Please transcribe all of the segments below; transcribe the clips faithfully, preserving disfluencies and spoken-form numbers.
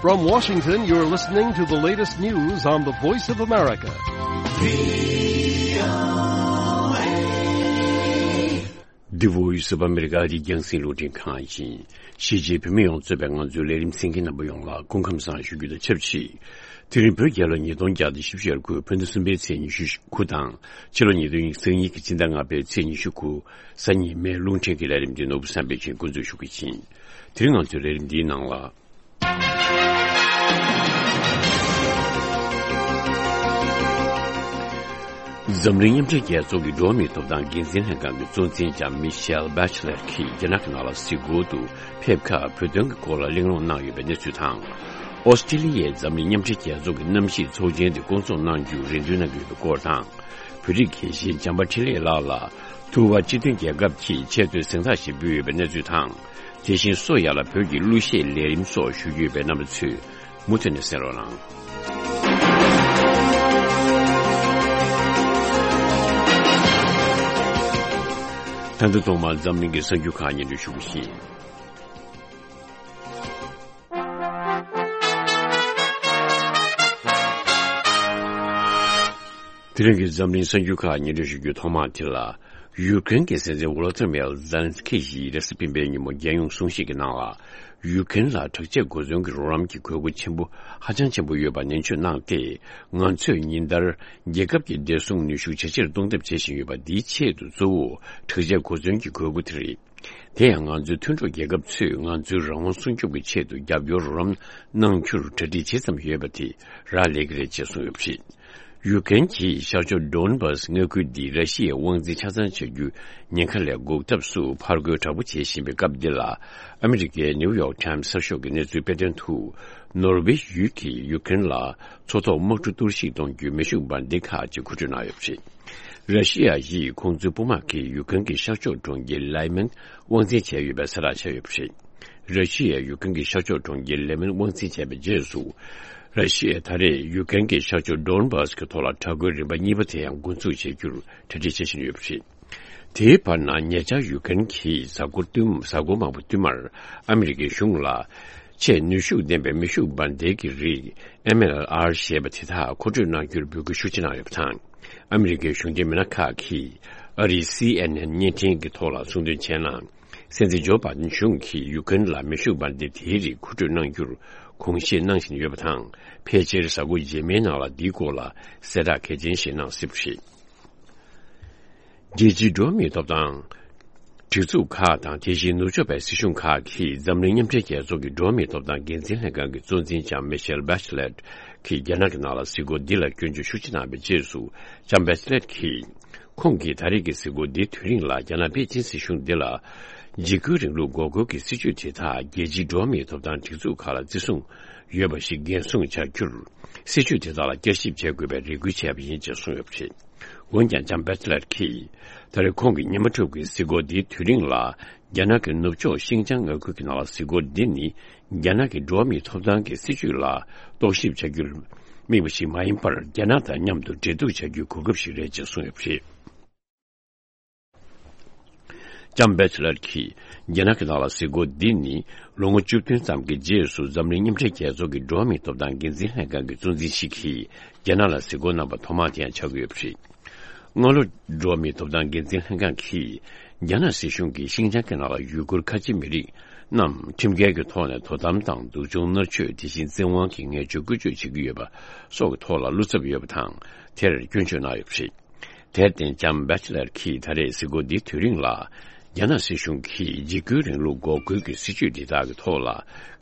From Washington, you're listening to the latest news on the Voice of America. The Voice of America. འདི་རྒྱང་སྲིང་རླུང་འཕྲིན་ཁང་ཡིན། གཞིས་བྱེས་བོད་མི་ཡོངས་གཙོས་པའི་ང་ཚོའི་ལས་རིམ་གསན་མཁན་རྣམ་པ་ཡོངས་ལ་སྐུ་ཁམས་བཟང་ཞུ་རྒྱུ་དང་ཆབས་ཅིག་དེ་རིང་བོད་རྒྱལ་ལོ་ཉིས་སྟོང་བརྒྱ་དང་བཞི་བཅུ་ཞེ་དགུ་བོད་ཟླ་གསུམ་པའི་ཚེས་ཉི་ཤུ་དགུ་དང་། ཕྱི་ལོ་ཉིས་སྟོང་ཉི་ཤུ་རྩ་གཉིས་ཀྱི་སྤྱི་ཟླ་ལྔ་པའི་ཚེས་ཉི་ཤུ་དགུ། གཟའ་ཉི་མའི་རླུང་འཕྲིན་གྱི་ལས་རིམ་འདི་ནོར་བུ་བསམ་འཕེལ་གྱིས་འགོ་འཛུགས་ཞུ་གི་ཡིན། དེ་རིང་ང་ཚོའི་ལས་རིམ་འདིའི་ནང་ལ། འཛམ་གླིང་མཉམ་འབྲེལ་རྒྱལ་ཚོགས་ཀྱི་འགྲོ་བ་མིའི་ཐོབ་ཐང་འགན་འཛིན་ལྷན་ཁང་གི་གཙོ་འཛིན་ལྕམ་མི་ཤེལ་བྷེ་ཆི་ལེཊ་ཀྱིས་རྒྱ་ནག་གི་ནང་ལ་གཟིགས་སྐོར་དུ་ཕེབས་ཁར་བོད་དོན་གྱི་སྐོར་ལ་གླེང་སློང་གནང་ཡོད་པའི་གནས་ཚུལ་དང་། ཨོ་སི་ཀྲི་ལི་ཡའི་འཛམ་གླིང་མཉམ་འབྲེལ་རྒྱལ་ཚོགས་ཀྱི་གནམ་གཤིས་ཚོགས་ཆེན་དེ་བསྐོང་ཚོགས་གནང་རྒྱུར་རེ་འདུན་གནང་གི་ཡོད་པའི་སྐོར་དང་། བོད་རིགས་དགེ་བཤེས་བྱམས་པ་འཕྲིན་ལས་ལགས་ལ་ཐུག་པ་སྤྱི་མཐུན་རྒྱལ་ཁབ་ཀྱིས་ཆེས་མཐོའི་གཟེངས་རྟགས་ཤིག་ཕུལ་ཡོད་པའི་གནས་ཚུལ་དང་། དེ་བཞིན་སོ་ཡ་ལ་བོད་ཀྱི་གླུ་གཞས་ལས་རིམ་སོགས་ཞུ་རྒྱུ་ཡོད་པའི་རྣམ་པ་ཚོས་མུ་མཐུད་ནས་གསན་རོགས་གནང་། ད་ལྟ་ཐོག་མར་འཛམ་གླིང་གི་གསར་འགྱུར་ཁག་སྙན་སྒྲོན་ཞུ་གི་ཡིན། དེ་རིང་གི་འཛམ་གླིང་གསར་འགྱུར་ཁག་སྙན་སྒྲོན་ཞུ་རྒྱུའི་ཐོག་མ་དེ་ལ། ཡུ་ཀེ་རེན་གྱི་སྲིད་འཛིན་ཝོ་ལོ་ཏི་མེལ་ཛེ་ལན་སི་ཀི་ཡིས་རེས་གཟའ་སྤེན་པའི་ཉིན་མོ་རྒྱལ་ཡོངས་གསུང་བཤད་ཀྱི་ནང་ལ། ཡུ་ཀེ་རེན་ལ་དྲག་ཆས་གོ་མཚོན་གྱི་རོགས་རམ་གྱི་དགོས་མཁོ་ཆེན་པོ་ཧ་ཅང་ཆེན་པོ་ཡོད་པ་ནན་བརྗོད་གནང་སྟེ། ང་ཚོས་ཉིན་ལྟར་རྒྱལ་ཁབ་ཀྱི་བདེ་སྲུང་ནུས་ཤུགས་ཇེ་ཆེར་གཏོང་ཐབས་བྱེད་བཞིན་ཡོད་པ། འདིའི་ཆེད་དུ་གཙོ་བོ་དྲག་ཆས་གོ་མཚོན་གྱི་དགོས་མཁོ་དེ་རེད། དེ་ཡང་ང་ཚོའི་མཐུན་གྲོགས་རྒྱལ་ཁབ་ཚོས་ང་ཚོའི་རང་དབང་སྲུང་སྐྱོབ་ཀྱི་ཆེད་དུ་རྒྱབ་སྐྱོར་རོགས་རམ་གནང་རྒྱུར་གྲ་སྒྲིག་ཇི་ཙམ་ཡོད་པ་དེ་རག་ལས་ཀྱི་རེད་ཅེས་གསུངས་ཡོད་པ་རེད། ཡུ་ཀེ་རེན་གྱིས་ཤར་ཕྱོགས་ཌོན་བྷ་སི་མངའ་ཁུལ་འདི་ར་ཤི་ཡའི་དབང་འཛིན་ཆ་ཚང་བྱ་རྒྱུ་ཉེན་ཁ་ལས་འགོག་ཐབས་སུ་ཕར་རྒོལ་དྲག་པོ་བྱེད་བཞིན་པའི་སྐབས་འདི་ལ། ཨ་མི་རི་ཀའི་ནིའུ་ཡོག་ཊའིམ་སི་གསར་ཤོག་གི་གནས་ཚུལ་སྤེལ་དོན་དུ། ནོར་ཝེ་ཡུལ་གྱིས་ཡུ་ཀེ་རེན་ལ་མཚོ་ཐོག་དམག་གྲུ་གཏོར་བཤིག་གཏོང་རྒྱུའི་མེ་ཤུགས་འབར་མདེལ་ཁག་ཅིག་མཁོ་སྤྲོད་གནང་ཡོད་པ་རེད། ར་ཤི་ཡ་ཡིས་ཁོང་ཚོའི་དཔུང་དམག་གིས་ཡུ་ཀེ་རེན་གྱི་ཤར་ཕྱོགས་གྲོང་ཁྱེར་ལའེ་མན་དབང་འཛིན་བྱས་ཡོད་པའི་གསལ་བསྒྲགས་བྱས་ཡོད་པ་རེད། ར་ཤི་ཡས་ཡུ་ཀེ་རེན་གྱི་ཤར་ཕྱོགས་གྲོང་ཁྱེར་ལའེ་མན་དབང་འཛིན་བྱས་པའི་རྗེས་སུ། ར་ཤི་ཡས་ད་རེས་ཡུ་ཀེ་རེན་གྱི་ཤར་ཕྱོགས་ཌོན་བྷ་སི་གི་ཐོག་ལ་དྲག་རྒོལ་རིམ་པ་གཉིས་པ་དེ་ཡང་འགོ་འཛུགས་བྱེད་རྒྱུར་གྲ་སྒྲིག་བྱེད་བཞིན་ཡོད་པ་རེད། དེའི་བར་ན་ཉེ་ཆར་ཡུ་ཀེ་རེན་གྱིས་གཟའ་འཁོར་བསྟུད་གཟའ་འཁོར་མང་པོ་བསྟུད་མར་ཨ་མི་རི་ཀའི་གཞུང་ལ། ཆེས་ནུས་ཤུགས་ལྡན་པའི་མེ་ཤུགས་འབར་མདེལ་གྱི་རིགས་ཨེམ་ཨེལ་ཨར་ཞེས་པ་དེ་དག་མཁོ་སྤྲོད་གནང་རྒྱུར་འབོད་སྐུལ་ཤུགས་ཆེ་གནང་ཡོད་པ་དང་། ཨ་མི་རི་ཀའི་གཞུང་འབྲེལ་མི་སྣ་ཁག་གིས་ཨ་རིའི་སི་ཨེན་ཨེན་བརྙན་འཕྲིན་གྱི་ཐོག་ལ་གསུངས་དོན་བྱས་ན། སྲིད་འཛིན་ཇོ་བྷའི་ཌེན་གཞུང་གིས་ཡུ་ཀེ་རེན་ལ་མེ་ཤུགས་འབར་མདེལ་དེའི་རིགས་མཁོ་སྤྲོད་གནང་རྒྱུར་དགོངས་བཞེས་གནང་བཞིན་ཡོད་པ་དང་། ཕལ་ཆེར་གཟའ་འཁོར་རྗེས་མའི་ནང་ལ་འདིའི་སྐོར་ལ་གསལ་བསྒྲགས་གལ་ཆེན་ཞིག་གནང་སྲིད་པ་རེད། རྒྱལ་སྤྱིའི་འགྲོ་བ་མིའི་ཐོབ་ཐང་སྒྲིག་འཛུགས་ཁག་དང་། དེ་བཞིན་ནུབ་ཕྱོགས་པའི་སྲིད་གཞུང་ཁག་གིས་འཛམ་གླིང་མཉམ་འབྲེལ་རྒྱལ་ཚོགས་ཀྱི་འགྲོ་བ་མིའི་ཐོབ་ཐང་འགན་འཛིན་ལྷན་ཁང་གི་གཙོ་འཛིན་ལྕམ་མི་ཤེལ་བྷེ་ཆི་ལེཊ་གྱིས་རྒྱ་ནག་གི་ནང་ལ་གཟིགས་སྐོར་འདི་ལ་སྐྱོན་བརྗོད་ཤུགས་ཆེ་གནང་བའི་རྗེས་སུ། ལྕམ་བྷེ་ཆི་ལེཊ་གྱིས། ཁོང་གིས་ད་རེས་ཀྱི་གཟིགས་སྐོར་འདིའི་དུས་རིང་ལ་རྒྱ་ནག་པེ་ཅིན་སྲིད་གཞུང་འདི་ལ། འཇིགས་སྐུལ་རིང་ལུགས་འགོག་རྒོལ་གྱི་སྲིད་བྱུས་དེ་དག་རྒྱལ་སྤྱིའི་འགྲོ་བ་མིའི་ཐོབ་ཐང་སྒྲིག་འཛུགས་ཁག་ལ་བརྩི་སྲུང་ཡོད་པ་ཞིག་འགན་སྲུང་བྱ་རྒྱུར། སྲིད་བྱུས་དེ་དག་ལ་བསྐྱར་ཞིབ་བྱེད་དགོས་པའི་རེ་སྐུལ་བྱས་པ་ཡིན་ཅེས་གསུངས་ཡོད་པ་རེད། འོན་ཀྱང་ལྕམ་བྷེ་ཆི་ལེཊ་གྱིས། ད་རེས་ཁོང་གི་ཉི་མ་དྲུག་གི་གཟིགས་སྐོར་འདིའི་དུས་རིང་ལ། རྒྱ་ནག་གི་ནུབ་ཕྱོགས་ཤིན་ཅང་མངའ་ཁུལ་གྱི་ནང་ལ་གཟིགས་སྐོར་འདི་ནི། རྒྱ་ནག་གི་འགྲོ་བ་མིའི་ཐོབ་ཐང་གི་སྲིད་བྱུས་ལ་རྟོག་ཞིབ་བྱ་རྒྱུར་དམིགས་པ་ཞིག་མ་ཡིན་པར། རྒྱ་ནག་དང་མཉམ་དུ་འབྲེལ་གཏུག་བྱ་རྒྱུའི་གོ་སྐབས་ཤིག་རེད་ཅེས་གསུངས་ཡོད་པ་རེད། ལྕམ་བྷེ་ཆི་ལེཊ་གྱིས་རྒྱ་ནག་གི་ནང་ལ་གཟིགས་སྐོར་འདི་ནི། ལོ་ངོ་བཅུ་བདུན་ཙམ་གྱི་རྗེས་སུ་འཛམ་གླིང་མཉམ་འབྲེལ་རྒྱལ་ཚོགས་ཀྱི་འགྲོ་བ་མིའི་ཐོབ་ཐང་འགན་འཛིན་ལྷན་ཁང་གི་གཙོ་འཛིན་ཞིག་གིས་རྒྱ་ནག་ལ་གཟིགས་སྐོར་གནང་པ་ཐོག་མ་དེ་ཡང་ཆགས་ཀྱི་ཡོད་པ་རེད། སྔ་ལོ། འགྲོ་བ་མིའི་ཐོབ་ཐང་འགན་འཛིན་ལྷན་ཁང་གིས། རྒྱ་ནག་སྲིད་གཞུང་གིས་ཤིན་ཅང་གི་ནང་ལ་ཡུ་གུར་ཁ་ཆེ་མི་རིགས་རྣམས་ཁྲིམས་འགལ་གྱི་ཐོག་ནས་དོ་དམ་དང་། སྡུག་སྦྱོང་མནར་གཅོད། དེ་བཞིན་བཙན་དབང་གིས་ངན་བྱུས་བཀོལ་སྤྱོད་བྱེད་ཀྱི་ཡོད་པ་སོགས་ཀྱི་ཐོག་ལ་བློ་འཚབ་ཡོད་པ་དང་། དེར་སྐྱོན་བརྗོད་གནང་ཡོད་པ་རེད། དེར་བརྟེན་ལྕམ་བྷེ་ཆི་ལེཊ་གྱིས་ད་རེས་གཟིགས་སྐོར་འདིའི་དུས་རིང་ལ། རྒྱ་ནག་སྲིད་གཞུང་གིས་འཇིགས་སྐུལ་རིང་ལུགས་འགོག་རྒོལ་གྱི་སྲིད་བྱུས་འདི་དག་གི་ཐོག་ལ་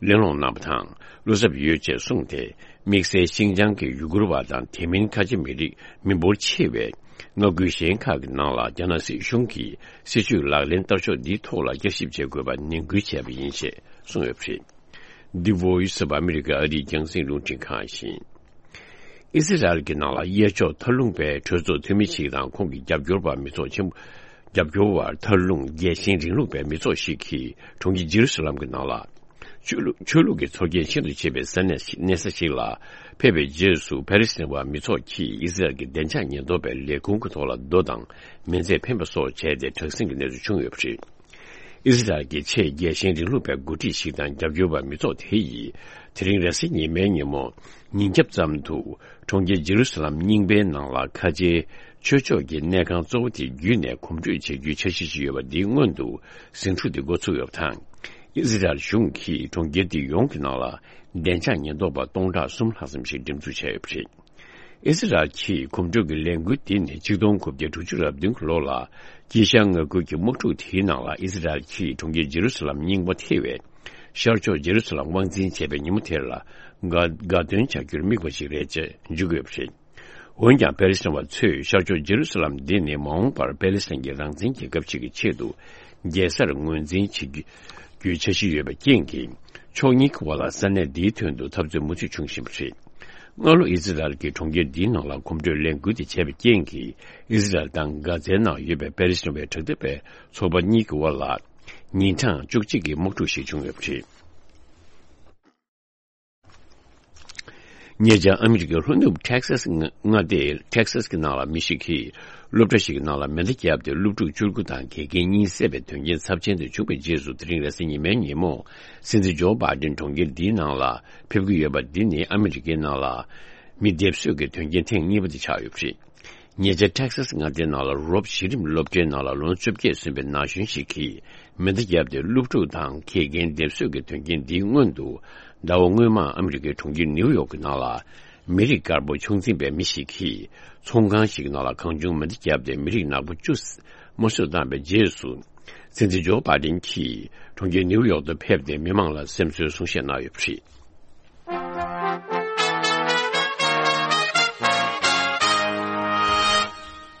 གླེང་སློང་གནང་བ་དང་། བློ་འཚབ་ཡོད་ཅེས་གསུངས་ཏེ། དམིགས་བསལ་ཤིན་ཅང་གི་ཡུ་གུར་བ་དང་དེ་མིན་ཁ་ཆེ་མི་རིགས་མི་འབོར་ཆེ་བའི་མངའ་ཁུལ་གཞན་ཁག་གི་ནང་ལ་རྒྱ་ནག་སྲིད་གཞུང་གིས་སྲིད་བྱུས་ལག་ལེན་བསྟར་ཕྱོགས་འདིའི་ཐོག་ལ་བསྐྱར་ཞིབ་བྱེད་དགོས་པ་ནན་སྐུལ་བྱས་པ་ཡིན་ཞེས་གསུངས་ཡོད་པ་རེད། འདི་Voice of America ཨ་རིའི་རྒྱང་སྲིང་རླུང་འཕྲིན་ཁང་ཡིན། ཨི་སི་རལ་གྱི་ནང་ལ་གཡས་ཕྱོགས་མཐར་ལྷུང་པའི་གྲོས་ཚོགས་འཐུས་མི་ཞིག་དང་ཁོང་གི་རྒྱབ་སྐྱོར་བ་མི་ཚོགས་ཆེན་པོ། རྒྱབ་སྐྱོར་བར་མཐར་ལྷུང་རྒྱལ་ཞེན་རིང་ལུགས་པའི་མི་ཚོགས་ཤིག་གིས་གྲོང་ཁྱེར་ཇེ་རུ་སཱ་ལམ་གྱི་ནང་ལ། ཆོས་ལུགས་ཆོས་ལུགས་ཀྱི་ཚོར་སྐྱེན་ཤིན་ཏུ་ཆེ་བའི་ས་གནས་ཤིག་གནས་ས་ཞིག་ལ་ཕེབས་པའི་རྗེས་སུ། ཕ་ལེ་སི་ཐན་པ་མི་ཚོགས་ཀྱིས་ཨི་སི་རལ་གྱི་བདེ་འཇགས་ཉེན་རྟོག་པའི་ལས་ཁུངས་ཀྱི་ཐོག་ལ་རྡོ་དང་མེ་མཛད་འཕེན་པ་སོགས་བྱས་ཏེ་དྲག་ཟིང་གི་གནས་ཚུལ་བྱུང་ཡོད་པ་རེད། ཨི་སི་རལ་གྱི་ཆེས་རྒྱལ་ཞེན་རིང་ལུགས་པའི་འགོ་ཁྲིད་ཞིག་དང་རྒྱབ་སྐྱོར་བ་མི་ཚོགས་དེ་ཡིས། དེ་རིང་རེས་གཟའ་ཉི་མའི་ཉིན་མོ་ཉིན་རྒྱབ་ཙམ་དུ་གྲོང་ཁྱེར་ཇེ་རུ་སཱ་ལམ་རྙིང་པའི་ནང་ལ་ཁ་ཆེའི་ཆོས་ཕྱོགས་ཀྱི་གནས་ཁང་གཙོ་བོ་དེ་བརྒྱུད་ནས་གོམ་བགྲོད་བྱ་རྒྱུའི་འཆར་གཞི་ཞིག་ཡོད་པ་འདིའི་སྔོན་དུ་ཟིང་འཁྲུག་དེ་འགོ་ཚུགས་ཡོད་པ་དང་། ཨི་ཟི་རལ་གཞུང་གིས་གྲོང་ཁྱེར་དེ་ཡོངས་ཀྱི་ནང་ལ་བདེ་འཇགས་ཉེན་རྟོག་པ་སྟོང་ཕྲག་གསུམ་ལྷག་ཙམ་ཞིག་འགྲེམས་འཛུགས་བྱས་ཡོད་པ་རེད། ཨི་ཟི་རལ་གྱིས་གོམ་བགྲོད་ཀྱི་ལས་འགུལ་འདི་ནི་ཆིག་སྟོང་དགུ་བརྒྱ་དྲུག་ཅུ་རེ་བདུན་གྱི་ལོ་ལ་དཀྱིལ་ཤར་མངའ་ཁུལ་གྱི་དམག་འཁྲུག་དེའི་ནང་ལ་ཨི་ཟི་རལ་གྱིས་གྲོང་ཁྱེར་ཇེ་རུ་སཱ་ལམ་རྙིང་པ་ཐེ་བའི་ཤར་ཕྱོགས་ཇེ་རུ་སཱ་ལམ་དབང་འཛིན་བྱས་པའི་ཉིན་མོ་དེར་ལ་དགའ་དགའ་སྟོན་བྱ་རྒྱུར་དམིགས་པ་ཞིག་རེད་ཅེས་བརྗོད་ཀྱི་ཡོད་པ་རེད། འོན་ཀྱང་པེ་ལེ་སི་ཐན་བ་ཚོས་ཤར་ཕྱོགས་ཇེ་རུ་སཱ་ལམ་འདི་ནི་མ་འོངས་པར་པེ་ལེ་སི་ཐན་གྱི་རང་བཙན་གྱི་སྐབས་ཤིག་གི་ཆེད་དུ་རྒྱལ་སར་ངོས་འཛིན་བྱེད་རྒྱུའི་འཆར་གཞི་ཡོད་པའི་རྐྱེན་གྱིས། ཕྱོགས་གཉིས་ཀྱི་དབར་ལ་ས་གནས་འདིའི་དོན་དུ་འཐབ་རྩོད་མུ་མཐུད་བྱུང་བཞིན་པ་རེད། སྔ་ལོ་ཨི་ཟི་རལ་གྱིས་གྲོང་ཁྱེར་འདིའི་ནང་ལ་གོམ་བགྲོད་ལས་འགུལ་དེ་བྱས་པའི་རྐྱེན་གྱིས། ཨི་ཟི་རལ་དང་གྷ་ཛའི་ནང་ཡོད་པའི་པེ་ལེ་སི་ཐན་བའི་དྲག་འཐབ་པའི་ཚོགས་པ་གཉིས་ཀྱི་དབར་ལ་ཉིན་གྲངས་བཅུ་གཅིག་གི་དམག་འཁྲུག་ཞིག་བྱུང་ཡོད་པ་རེད། ཉེ་ཆར་ཨ་མི་རི་ཀའི་ལྷོ་ནུབ་ཊེག་སཱ་སི་མངའ་སྡེའི་ཊེག་སཱ་སི་གི་ནང་ལ་མི་ཞིག་གིས་སློབ་གྲྭ་ཞིག་གི་ནང་ལ་མེ་མདའ་བརྒྱབ་སྟེ་སློབ་ཕྲུག་བཅུ་དགུ་དང་དགེ་རྒན་གཉིས་བསད་པའི་དོན་རྐྱེན་ཚབས་ཆེན་དེ་བྱུང་བའི་རྗེས་སུ། དེ་རིང་རེས་གཟའ་ཉི་མའི་ཉིན་མོ་སྲིད་འཛིན་ཇོ་བྷའི་ཌེན་གྲོང་ཁྱེར་འདིའི་ནང་ལ་ཕེབས་ཀྱི་ཡོད་པ་འདི་ནི་ཨ་མི་རི་ཀའི་ནང་ལ་མི་སྡེབ་གསོད་ཀྱི་དོན་རྐྱེན་ཐེངས་གཉིས་པ་དེ་ཆགས་ཡོད་པ་རེད། ཉེ་ཆར་ཊེག་སཱ་སི་མངའ་སྡེའི་ནང་ལ་རོབ་གཞི་རིམ་སློབ་གྲྭའི་ནང་ལ་ལོ་ངོ་བཅོ་བརྒྱད་སོན་པའི་ན་གཞོན་ཞིག་གིས་མེ་མདའ་བརྒྱབ་སྟེ་སློབ་ཕྲུག་དང་དགེ་རྒན་སྡེབ་གསོད་ཀྱི་དོན་རྐྱེན་འདིའི་སྔོན་དུ། ཟླ་བ་སྔོན་མ་ཨ་མི་རི་ཀའི་གྲོང་ཁྱེར་ནིའུ་ཡོག་གི་ནང་ལ་མི་རིགས་དཀར་པོ་ཕྱོགས་འཛིན་པའི་མི་ཞིག་གིས་ཚོང་ཁང་ཞིག་གི་ནང་ལ་གང་བྱུང་མེ་མདའ་བརྒྱབ་སྟེ་མི་རིགས་ནག་པོ་བཅུ་དམར་གསོད་བཏང་བའི་རྗེས་སུ། སྲིད་འཛིན་ཇོ་བྷའི་ཌེན་གྱིས་གྲོང་ཁྱེར་ནིའུ་ཡོག་ཏུ་ཕེབས་ཏེ་མི་མང་ལ་སེམས་གསོའི་གསུང་བཤད་གནང་ཡོད་པ་རེད།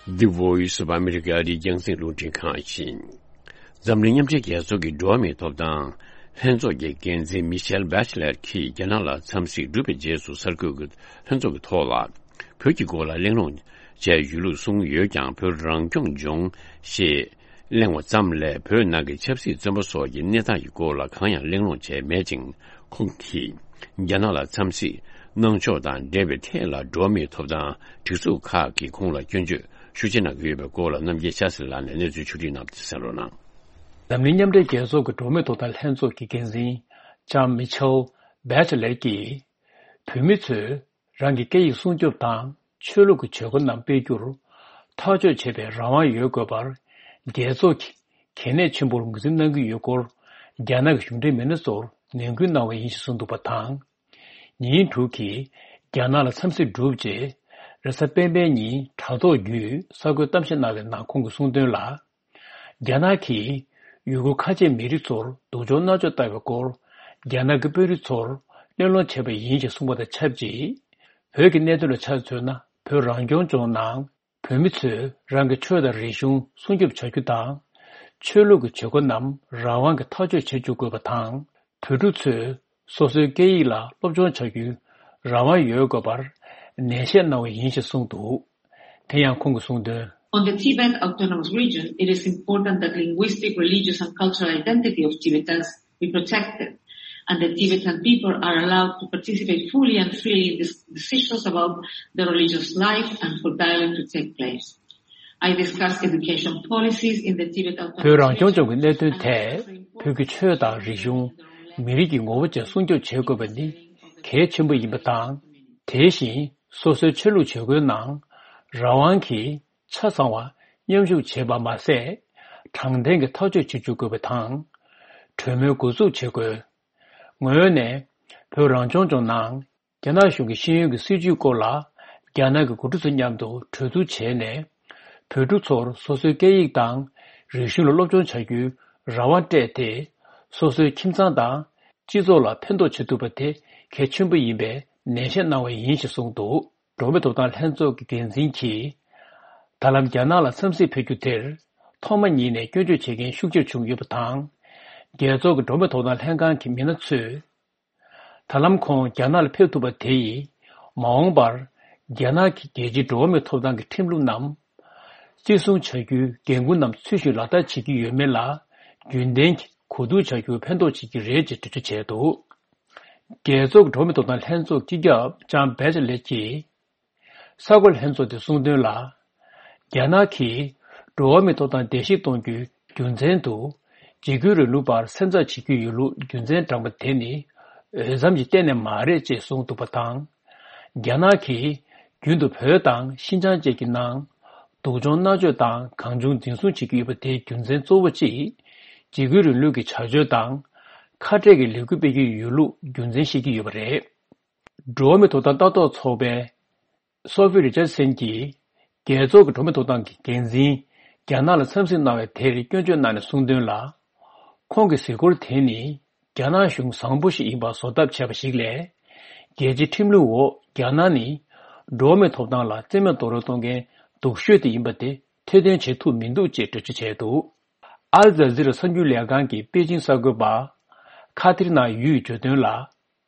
The Voice of America ཨ་རིའི་རྒྱང་སྲིང་རླུང་འཕྲིན་ཁང་ཡིན། འཛམ་གླིང་མཉམ་འབྲེལ་རྒྱལ་ཚོགས་ཀྱི་འགྲོ་བ་མིའི་ཐོབ་ཐང་ལྷན་ཚོགས་ཀྱི་འགན་འཛིན་མི་ཤེལ་བྷེ་ཆེ་ལེར་གྱིས་རྒྱ་ནག་ལ་འཚམས་གཟིགས་གྲུབ་པའི་རྗེས་སུ་གསར་འགོད་ཀྱི་ལྷན་ཚོགས་ཀྱི་ཐོག་ལ་བོད་ཀྱི་སྐོར་ལ་གླེང་སློང་བྱས་ཡོད་ལུགས་གསུངས་ཡོད་ཀྱང་། བོད་རང་སྐྱོང་ལྗོངས་ཞེས་གླེང་བ་ཙམ་ལས་བོད་ནང་གི་ཆབ་སྲིད་བཙོན་པ་སོགས་ཀྱི་གནས་སྟངས་ཀྱི་སྐོར་ལ་གང་ཡང་གླེང་སློང་བྱས་མེད་ཅིང་། ཁོང་གིས་རྒྱ་ནག་ལ་འཚམས་གཟིགས་གནང་ཕྱོགས་དང་འབྲེལ་བའི་ཐད་ལ་འགྲོ་བ་མིའི་ཐོབ་ཐང་སྒྲིག་འཛུགས་ཁག་གིས་ཁོང་ལ་སྐྱོན་བརྗོད་ཤུགས་ཆེ་གནང་གི་ཡོད་པའི་སྐོར་ལ་རྣམ་རྒྱལ་ཤཱ་སྲིད་ལགས་ནས་གནས་ཚུལ་ཕྱོགས་སྒྲིག་གནང་སྟེ་གསན་རོགས་གནང་། འཛམ་གླིང་མཉམ་འབྲེལ་རྒྱལ་ཚོགས་ཀྱི་འགྲོ་བ་མིའི་ཐོབ་ཐང་ལྷན་ཚོགས་ཀྱི་འགན་འཛིན་ལྕམ་མི་ཆེལ་བྷེ་ཆེ་ལེ་ཀྱིས། བོད་མི་ཚོས་རང་གི་སྐད་ཡིག་སྲུང་སྐྱོབ་དང་ཆོས་ལུགས་ཀྱི་བྱེད་སྒོ་རྣམས་སྤེལ་རྒྱུར་ཐག་གཅོད་བྱེད་པའི་རང་དབང་ཡོད་དགོས་པར། རྒྱལ་ཚོགས་ཀྱིས་གལ་གནད་ཆེན་པོར་ངོས་འཛིན་གནང་གི་ཡོད་སྐོར། རྒྱ་ནག་གི་གཞུང་འབྲེལ་མི་སྣ་ཚོར་ནན་སྐུལ་གནང་བ་ཡིན་ཞེས་གསུངས་འདུག་པ་དང་། ཉིན་དྲུག་གི་རྒྱ་ནག་ལ་འཚམས་གཟིགས་གྲུབ་རྗེས། རེས་གཟའ་སྤེན་པའི་ཉིན་དྲ་ཐོག་བརྒྱུད་གསར་འགོད་གཏམ་བཤད་གནང་བའི་ནང་ཁོང་གིས་གསུངས་དོན་ལ། རྒྱ་ནག་གིས་ཡུ་གུར་ཁ་ཆེ་མི་རིགས་ཚོར་སྡུག་སྦྱོང་མནར་གཅོད་བཏང་བའི་སྐོར། རྒྱ་ནག་གི་དཔོན་རིགས་ཚོར་གླེང་སློང་བྱས་པ་ཡིན་ཞེས་གསུངས་པ་དང་ཆབས་ཅིག་བོད་ཀྱི་གནད་དོན་ལ་ཆ་མཚོན་ན། བོད་རང་སྐྱོང་ལྗོངས་ནང་བོད་མི་ཚོས་རང་གི་ཆོས་དང་རིག་གཞུང་སྲུང་སྐྱོབ་བྱ་རྒྱུ་དང་། ཆོས་ལུགས་ཀྱི་བྱེད་སྒོ་རྣམས་རང་དབང་གིས་ཐག་གཅོད་བྱེད་འཇུག་དགོས་པ་དང་། བོད་ཕྲུག་ཚོས་སོ་སོའི་སྐད་ཡིག་ལ་སློབ་སྦྱོང་བྱ་རྒྱུའི་རང་དབང་ཡོད་དགོས་པར་ནན་བཤད་གནང་བ་ཡིན་ཞེས་གསུངས་འདུག་དེ་ཡང་ཁོང་གིས་གསུངས་དོན། On the Tibet Autonomous Region, it is important that linguistic, religious and cultural identity of Tibetans be protected, and the Tibetan people are allowed to participate fully and freely in dis- decisions about their religious life and for dialogue to take place. I discussed education policies in the Tibet Autonomous བོད་རང་སྐྱོང་ལྗོངས་ཀྱི་གནད་དོན་ཐད་བོད་ཀྱི་ཆོས་དང་རིག་གཞུང་། མི་རིགས་ཀྱི་ངོ་བོ་བཅས་སྲུང་སྐྱོབ་བྱེད་དགོས་པ་ནི་གལ་ཆེན་པོ་ཡིན་པ་དང་། དེ་བཞིན་སོ་སོའི་ཆོས་ལུགས་བྱེད་སྒོའི་ནང་རང་དབང་གིས་ཆ་ཚང་བ་མཉམ་ཞུགས་བྱེད་པ་མ་ཟད། དྲང་བདེན་གྱི་ཐག་གཅོད་བྱེད་འཇུག་དགོས་པ་དང་། གྲོས་མོལ་འགོ་འཛུགས་བྱེད་དགོས། ངོས་ནས་བོད་རང་སྐྱོང་ལྗོངས་ནང་རྒྱ་ནག་གཞུང་གི་ཤེས་ཡོན་གྱི་སྲིད་བྱུས་སྐོར་ལ་རྒྱ་ནག་གི་འགོ་ཁྲིད་ཚོ་མཉམ་དུ་གྲོས་བསྡུར་བྱས་ནས། བོད་ཕྲུག་ཚོར་སོ་སོའི་སྐད་ཡིག་དང་རིག་གཞུང་ལ་སློབ་སྦྱོང་བྱ་རྒྱུའི་རང་དབང་སྤྲད་དེ། སོ་སོའི་ཁྱིམ་ཚང་དང་སྤྱི་ཚོགས་ལ་ཕན་ཐོགས་བྱེད་ཐུབ་པ་དེ་གལ་ཆེན་པོ་ཡིན་པའི་ནན་བཤད་གནང་བ་ཡིན་ཞེས་གསུངས་འདུག་འགྲོ་བ་མིའི་ཐོབ་ཐང་ལྷན་ཚོགས་ཀྱི་འགན་འཛིན་གྱིས། ད་ལམ་རྒྱ་ནག་ལ་འཚམས་གཟིགས་ཕེབས་རྒྱུ་དེར། ཐོག་མ་ཉིད་ནས་སྐྱོན་བརྗོད་བྱེད་མཁན་ཤུགས་ཆེར་བྱུང་ཡོད་པ་དང་། རྒྱལ་ཚོགས་ཀྱི་འགྲོ་བ་མིའི་ཐོབ་ཐང་ལྷན་ཁང་གི་མི་སྣ་ཚོས། ད་ལམ་ཁོང་རྒྱ་ནག་ལ་ཕེབས་ཐུབ་པ་དེ་ཡིས། མ་འོངས་པར་རྒྱ་ནག་གི་རྒྱལ་སྤྱིའི་འགྲོ་བ་མིའི་ཐོབ་ཐང་གི་ཁྲིམས་ལུགས་རྣམས། བརྩི་སྲུང་བྱ་རྒྱུའི་འགན་འཁུར་རྣམས་ཚུལ་བཞིན་ལག་བསྟར་བྱེད་ཀྱི་ཡོད་མེད་ལ། རྒྱུན་ལྡན་གྱི་གོ་བསྡུར་བྱ་རྒྱུར་ཕན་ཐོགས་བྱེད་ཀྱི་རེད་ཅེས་འགྲེལ་བརྗོད་བྱས་འདུག་རྒྱལ་ཚོགས་ཀྱི་འགྲོ་བ་མིའི་ཐོབ་ཐང་ལྷན་ཚོགས་སྤྱི་ཁྱབ་ལྕམ་བྷེ་ཆེ་ལེ་ཀྱིས། གསར་འགོད་ལྷན་ཚོགས་དེ་གསུངས་དོན་ལ། རྒྱ་ནག་གིས་འགྲོ་བ་མིའི་ཐོབ་ཐང་བརྡལ་བཤིག་གཏོང་རྒྱུའི་རྒྱུ་མཚན་དུ། འཇིགས་སྐུལ་རིང་ལུགས་པར་སེམས་འཚབ་བྱེད་ཀྱི་ཡོད་ལུགས་རྒྱུ་མཚན་དྲངས་པ་དེ་ནི། འོས་འཚམ་གྱི་གཏན་ནས་མ་རེད་ཅེས་གསུངས་འདུག་པ་དང་། རྒྱ་ནག་གིས་རྒྱུན་དུ་བོད་དང་ཤིན་ཅང་བཅས་ཀྱི་ནང་སྡུག་སྦྱོང་མནར་གཅོད་དང་གང་བྱུང་འཛིན་བཟུང་བྱེད་ཀྱི་ཡོད་པ་དེའི་རྒྱུ་མཚན་གཙོ་བོ་གཅིག་འཇིགས་སྐུལ་རིང་ལུགས་ཀྱི་བྱ་སྤྱོད་དང་། ཁ་བྲལ་གྱི་ལས་འགུལ་སྤེལ་གྱི་ཡོད་ལུགས་རྒྱུ་མཚན་བཤད་ཀྱི་ཡོད་པ་རེད། འགྲོ་བ་མིའི་ཐོབ་ཐང་ལྟ་རྟོག་ཚོགས་པའི་སོ་ཕི་རི་ཅར་སན་གྱིས། རྒྱལ་ཚོགས་ཀྱི་འགྲོ་བ་མིའི་ཐོབ་ཐང་གི་འགན་འཛིན་རྒྱ་ནག་ལ་འཚམས་གཟིགས་གནང་བའི་དེར་སྐྱོན་བརྗོད་གནང་ནས་གསུངས་དོན་ལ། ཁོང་གི་གཟིགས་སྐོར་དེ་ནི་རྒྱ་ནག་གཞུང་བཟང་པོ་ཞིག་ཡིན་པར་བཟོ་ཐབས་བྱས་པ་ཞིག་ལས། རྒྱལ་སྤྱིའི་ཁྲིམས་ལུགས་འོག་རྒྱ་ནག་ནི་འགྲོ་བ་མིའི་ཐོབ་ཐང་ལ་བཙན་གནོན་རྡོག་རོལ་གཏོང་མཁན་སྡུག་ཤོས་དེ་ཡིན་པ་དེ་ཐེར་འདོན་བྱེད་ཐུབ་མི་འདུག་ཅེས་འགྲེལ་བརྗོད་བྱས་འདུག་ཨལ་ཛ་ཛི་ར་གསར་འགྱུར་ལས་ཁང་གི་པེ་ཅིང་གསར་འགོད་པ་ཁ་ཐིར་ན་ཡུས་བརྗོད་དོན་ལ།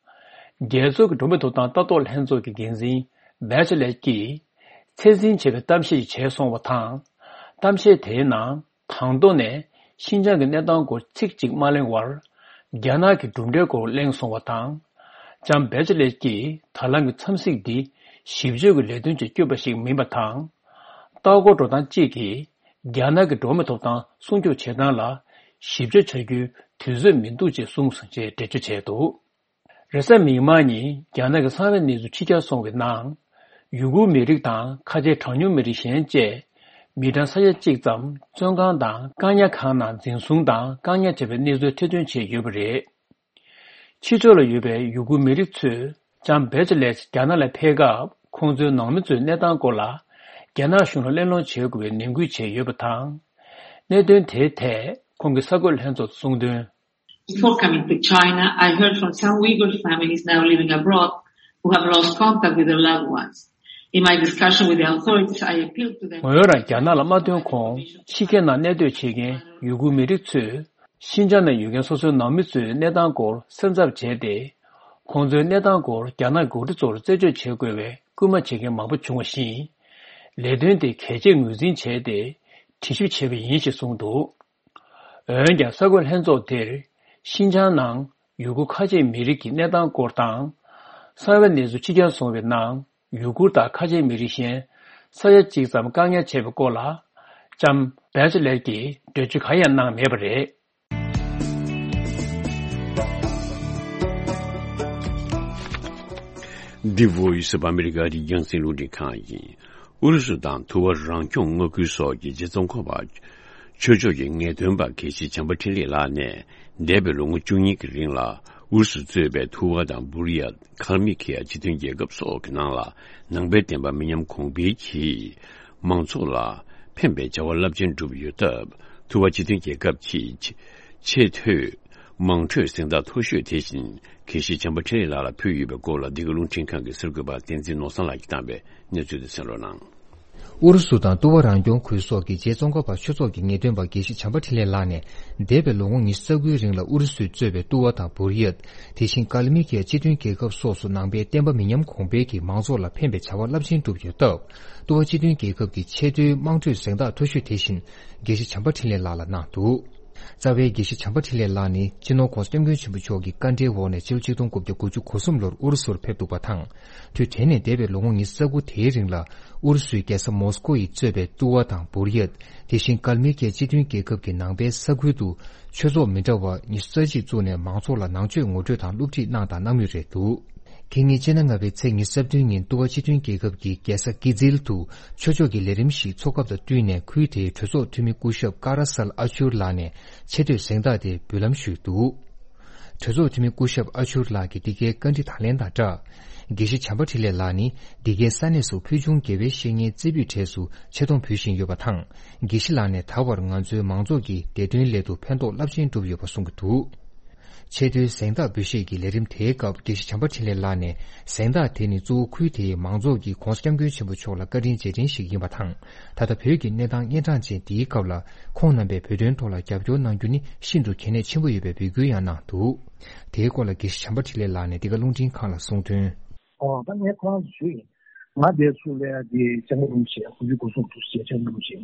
རྒྱལ་ཚོགས་ཀྱི་འགྲོ་བ་མིའི་ཐོབ་ཐང་ལྟ་རྟོག་ལྷན་ཚོགས་ཀྱི་འགན་འཛིན་བེ་ཆ་ལེ་ཀྱིས་ཚད་འཛིན་བྱས་པའི་གཏམ་བཤད་ཞིག་བྱས་སོང་བ་དང་། གཏམ་བཤད་དེའི་ནང་དང་ཐོག་ནས་ཤིན་ཅང་གི་གནས་སྟངས་སྐོར་ཚིག་གཅིག་མ་གླེང་བར། རྒྱ་ནག་གི་གྲུབ་འབྲས་སྐོར་གླེང་སོང་བ་དང་། ལྕམ་བེ་ཆ་ལེ་ཀྱིས་ད་ལམ་གྱི་འཚམས་གཟིགས་འདི་ཞིབ་དཔྱོད་ཀྱི་ལས་དོན་གྱིས་བསྐྱོད་པ་ཞིག་མིན་པ་དང་། ལྟ་སྐོར་འགྲོ་སྟངས་གཅིག་གིས་རྒྱ་ནག་གི་འགྲོ་བ་མིའི་ཐོབ་ཐང་སྲུང་སྐྱོབ་བྱེད་སྟངས་ལ་ཞིབ་དཔྱོད་བྱ་རྒྱུའི་དུས་ཚོད་མི་འདུག་ཅེས་གསུངས་སོང་ཅེས་འགྲེལ་བརྗོད་བྱས་འདུག་རེས་གཟའ་མིག་དམར་ཉིན་རྒྱ་ནག་གི་གསང་བའི་གནས་ཚུལ་ཕྱི་གྱར་སོང་བའི་ནང་། ཡུ་གུར་མི་རིགས་དང་ཁ་ཆེའི་གྲངས་ཉུང་མི་རིགས་གཞན་བཅས་མི་གྲངས་ས་ཡ་གཅིག་ཙམ་བཙོན་ཁང་དང་བཀག་ཉར་ཁང་ནང་འཛིན་བཟུང་དང་བཀག་ཉར་བྱས་པའི་གནས་ཚུལ་ཐེར་འདོན་བྱས་ཡོད་པ་རེད། ཕྱི་ཕྱོགས་ལ་ཡོད་པའི་ཡུ་གུར་མི་རིགས་ཚོས་ལྕམ་བེ་ཆ་ལེ་རྒྱ་ནག་ལ་ཕེབས་སྐབས་ཁོང་ཚོའི་ནང་མི་ཚོའི་གནས་སྟངས་སྐོར་ལ་རྒྱ་ནག་གཞུང་ལ་གླེང་སློང་བྱེད་དགོས་པའི་ནན་སྐུལ་བྱས་ཡོད་པ་དང་། གནད་དོན་དེའི་ཐད་ཁོང་གིས་གསར་འགོད་ལྷན་ཚོགས་སུ་གསུངས་དོན། Before coming to China, I heard from some Uyghur families now living abroad who have lost contact with their loved ones. In my discussion with the authorities, I appealed to them. ངོས་རང་རྒྱ་ནག་ལ་མ་ཐོན་གོང་ཕྱི་རྒྱལ་ནང་གནས་སྡོད་བྱེད་མཁན་ཡུ་གུར་མི་རིགས་ཚོས་ཤིན་ཅང་ནང་ཡོད་མཁན་སོ་སོའི་ནང་མི་ཚོའི་གནས་སྟངས་སྐོར་སེམས་འཚབ་བྱས་ཏེ། ཁོང་ཚོའི་གནས་སྟངས་སྐོར་རྒྱ་ནག་འགོ་ཁྲིད་ཚོར་རྩད་གཅོད་བྱེད་དགོས་པའི་སྐུལ་མ་བྱེད་མཁན་མང་པོ་བྱུང་བ་བཞིན། ལས་དོན་དེ་གལ་ཆེར་ངོས་འཛིན་བྱས་ཏེ་དྲི་ཞིབ་བྱས་པ་ཡིན་ཞེས་གསུངས་འདུག་འོན་ཀྱང་གསར་འགོད་ལྷན་ཚོགས་དེར་ཤིན་ཅང་ནང་ཡུ་གུར་ཁ་ཆེའི་མི་རིགས་ཀྱི་གནས་སྟངས་སྐོར་དང་། གསང་བའི་གནས་ཚུལ་ཕྱི་གྱར་སོང་བའི་ནང་ཡུ་གུར་དང་ཁ་ཆེའི་མི་རིགས་གཞན་ས་ཡ་གཅིག་ཙམ་བཀག་ཉར་བྱས་པའི་སྐོར་ལ་ལྕམ་བེ་ཆ་ལེར་གྱིས་འགྲེལ་བརྗོད་གང་ཡང་གནང་མེད་པ་རེད། འདི་Voice of America རྒྱང་སྲིང་རླུང་འཕྲིན་ཁང་ཡིན། ཨུ་རུ་སུ་དང་ཐུ་བ་རང་སྐྱོང་མངའ་ཁུལ་སོགས་ཀྱི་རྗེ་ཙོང་ཁ་པ་ཆོས་ཕྱོགས་ཀྱི་ངེས་སྟོན་པ་དགེ་བཤེས་བྱམས་པ་འཕྲིན་ལས་ལགས་ནས་འདས་པའི་ལོ་ངོ་བཅུ་གཉིས་ཀྱི་རིང་ལ་ཨུ་རུ་སུ་གཙོས་པའི་ཐུ་བ་དང་བུར་ཡ། ཁལ་མི་ཁི་ཡ་སྤྱི་མཐུན་རྒྱལ་ཁབ་སོགས་ཀྱི་ནང་ལ་ནང་པའི་བསྟན་པ་མི་ཉམས་གོང་འཕེལ་གྱིས་མང་ཚོགས་ལ་ཕན་པའི་བྱ་བ་རླབས་ཆེན་བསྒྲུབས་ཡོད་སྟབས། ཐུ་བ་སྤྱི་མཐུན་རྒྱལ་ཁབ་ཀྱི་ཆེས་མཐོའི་དམངས་ཁྲོད་གཟེངས་རྟགས་མཐོ་ཤོས་དེ་བཞིན་དགེ་བཤེས་བྱམས་པ་འཕྲིན་ལས་ལགས་ལ་ཕུལ་ཡོད་པའི་སྐོར་ལ། འདི་ག་རླུང་འཕྲིན་ཁང་གི་གསར་འགོད་པ་བསྟན་འཛིན་ནོར་བཟང་ལགས་ཀྱིས་བཏང་བའི་གནས་ཚུལ་དེ་གསན་རོགས་གནང་། ཨུ་རུ་སུ་དང་ཏུ་བ་རང་སྐྱོང་ཁུལ་སོགས་ཀྱི་རྗེ་ཙོང་ཁ་པ་ཆོས་ཚོགས་ཀྱི་ངེས་སྟོན་པ་དགེ་བཤེས་བྱམས་པ་འཕྲིན་ལས་ལགས་ནས། འདས་པའི་ལོ་ངོ་ཉི་ཤུ་རྩ་དགུའི་རིང་ལ་ཨུ་རུ་སུས་གཙོས་པའི་ཏུ་བ་དང་བུར་ཡད། དེ་བཞིན་ཀལ་མི་ཀི་ཡ་སྤྱི་མཐུན་རྒྱལ་ཁབ་སོགས་སུ་ནང་པའི་བསྟན་པ་མི་ཉམས་གོང་འཕེལ་གྱིས་མང་ཚོགས་ལ་ཕན་པའི་བྱ་བ་རླབས་ཆེན་བསྒྲུབས་ཡོད་སྟབས། ཏུ་བ་སྤྱི་མཐུན་རྒྱལ་ཁབ་ཀྱི་ཆེས་མཐོའི་དམངས་ཁྲོད་གཟེངས་རྟགས་མཐོ་ཤོས་དེ་བཞིན་དགེ་བཤེས་བྱམས་པ་འཕྲིན་ལས་ལགས་ལ་གནང་འདུག་རྩ་བའི་དགེ་བཤེས་བྱམས་པ་འཕྲིན་ལས་ལགས་ནི་སྤྱི་ནོར་༧གོང་ས་༧སྐྱབས་མགོན་ཆེན་པོ་མཆོག་གི་བཀའ་འབྲེལ་འོག་ནས་ཕྱི་ལོ་ཆིག་སྟོང་དགུ་བརྒྱ་དགུ་བཅུ་གོ་གསུམ་ལོར་ཨུ་རུ་སུར་ཕེབས་འདུག་པ་དང་། དུས་དེ་ནས་འདས་པའི་ལོ་ངོ་ཉི་ཤུ་རྩ་དགུ་དེའི་རིང་ལ་ཨུ་རུ་སུའི་རྒྱལ་ས་མོ་སི་ཀོ་ཡིས་གཙོས་པའི་ཏུ་བ་དང་བུར་ཡད། དེ་བཞིན་ཀལ་མི་ཀི་ཡ་སྤྱི་མཐུན་རྒྱལ་ཁབ་ཀྱི་ནང་པའི་ས་ཁུལ་དུ་ཆོས་ཚོགས་མི་འདྲ་བ་ཉི་ཤུ་རྩ་གཅིག་བཙུགས་ནས་མང་ཚོགས་ལ་ནང་ཆོས་ངོ་སྤྲོད་དང་སློབ་ཁྲིད་གནང་དང་གནང་མུས་རེད་འདུག་ཁེ་ཉིན་ཕྱི་ཟླ་ལྔ་པའི་ཚེས་ཉི་ཤུ་རྩ་བདུན་ཉིན་ཏུ་བ་སྤྱི་མཐུན་རྒྱལ་ཁབ་ཀྱི་རྒྱལ་ས་ཀི་ཛིལ་དུ་ཆོས་ཕྱོགས་ཀྱི་ལས་རིམ་ཞིག་འཚོགས་སྐབས་དང་བསྟུན་ནས་ཁུལ་དེའི་གྲོས་ཚོགས་འཐུས་མི་སྐུ་ཞབས་ཀ་ར་སལ་ཨ་ཆུར་ལགས་ནས་ཆེ་བསྟོད་གཟེངས་རྟགས་དེ་འབུལ་ལམ་ཞུས་འདུག་གྲོས་ཚོགས་འཐུས་མི་སྐུ་ཞབས་ཨ་ཆུར་ལགས་ཀྱིས་འདི་གའི་བཀའ་འདྲི་དང་ལེན་དང་སྦྲགས། དགེ་བཤེས་བྱམས་པ་འཕྲིན་ལས་ལགས་ནི་འདི་གའི་ས་གནས་སུ་ཕུལ་བྱུང་དགེ་བའི་བཤེས་གཉེན་རྩེ་ཕུད་གྲས་སུ་ཆེ་མཐོང་ཕུལ་བཞིན་ཡོད་པ་དང་། དགེ་བཤེས་ལགས་ནས་ད་བར་ང་ཚོའི་མང་ཚོགས་ཀྱི་བདེ་དོན་སླད་དུ་ཕན་ཐོགས་རླབས་ཆེན་བསྒྲུབས་ཡོད་པ་གསུངས་ཀྱི་འདུག་ཆེས་མཐོའི་གཟེངས་རྟགས་འབུལ་བཞེས་ཀྱི་ལས་རིམ་དེའི་སྐབས་དགེ་བཤེས་བྱམས་པ་འཕྲིན་ལས་ལགས་ནས་གཟེངས་རྟགས་དེ་ནི་གཙོ་བོ་ཁུལ་དེའི་མང་ཚོགས་ཀྱིས་༧གོང་ས་༧སྐྱབས་མགོན་ཆེན་པོ་མཆོག་ལ་བཀའ་དྲིན་རྗེས་དྲན་ཞིག་ཡིན་པ་དང་། ད་ལྟ་བོད་ཀྱི་གནས་སྟངས་གཉན་འཕྲང་ཅན་འདིའི་སྐབས་ལ་ཁོང་རྣམ་པས་བོད་དོན་ཐོག་ལ་རྒྱབ་སྐྱོར་གནང་རྒྱུ་ནི་ཤིན་ཏུ་གལ་གནད་ཆེན་པོ་ཡོད་པའི་འབོད་སྐུལ་ཡང་གནང་འདུག་དེའི་སྐོར་ལ་དགེ་བཤེས་བྱམས་པ་འཕྲིན་ལས་ལགས་ནས་འདི་ག་རླུང་འཕྲིན་ཁང་ལ་གསུངས་དོན། ཨོ་ད་ངས་ཁོ་རང་ཚོ་ཞུས་ཡིན། ང་དེ་ཚུར་སླེབས་ཡ་དེ་སྐྱབས་མགོན་རིན་པོ་ཆེ་དགུ་བཅུ་གོ་གསུམ་དུས་ཆེན་སྐྱབས་མགོན་རིན་པོ་ཆེ་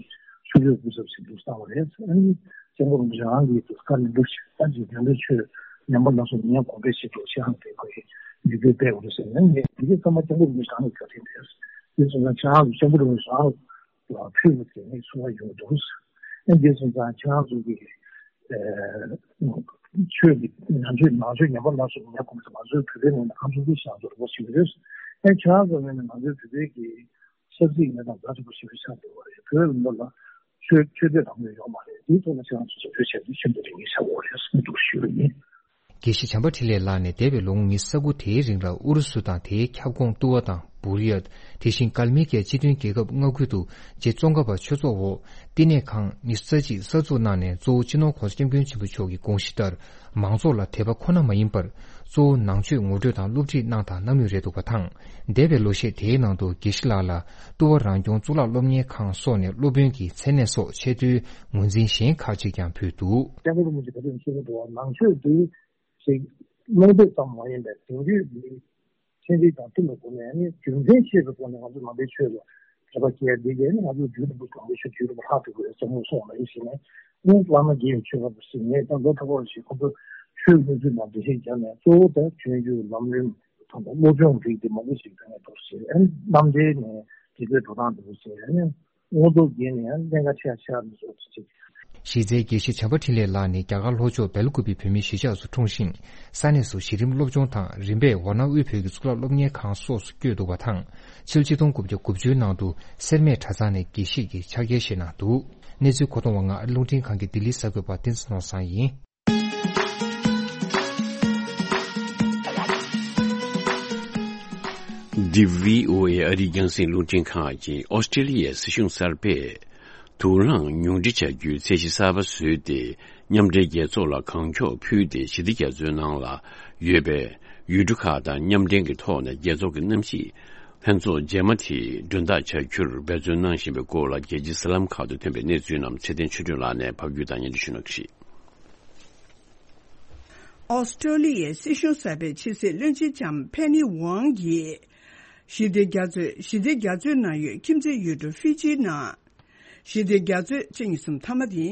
ཆོས་གོས་སྐུ་ཚབ་ཟིན་འདུག་བསམ་པ་རེད། ཨ་ནི་སྐྱབས་མགོན་རིན་པོ་ཆེ་རང་གིས་དུས་བཀའ་ནན་པོ་ཞིག་ད་ཅིག་དེ་འདྲའི་ཆོས་ཉམས་པ་སྣ་ཚོགས་མི་ཉམས་གོང་འཕེལ་ཆེད་དུ་ཆེད་དུ་དེ་ཁོ་ཡིས་ཡིག་ཚད་སྤེལ་དགོས་རེད་ཟེར་ནས་ངས་དེ་གའི་ཚང་མ་སྐྱབས་མགོན་རིན་པོ་ཆེ་རང་གི་བཀའ་དྲིན་རེད། དེ་སོང་ཙང་ཁྱེད་རང་ཚོ་སྐྱབས་མགོན་རིན་པོ་ཆེ་རང་ལ་ཕུལ་དགོས་ཟེར་ནས་གསུང་བ་ཡོང་འདུག་ཨ་ནི་དེ་སོང་ཙང་ཁྱེད་རང་ཚོ་གི་ཨ། ཆོས་ཀྱི་ནང་ཆོས་ནང་ཆོས་ཉམས་པ་སྣ་ཚོགས་ཉམས་གོང་ས་ང་ཚོའི་བོད་པའི་ངོས་ནས་ཧམ་སེམས་ཤིན་ཏུ་ཡག་པོ་ཞིག་རེད། ཨེ་ཆ་ཚང་ངོས་ནས་ང་ཚོའི་བོད་པའི་གི་ཆབ་སྲིད་གནས་སྟངས་ཛ་དྲག་པོ་ཞིག་ཆགས་འདུག་པ་རེད། བོད་ལ་ལ་ཆོས་ཆོས་དད་རང་མོས་ཡོད་མ་རེད། དེའི་ཐོག་ལ་ཁྱེད་རང་ཚོ་རྒྱབ་སྐྱོར་བྱས་ཏེ་ཤིན་ཏུ་རེ་ངེས་ཆགས་ཡོད་རེད་གསུངས་འདུག་ཞུ་རྒྱུ་ཡིན། དགེ་བཤེས་བྱམས་པ་འཕྲིན་ལས་ལགས་ནས་འདས་པའི་ལོ་ངོ་ཉི་ཤུ་རྩ་དགུ་དེའི་རིང་ལ་ཨུ་རུ་སུ་དང་དེའི་ཁྱབ་ཁོངས་ཏུ་བ་དང་བུར་ཡ། དེ་བཞིན་ཀལ་མི་ཀའི་སྤྱི་མཐུན་རྒྱལ་ཁབ་ལྔ་ཁུལ་དུ་རྗེ་ཙོང་ཁ་པ་ཆོས་ཚོགས་འོག་བསྟི་གནས་ཁང་ཉི་ཤུ་རྩ་གཅིག་གསར་འཛུགས་གནང་ནས། གཙོ་བོ་སྤྱི་ནོར་༸གོང་ས་༸སྐྱབས་མགོན་ཆེན་པོ་མཆོག་གི་དགོངས་གཞི་ལྟར་མང་ཚོགས་ལ་དད་པ་ཁོ་ན་མ་ཡིན་པར་གཙོ་བོ་ནང་ཆོས་ངོ་སྤྲོད་དང་སློབ་ཁྲིད་གནང་དང་གནང་མུས་རེད་འདུག་པ་དང་། འདས་པའི་ལོ་ཤས་དེའི་ནང་དུ་དགེ་བཤེས་ལགས་ལ་ཏུ་བ་རང་སྐྱོང་གཙུག་ལག་སློབ་གཉེར་ཁང་སོགས་ནས་སློབ་དཔོན་གྱི་མཚན་གནས་སོགས་ཆེས་མཐོའི་ངོས་འཛིན་གཞན་ཁག་ཅིག་ཀྱང་ཕུལ་འདུག། སྐྱབས་མགོན་རིན་པོ་ཆེ་ག་དུས་ཞུ་གི་འདུག་བ། ནང་ཆོས་འདི་ཞིག་སློབ་དེབ་ཙམ་མ་ཡིན་པའི་དེང་དུས་ཀྱི་ཚན་རིག་དང་མཐུན་པའི་སྒོ་ནས་ནི་རྒྱུ་མཚན་ཤེས་པའི་སྒོ་ནས་ང་ཚོ་ནང་པའི་ཆོས་ལ་དད་པ་སྐྱེ་ཡ་འདི་གས་ནི་ང་ཚོ་རྒྱུད་དང་པོ་དང་པོ་ཞིག་རྒྱུད་དང་པོ་ལྷག་ཐུབ་དགོས་བསམ་བློ་སོང་བ་ཡིན་ཞེས་ནས། ཨོ་བླ་མ་དགེ་བའི་ཆོས་པ་ཞིག་ངས་ཀྱང་ལོ་ཐོག་པར་ཞིག་ཁོ་ཚོ་ཆོས་གནས་ཚུལ་དང་འགྲེལ་བཤད་བརྒྱབ་ནས། གཙོ་བོ་ད་བྱོན་རྒྱུ་ལམ་རིམ་དང་། བློ་སྦྱོང་རིགས་དེ་མང་པོ་ཞིག་ད་ནས་འདུག་ཟེར། ཨ་ནི་རྣམ་འགྲེལ་ནས་དེ་ཚོའི་འགྲོ་སྟངས་འདུག་ཟེར། ཨ་ནི་དངོས་ཐོག་བརྒྱུད་ནས་ཨ་ནི་གནད་འགག་ཆེ་ཆེ་རུ་སོང་ཚུལ་བྱེད། གཞི་རྩའི་དགེ་བཤེས་བྱམས་པ་འཕྲིན་ལས་ལགས་ནི་རྒྱ་གར་ལྷོ་ཕྱོགས་སྦེལ་ཀུ་པི་བོད་མིའི་གཞིས་ཆགས་སུ་འཁྲུངས་ཤིང་། ས་གནས་སུ་གཞི་རིམ་སློབ་སྦྱོང་དང་རིམ་པས་ཝཱ་ཎ་དབུས་བོད་ཀྱི་གཙུག་ལག་སློབ་གཉེར་ཁང་སོགས་སུ་བསྐྱོད་འདུག་པ་དང་། ཕྱི་ལོ་ཆིག་སྟོང་དགུ་བརྒྱ་དགུ་བཅུ་ནང་དུ་སེར་སྨད་གྲྭ་ཚང་ནས་དགེ་བཤེས་ཀྱི་ཕྱག་འཁྱེར་བཞེས་གནང་འདུག། གནས་ཚུལ་མཁོ་གཏོང་བ་ང་ཨ་རི་རླུང་འཕྲིན་ཁང་གི་ལྡི་ལི་གསར་འགོད་པ་བསྟན་འཛིན་ནོར་བཟང་ཡིན། འདི་བྷི་ཨོ་ཨེ་ཨ་རིའི་རྒྱང་སྲིང་རླུང་འཕྲིན་ཁང་ཡིན། ཨོ་སི་ཀྲེ་ལི་ཡའི་སྲིད་གཞུང་གསར་པས་དུག་རླངས་ཉུང་འཕྲི་བྱ་རྒྱུའི་ཚད་གཞི་གསར་པ་བཟོས་ཏེ། མཉམ་འབྲེལ་རྒྱལ་ཚོགས་ལ་གང་མགྱོགས་ཕུལ་ཏེ། ཞི་བདེ་རྒྱ་མཚོའི་ནང་ལ་ཡོད་པའི་ཡུལ་གྲུ་ཁག་དང་མཉམ་འབྲེལ་གྱི་ཐོག་ནས་རྒྱལ་ཚོགས་ཀྱི་གནམ་གཤིས་ལྷན་ཚོགས་རྗེས་མ་དེ་མགྲོན་བདག་བྱ་རྒྱུར་འབད་བརྩོན་གནང་བཞིན་པའི་སྐོར་ལ། རྒྱལ་སྤྱིའི་གསར་ལམ་ཁག་ཏུ་ཐོན་པའི་གནས་ཚུལ་རྣམས་ཚེ་བརྟན་ཆོས་སྒྲོན་ལགས་ནས་ཕབ་སྒྱུར་དང་སྙན་སྒྲོན་ཞུ་གནང་གི་རེད། ཨོ་སི་ཀྲོ་ལི་ཡའི་སྲིད་གཞུང་གསར་པའི་ཕྱི་སྲིད་བློན་ཆེན་ལྕམ་ཕེ་ནི་ཝང་གིས་ཞི་བདེ་རྒྱ་མཚོའི་ཞི་བདེ་རྒྱ་མཚོའི་ནང་ཡོད་ཁྱིམ་མཚེས་ཡུལ་གྲུ་ཧྥི་ཇི་ནང་ཞི་བདེ་རྒྱ་མཚོའི་ཕྱི་ཉིན་གསུམ་མཐའ་མ་དེ།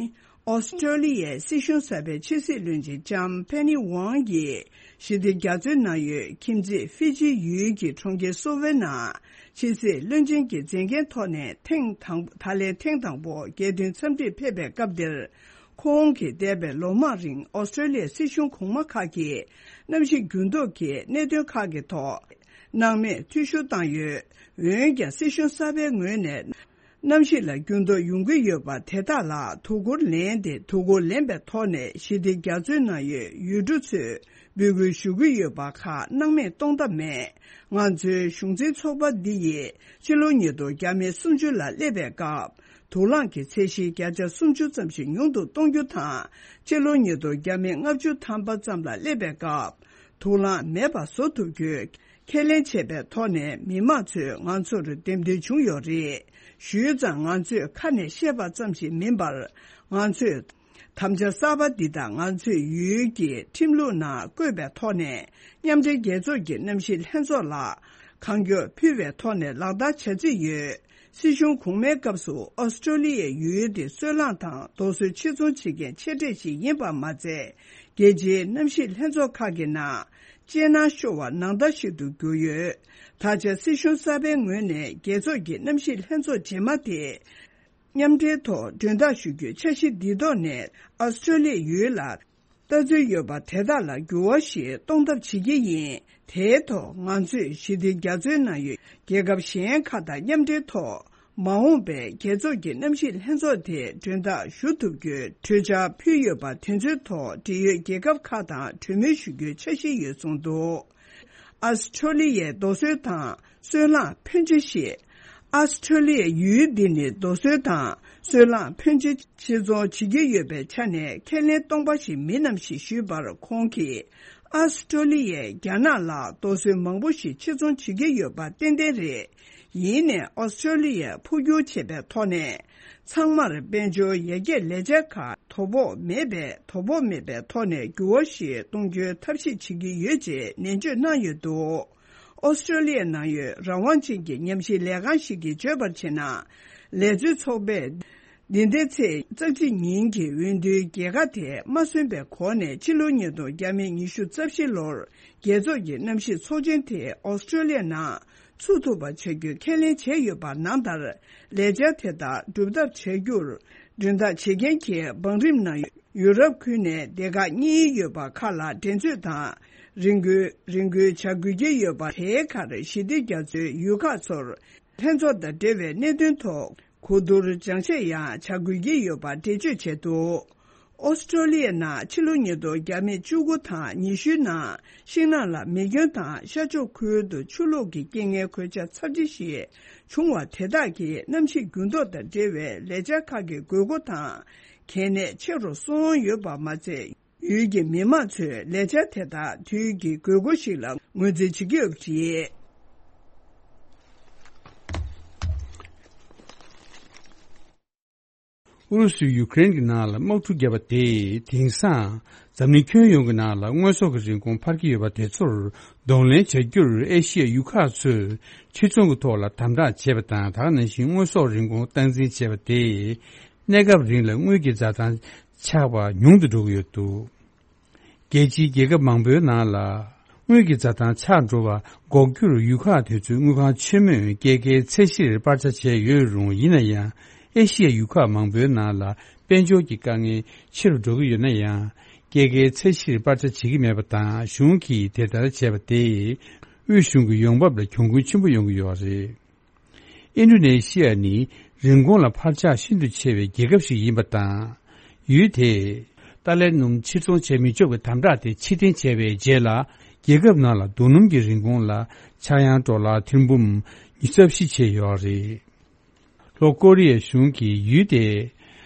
ཨོ་སི་ཀྲོ་ལི་ཡའི་སྲིད་གཞུང་གསར་པའི་ཕྱི་སྲིད་བློན་ཆེན་ལྕམ་ཕེ་ནི་ཝང་གིས་ཞི་བདེ་རྒྱ་མཚོའི་ནང་ཡོད་ཁྱིམ་མཚེས་ཧྥི་ཇི་ཡུལ་གྱི་གྲོང་ཁྱེར་སོ་ཝེ་ནང་ཕྱི་སྲིད་བློན་ཆེན་གྱི་མཛད་འགན་ཐོག་ནས་ཐེངས་དང་ད་ལན་ཐེངས་དང་པོ་རྒྱལ་དོན་འཚམས་འདྲིར་ཕེབས་པའི་སྐབས་དེར། ཁོང་གིས་འདས་པའི་ལོ་མང་རིང་ཨོ་སི་ཀྲོ་ལི་ཡའི་སྲིད་གཞུང་གོང་མ་ཁག་གིས་གནམ་གཤིས་འགྱུར་ལྡོག་གི་གནད་དོན་ཁག་གི་ཐོག་སྣང་མེད་འཐུས་ཤོར་བཏང་ཡོད། འོན་ཀྱང་སྲིད་གཞུང་གསར་པའི་ངོས་ནས་གནམ་གཤིས་ལ་འགྱུར་ལྡོག་ཡོང་གི་ཡོད་པ་དེ་དག་ལ་དོ་ཁུར་ལེན་ཏེ། དོ་ཁུར་ལེན་པའི་ཐོག་ནས་ཞི་བདེ་རྒྱ་མཚོའི་ནང་ཡོད་ཡུལ་གྲུ་ཚོས་འབོད་སྐུལ་ཞུ་གི་ཡོད་པ་ཁག་སྣང་མེད་གཏོང་ཐབས་མེད། ང་ཚོའི་གཞུང་འཛིན་ཚོགས་པ་འདི་ཡིས་ཕྱི་ལོ་ཉིས་སྟོང་བརྒྱ་མེད་སུམ་ཅུ་ལ་སླེབས་པའི་སྐབས། དུག་རླངས་ཀྱི་ཚད་གཞི་བརྒྱ་ཆ་སུམ་ཅུ་ཙམ་ཞིག་ཉུང་དུ་གཏོང་རྒྱུ་དང་། ཕྱི་ལོ་ཉིས་སྟོང་བརྒྱ་མེད་ལྔ་བཅུ་ཐམ་པ་ཙམ་ལ་སླེབས་པའི་སྐབས། དུག་རླངས་མེད་པ་བཟོ་ཐུབ་རྒྱུའི་ཁས་ལེན་བྱས་པའི་ཐོག་ནས་མི་མང་ཚོས་ང་ཚོར་འདེམས་ཐོན་བྱུང་ཡོད་རེད། ཞུས་ཙང་ང་ཚོས་ཁ་ནས་བཤད་པ་ཙམ་ཞིག་མིན་པར། ང་ཚོས་དམ་བཅའ་གསར་པ་འདི་དང་ང་ཚོས་ཡུལ་གྱི་ཁྲིམས་ལུགས་ནང་བཀོད་པའི་ཐོག་ནས། མཉམ་འབྲེལ་རྒྱལ་ཚོགས་ཀྱི་གནམ་གཤིས་ལྷན་ཚོགས་ལ་གང་མགྱོགས་ཕུལ་བའི་ཐོག་ནས་ལག་བསྟར་བྱ་རྩིས་ཡོད། སྲིད་གཞུང་གོང་མའི་སྐབས་སུ་ཨོ་སི་ཀྲོ་ལི་ཡའི་ཡུལ་དེ་སོལ་རླངས་དང་རྡོ་སོལ་ཕྱིར་ཚོང་བྱེད་མཁན་ཆེ་གྲས་ཤིག་ཡིན་པ་མ་ཚད། རྒྱལ་སྤྱིའི་གནམ་གཤིས་ལྷན་ཚོགས་ཁག་གི་ནང་སྤྱན་སྣང་ཤོར་བ་ནང་ལྟར་ཞིག་ཏུ་གྱུར་ཡོད། ད་ཆ་སྲིད་གཞུང་གསར་པའི་ངོས་ནས་རྒྱལ་ཚོགས་ཀྱི་གནམ་གཤིས་ལྷན་ཚོགས་རྗེས་མ་དེ་མཉམ་འབྲེལ་ཐོག་མགྲོན་བདག་ཞུ་རྒྱུའི་འཆར་གཞི་འདིའི་ཐོག་ནས་ཨོ་སི་ཀྲོ་ལི་ཡའི་ཡུལ་ལ། ལྟ་ཚུལ་ཡོད་པ་དེ་དག་ལ་འགྱུར་བ་ཞིག་གཏོང་ཐབས་བྱེད་ཀྱི་ཡིན། དེའི་ཐོག་ང་ཚོས་ཞི་བདེ་རྒྱ་མཚོའི་ནང་ཡོད་རྒྱལ་ཁབ་གཞན་ཁག་དང་མཉམ་འབྲེལ་ཐོག་མ་འོངས་པའི་རྒྱལ་ཚོགས་ཀྱི་གནམ་གཤིས་ལྷན་ཚོགས་དེ་མགྲོན་བདག་ཞུ་ཐུབ་རྒྱུའི་གྲོས་འཆར་ཕུལ་ཡོད་པ་དེ་ཚོའི་ཐོག་འབྲེལ་ཡོད་རྒྱལ་ཁབ་ཁག་དང་གྲོས་མོལ་ཞུ་རྒྱུའི་འཆར་གཞི་ཡོད་གསུངས་འདུག། ཨ་སི་ཁྲོ་ལི་ཡའི་རྡོ་སོལ་དང་སོལ་རླངས་ཕོན་ཆེ་ཞིག། ཨ་སི་ཁྲོ་ལི་ཡའི་ཡུལ་འདི་ནི་རྡོ་སོལ་དང་སོལ་རླངས་ཕོན་ཆེ་ཕྱིར་ཚོང་བྱེད་ཀྱི་ཡོད་པའི་ཆ་ནས་ཁས་ལེན་སྟོང་པ་ཞིག་མིན་ནམ་ཞེས་ཞུས་པར། ཁོང་གིས་ཨ་སི་ཁྲོ་ལི་ཡས་རྒྱ་ནག་ལ་རྡོ་སོལ་མང་པོ་ཞིག་ཕྱིར་ཚོང་བྱེད་ཀྱི་ཡོད་པ་ཏན་ཏན་རེད། ཡིན་ནའི་ཨོ་སི་ཁྲོ་ལི་ཡས་འཕོ་འགྱུར་བྱས་པའི་ཐོག་ནས། ཚང་མར་དཔལ་འབྱོར་ཡར་རྒྱས་ལས་འཆར་ཁག་དོ་ཕོག་མེད་པའི་དོ་ཕོག་མེད་པའི་ཐོག་ནས་འགྱུར་བ་ཞིག་གཏོང་རྒྱུའི་ཐབས་ཤེས་བྱེད་ཀྱི་ཡོད་ཅེས་ནན་བརྗོད་གནང་ཡོད་འདུག། ཨོ་སི་ཁྲོ་ལི་ཡའི་ནང་ཡོད་རང་དབང་ཅན་གྱི་ཉམས་ཞིབ་ལས་ཁང་ཞིག་གིས་བརྗོད་པར་བྱས་ན། ལས་བཟོའི་ཚོགས་པས་འདི་ཟླའི་ཚེས་རྩ་གཅིག་ཉིན་གྱི་འོས་བསྡུའི་རྒྱལ་ཁ་དེ་མ་སོན་པའི་གོང་ནས་ཕྱི་ལོ་ཉིས་སྟོང་བརྒྱ་མེད་ཉི་ཤུ་རྩ་བཞི་ལོར་རྒྱལ་ཚོགས་ཀྱི་གནམ་གཤིས་ཚོགས་ཆེན་དེ་ཨོ་སི་ཁྲོ་ལི་ཡའི་ནང་ ཚུགས་ཐུབ་པ་བྱ་རྒྱུའི་ཁས་ལེན་བྱས་ཡོད་པ་ནང་ལྟར། ལས་འཆར་དེ་དག་སྒྲུབ་ཐབས་བྱ་རྒྱུར་མགྲོན་བདག་བྱེད་མཁན་གྱི་བང་རིམ་ནང་ཡུ་རོབ་ཁུལ་ནས་སྡེ་ཁག་གཉིས་ཡོད་པ་ཁག་ལ་འགྲན་རྩོད་དང་། རེ་སྐུལ་རེ་སྐུལ་བྱ་དགོས་ཀྱི་ཡོད་པ། དེའི་ཁར་ཞི་བདེ་རྒྱ་མཚོའི་ཡུལ་ཁག་ཚོར་ལྷན་ཚོགས་དང་འབྲེལ་བའི་གནད་དོན་ཐོག་གོ་བསྡུར་སྦྱང་བཤད་ཡང་བྱ་དགོས་ཀྱི་ཡོད་པ་འགྲེལ་བརྗོད་བྱས་འདུག། ཨོ་སི་ཀྲོ་ལི་ཡའི་ནང་ཕྱི་ལོ་ཉིས་སྟོང་བརྒྱ་མེད་བཅུ་དགུ་དང་ཉི་ཤུའི་ནང་ཤིང་ནགས་ལ་མེ་སྐྱོན་དང་ཤར་ཕྱོགས་ཁུལ་དུ་ཆུ་ལོག་གི་རྐྱེན་ངན་གོད་ཆག་ཚབས་ཆེ་ཞིག་བྱུང་བ་དེ་དག་གི་གནམ་གཤིས་འགྱུར་ལྡོག་དང་འབྲེལ་བའི་ལས་འཆར་ཁག་གི་དགོས་མཁོ་དང་གལ་གནད་ཆེ་རུ་སོང་ཡོད་པ་མ་ཚད། ཡུལ་གྱི་མི་མང་ཚོས་ལས་འཆར་དེ་དག་དུས་ཀྱི་དགོས་མཁོ་ཞིག་ལ་ངོས་འཛིན་བྱེད་ཀྱི་ཡོད་པ་རེད། ཨུ་རུ་སུས་ཡུ་ཀེ་རེན་གྱི་ནང་ལ་དམག་འཁྲུག་བརྒྱབ་པ་དེས་དེང་སང་འཛམ་གླིང་ཁྱོན་ཡོངས་ཀྱི་ནང་ལ་དངོས་ཟོག་གི་རིན་གོང་འཕར་གྱི་ཡོད་པ་དེ་ཚོར་གདོང་ལེན་བྱ་རྒྱུར་ཨེ་ཤི་ཡའི་ཡུལ་ཁག་ཚོས་ཕྱིར་ཚོང་གི་ཐོག་ལ་དམ་དྲག་བྱས་པ་དང་། ད་ག་ནང་བཞིན་དངོས་ཟོག་རིན་གོང་སྟངས་འཛིན་བྱས་པ་དེས་གནས་སྐབས་རིང་ལ་དངུལ་གྱི་འཛའ་ཐང་ཆག་པ་ཉུང་དུ་འགྲོ་གི་ཡོད་འདུག། རྒྱལ་སྤྱིའི་རྒྱལ་ཁབ་མང་པོའི་ནང་ལ་དངུལ་གྱི་འཛའ་ཐང་ཆག་འགྲོ་བ་འགོག་རྒྱུར་ཡུལ་ཁག་དེ་ཚོའི་དངུལ་ཁང་ཆེན་མོས་སྐྱེད་ཀའི་ཚད་གཞིར་སྤར་ཆ་བྱས་ཡོད་རུང་། ཡིན་ན་ཡང་ཨེ་ཤི་ཡའི་ཡུལ་ཁག་མང་པོའི་ནང་ལ་དཔལ་འབྱོར་གྱི་དཀའ་ངལ་ཆེ་རུ་འགྲོ་གི་ཡོད་ན་ཡང་། སྐྱེད་ཀའི་ཚད་གཞིར་སྤར་ཆ་བྱེད་ཀྱི་མེད་པ་དང་། གཞུང་གིས་དེ་ལྟར་བྱས་པ་དེས་དབུས་གཞུང་གི་ཡོང་འབབ་ལ་གྱོང་གུན་ཆེན་པོ་ཡོང་གི་ཡོད་རེད། ཨིན་ཌོ་ནེ་ཤི་ཡ་ནི་རིན་གོང་ལ་འཕར་ཆག་ཤིན་ཏུ་ཆེ་བའི་རྒྱལ་ཁབ་ཞིག་ཡིན་པ་དང་། ཡུལ་དེས་ཏཱ་ལའི་སྣུམ་ཕྱིར་ཚོང་བྱེད་མི་ཆོག་པའི་དམ་དྲག་དེ་ཕྱིར་འཐེན་བྱས་པའི་རྗེས་ལ། རྒྱལ་ཁབ་ནང་ལ་རྡོ་སྣུམ་གྱི་རིན་གོང་ལ་ཆག་ཡང་ཌོ་ལར་ཐེར་འབུམ་ཉི་ཤུ་རྩ་བཞི་ཆེ་ཡོད་རེད། ལྷོ་ཀོ་རི་ཡའི་གཞུང་གིས་ཡུལ་དེའི་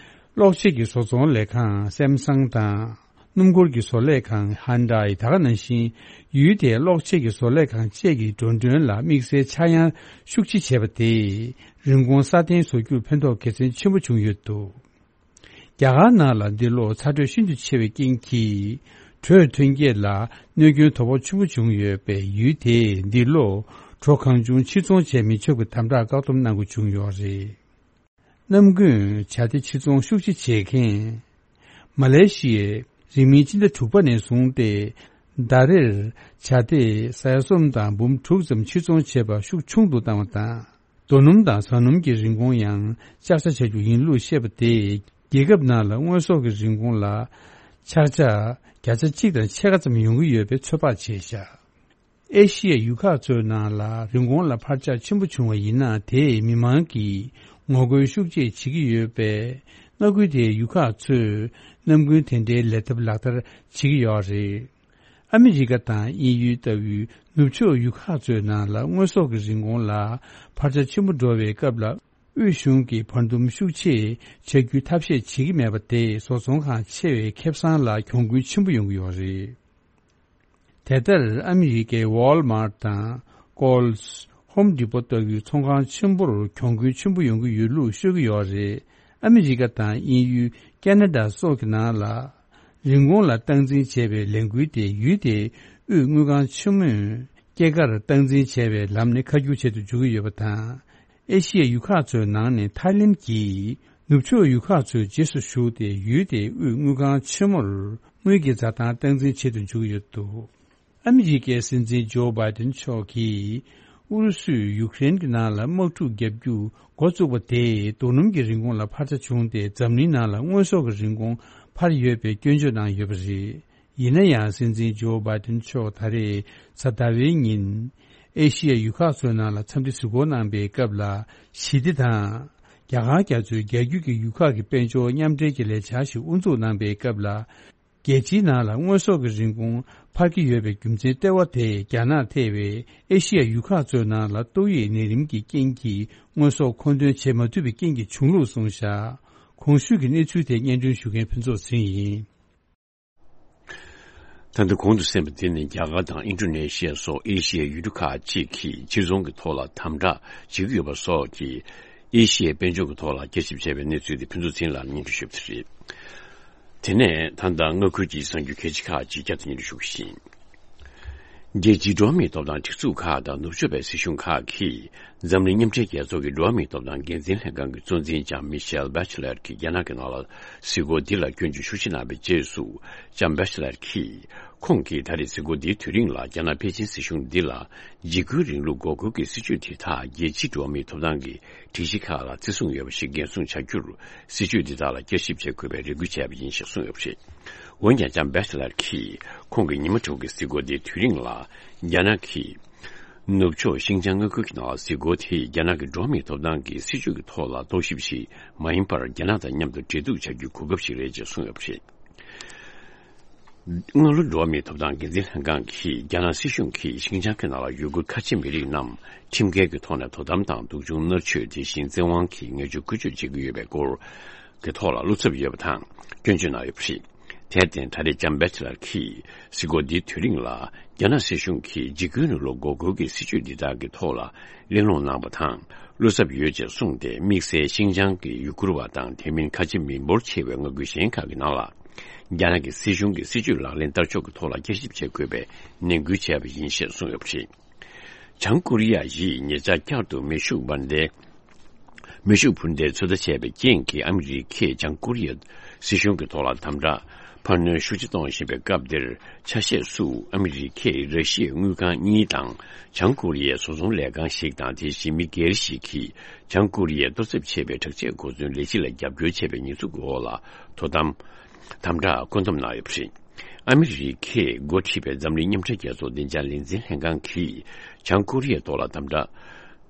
གློག་ཆས་ཀྱི་བཟོ་ཚོང་ལས་ཁང་སེམ་སང་དང་། སྣུམ་འཁོར་གྱི་བཟོ་ལས་ཁང་ཧན་ཌའི། ད་ག་ནང་བཞིན་ཡུལ་དེའི་གློག་ཆས་ཀྱི་བཟོ་ལས་ཁང་བཅས་ཀྱི་འགྲོ་གྲོན་ལ་དམིགས་བསལ་ཆག་ཡང་ཤུགས་ཆེ་བྱས་པ་དེས་རིན་གོང་སྲ་བརྟན་བཟོ་རྒྱུར་ཕན་ཐོགས་དགེ་མཚན་ཆེན་པོ་བྱུང་ཡོད་འདུག། རྒྱ་གར་ནང་ལ་འདི་ལོ་ཚ་དྲོད་ཤིན་ཏུ་ཆེ་བའི་རྐྱེན་གྱིས། དྲོད་ཐོན་སྐྱེད་ལ་གནོད་སྐྱོན་དོ་ཕོག་ཆེན་པོ་བྱུང་ཡོད་པས། ཡུལ་དེས་འདི་ལོ་གྲོ་གང་བྱུང་ཕྱིར་ཚོང་བྱས་མི་ཆོག་པའི་དམ་དྲག་བཀག་སྡོམ་གནང་དགོས་བྱུང་ཡོད་རེད། གནམ་དགུན་བྱ་དེ་ཕྱིར་ཚོང་ཤུགས་ཆེ་བྱེད་མཁན། མ་ལེ་ཤི་ཡས་རིང་མིན་སྤྱི་ཟླ་དྲུག་པ་ནས་བཟུང་སྟེ། ཟླ་རེར་བྱ་དེ་ས་ཡ་གསུམ་དང་འབུམ་དྲུག་ཙམ་ཕྱིར་ཚོང་བྱེད་པ་ཤུགས་ཆུང་དུ་བཏང་བ་དང་། རྡོ་སྣུམ་དང་ཟ་སྣུམ་གྱི་རིན་གོང་ཡང་ལྕགས་ཆ་བྱ་རྒྱུ་ཡིན་ལུགས་བཤད་པ་དེས། རྒྱལ་ཁབ་ནང་ལ་དངོས་ཟོག་གི་རིན་གོང་ལ་ཆག་ཆག་བརྒྱ་ཆ་གཅིག་དང་ཕྱེད་ཀ་ཙམ་ཡོང་གི་ཡོད་པའི་ཚོད་དཔག་བྱས་བཞག། ཨེ་ཤི་ཡའི་ཡུལ་ཁག་ཚོའི་ནང་ལ་རིན་གོང་ལ་འཕར་ཆག་ཆེན་པོ་བྱུང་བ་ཡིན་ན། དེས་མི་མང་གིས་ངོ་རྒོལ་ཤུགས་ཆེ་བྱེད་ཀྱི་ཡོད་པས། མངའ་ཁུལ་དེའི་ཡུལ་ཁག་ཚོས་གནམ་དགུན་དེ་འདྲའི་ལས་ཐབས་ལག་བསྟར་བྱེད་ཀྱི་ཡོད་རེད། ཨ་མི་རི་ཀ་དང་དབྱིན་ཡུལ་ལྟ་བུའི་ནུབ་ཕྱོགས་ཡུལ་ཁག་ཚོའི་ནང་ལ་དངོས་ཟོག་གི་རིན་གོང་ལ་འཕར་ཆ་ཆེན་པོ་འགྲོ་བའི་སྐབས་ལ། དབུས་གཞུང་གིས་བར་འདུམ་ཤུགས་ཆེ་བྱ་རྒྱུའི་ཐབས་ཤེས་བྱེད་ཀྱི་མེད་པ་དེས། བཟོ་ཚོང་ཁང་ཆེ་བའི་ཁེ་བཟང་ལ་གྱོང་གུན་ཆེན་པོ་ཡོང་གི་ཡོད་རེད། དེ་ལྟར་ཨ་མི་རི་ཀའི་ཝོལ་མཱར་ཊི་དང་། ཀོལ་སི། ཧོམ་ཌི་པོ་ལྟ་བུའི་ཚོང་ཁང་ཆེན་པོར་གྱོང་གུན་ཆེན་པོ་ཡོང་གི་ཡོད་ལུགས་ཤོད་ཀྱི་ཡོད་རེད། ཨ་མི་རི་ཀ་དང་དབྱིན་ཡུལ། ཁེ་ན་ཌ་སོགས་ཀྱི་ནང་ལ། རིན་གོང་ལ་སྟངས་འཛིན་བྱས་པའི་ལས་འགུལ་དེ། ཡུལ་དེའི་དབུས་དངུལ་ཁང་ཆེན་མོས་སྐྱེད་ཀར་སྟངས་འཛིན་བྱས་པའི་ལམ་ནས་ཁ་སྒྱུར་བྱེད་དུ་འཇུག་གི་ཡོད་པ་དང་། ཨེ་ཤི་ཡའི་ཡུལ་ཁག་ཚོའི་ནང་ནས་ཐའི་ལེན་གྱིས་ནུབ་ཕྱོགས་ཡུལ་ཁག་ཚོའི་རྗེས་སུ་ཞུགས་ཏེ། ཡུལ་དེའི་དབུས་དངུལ་ཁང་ཆེན་མོར་དངུལ་གྱི་འཛའ་ཐང་སྟངས་འཛིན་བྱེད་དུ་འཇུག་གི་ཡོད་འདུག། ཨ་མི་རི་ཀའི་སྲིད་འཛིན་ཇོ་བྷའི་ཏིན་མཆོག་གིས། ཨུ་རུ་སུས་ཡུ་ཀེ་རེན་གྱི་ནང་ལ་དམག་འཁྲུག་བརྒྱབ་རྒྱུ་འགོ་བཙུགས་པ་དེས། རྡོ་སྣུམ་གྱི་རིན་གོང་ལ་འཕར་ཆ་བྱུང་སྟེ། འཛམ་གླིང་ནང་ལ་དངོས་ཟོག་གི་རིན་གོང་འཕར་ཡོད་པའི་སྐྱོན་བརྗོད་གནང་ཡོད་པ་རེད། ཡིན་ན་ཡང་། སྲིད་འཛིན་ཇོ་བྷའི་ཏིན་མཆོག་ད་རེས་གཟའ་ཟླ་བའི་ཉིན། ཨེ་ཤི་ཡའི་ཡུལ་ཁག་ཚོའི་ནང་ལ་འཚམས་འདྲི་གཟིགས་སྐོར་གནང་པའི་སྐབས་ལ། ཞི་བདེ་དང་། རྒྱ་གར་རྒྱ་མཚོའི་རྒྱ་རྒྱུད་ཀྱི་ཡུལ་ཁག་གི་དཔལ་འབྱོར་མཉམ་འབྲེལ་གྱི་ལས་འཆར་ཞིག་དབུ་འཛུགས་གནང་པའི་སྐབས་ལ། རྒྱལ་སྤྱིའི་ནང་ལ་དངོས་ཟོག་གི་རིན་གོང་འཕར་གྱི་ཡོད་པའི་རྒྱུ་མཚན་ལྟེ་བ་དེ། རྒྱ་ནག་ཐེ་བའི་ཨེ་ཤི་ཡའི་ཡུལ་ཁག་ཚོའི་ནང་ལ་ཏོག་དབྱིབས་ནད་རིམས་ཀྱི་རྐྱེན་གྱིས་དངོས་ཟོག་མཁོ་འདོན་བྱེད་མ་ཐུབ་པའི་རྐྱེན་གྱིས་བྱུང་ལུགས་གསུངས་བཞག། གོང་ཞུས་ཀྱི་གནས་ཚུལ་དེ་སྙན་སྒྲོན་ཞུ་མཁན་ཕུན་ཚོགས་ཚེ་རིང་ཡིན། ད་ལྟ་གོང་དུ་གསན་པ་འདི་ནི་རྒྱ་གར་དང་ཨིན་ཌོ་ནེ་ཤི་ཡ་སོགས་ཨེ་ཤི་ཡའི་ཡུལ་གྲུ་ཁག་ཅིག་གིས་ཕྱིར་ཚོང་གི་ཐོག་ལ་དམ་དྲག་བྱེད་ཀྱི་ཡོད་པ་སོགས་ཀྱིས། ཨེ་ཤི་ཡའི་དཔལ་འབྱོར་གྱི་ཐོག་ལ་བསྐྱར་ཞིབ་བྱས་པའི་གནས་ཚུལ་དེ་ཕུན་ཚོགས་ཚེ་རིང་ལགས་ནས་སྙན་སྒྲོན་ཞུ་གི་རེད། དེ་ནས་ད་ལྟ་མངའ་ཁུལ་གྱི་གསར་འགྱུར་གལ་ཆེ་ཁག་ཅིག་བསྐྱར་དུ་སྙན་སྒྲོན་ཞུ་གི་ཡིན། རྒྱལ་སྤྱིའི་འགྲོ་བ་མིའི་ཐོབ་ཐང་སྒྲིག་འཛུགས་ཁག་དང་ནུབ་ཕྱོགས་པའི་སྲིད་གཞུང་ཁག་གིས། འཛམ་གླིང་མཉམ་འབྲེལ་རྒྱལ་ཚོགས་ཀྱི་འགྲོ་བ་མིའི་ཐོབ་ཐང་འགན་འཛིན་ལྷན་ཁང་གི་གཙོ་འཛིན་ལྕམ་མི་ཤེལ་བྷེ་ཆི་ལེར་གྱིས་རྒྱ་ནག་གི་ནང་ལ་གཟིགས་སྐོར་འདི་ལ་སྐྱོན་བརྗོད་ཤུགས་ཆེ་གནང་བའི་རྗེས་སུ། ལྕམ་བྷེ་ཆི་ལེར་གྱིས། ཁོང་གིས་ད་རེས་གཟིགས་སྐོར་འདིའི་དུས་རིང་ལ་རྒྱ་ནག་པེ་ཅིན་སྲིད་གཞུང་འདི་ལ་འཇིགས་སྐུལ་རིང་ལུགས་འགོག་རྒོལ་གྱི་སྲིད་བྱུས་དེ་དག་རྒྱལ་སྤྱིའི་འགྲོ་བ་མིའི་ཐོབ་ཐང་གི་སྒྲིག་གཞི་ཁག་ལ་བརྩི་སྲུང་ཡོད་པ་ཞིག་འགན་སྲུང་བྱ་རྒྱུར་སྲིད་བྱུས་འདི་དག་ལ་བསྐྱར་ཞིབ་བྱེད་དགོས་པའི་རེ་སྐུལ་བྱས་པ་ཡིན་ཞེས་གསུངས་ཡོད་པ་རེད། འོན་ཀྱང་ལྕམ་བྷེ་ཆེ་ལར་གྱིས་ཁོང་གི་ཉི་མ་དྲུག་གི་གཟིགས་སྐོར་འདིའི་དུས་རིང་ལ་རྒྱ་ནག་གིས་ནུབ་ཕྱོགས་ཤིང་ཅང་མངའ་ཁུལ་གྱི་ནང་ལ་གཟིགས་སྐོར་དེས་རྒྱ་ནག་གི་འགྲོ་བ་མིའི་ཐོབ་ཐང་གི་སྲིད་བྱུས་ཀྱི་ཐོག་ལ་རྟོག་ཞིབ་ཞིག་མ་ཡིན་པར་རྒྱ་ནག་དང་མཉམ་དུ་འབྲེལ་གཏུག་བྱ་རྒྱུའི་གོ་སྐབས་ཤིག་རེད་ཅེས་གསུངས་ཡོད་པ་རེད། སྔ་ལོ་འགྲོ་བ་མིའི་ཐོབ་ཐང་འགན་འཛིན་ལྷན་ཁང་གིས་རྒྱ་ནག་སྲིད་གཞུང་གིས་ཤིང་ཅང་གི་ནང་ལ་ཡུ་གུར་ཁ་ཆེ་མི་རིགས་རྣམས་ཁྲིམས་འགལ་གྱི་ཐོག་ནས་དོ་དམ་དང་སྡུག་སྦྱོང་མནར་གཅོད། དེ་བཞིན་བཙན་དབང་གིས་ངན་ཇུས་བཀོལ་སྤྱོད་བྱེད་ཀྱི་ཡོད་པའི་སྐོར་གྱི་ཐོག་ལ་བློ་འཚབ་ཡོད་པ་དང་སྐྱོན་བརྗོད་གནང་ཡོད་པ་རེད། དེར་བརྟེན་ད་རེས་ལྕམ་བྷེ་ཆེ་ལར་གྱིས་གཟིགས་སྐོར་འདིའི་དུས་རིང་ལ་རྒྱ་ནག་སྲིད་གཞུང་གིས་འཇིགས་སྐུལ་རིང་ལུགས་འགོག་རྒོལ་གྱི་སྲིད་བྱུས་འདི་དག་གི་ཐོག་ལ་གླེང་སློང་གནང་བ་དང་བློ་འཚབ་ཡོད་ཅེས་གསུངས་ཏེ། དམིགས་བསལ་ཤིང་ཅང་གི་ཡུ་གུར་བ་དང་དེ་མིན་ཁ་ཆེ་མི་འབོར་ཆེ་བའི་མངའ་ཁུལ་གཞན་ཁག་གི་ནང་ལ་རྒྱ་ནག་གི་སྲིད་གཞུང་གི་སྲིད་བྱུས་ལག་ལེན་བསྟར་ཕྱོགས་ཀྱི་ཐོག་ལ་བསྐྱར་ཞིབ་བྱེད་དགོས་པའི་ནན་སྐུལ་བྱས་པ་ཡིན་ཞེས་གསུངས་ཡོད་པ་རེད། བྱང་ཀོ་རི་ཡ་ཡིས་ཉེ་ཆར་བསྐྱར་དུ་མེ་ཤུགས་འབར་མདེལ། མེ་ཤུགས་འཕུར་མདེལ་ཚོད་ལྟ་བྱས་པའི་རྐྱེན་གྱིས་ཨ་མི་རི་ཀས་བྱང་ཀོ་རི་ཡའི་སྲིད་གཞུང་གི་ཐོག་ལ་དམ་དྲག་འཕར་སྣོན་ཤུགས་ཆེ་གཏོང་བཞིན་པའི་སྐབས་འདིར། ཆ་ཤས་སུ་ཨ་མི་རི་ཀས་ར་ཤི་ཡའི་དངུལ་ཁང་གཉིས་དང་བྱང་ཀོ་རི་ཡའི་བཟོ་ཚོང་ལས་ཁང་ཞིག་དང་། དེ་བཞིན་མི་སྒེར་ཞིག་གིས་བྱང་ཀོ་རི་ཡས་གཏོར་ཚབ་བྱས་པའི་དྲག་ཆས་གོ་མཚོན་ལས་གཞི་ལ་རྒྱབ་སྐྱོར་བྱས་པའི་ཉེས་འཛུགས་ཀྱི་འོག་ལ་དོ་དམ། དམ་དྲག་བཀོད་འདོམས་གནང་ཡོད་པ་རེད། ཨ་མི་རི་ཀས་འགོ་ཁྲིད་པའི་འཛམ་གླིང་མཉམ་འབྲེལ་རྒྱལ་ཚོགས་བདེ་འཇགས་ལས་འཛིན་ལྷན་ཁང་གིས་བྱང་ཀོ་རི་ཡའི་ཐོག་ལ་དམ་དྲག་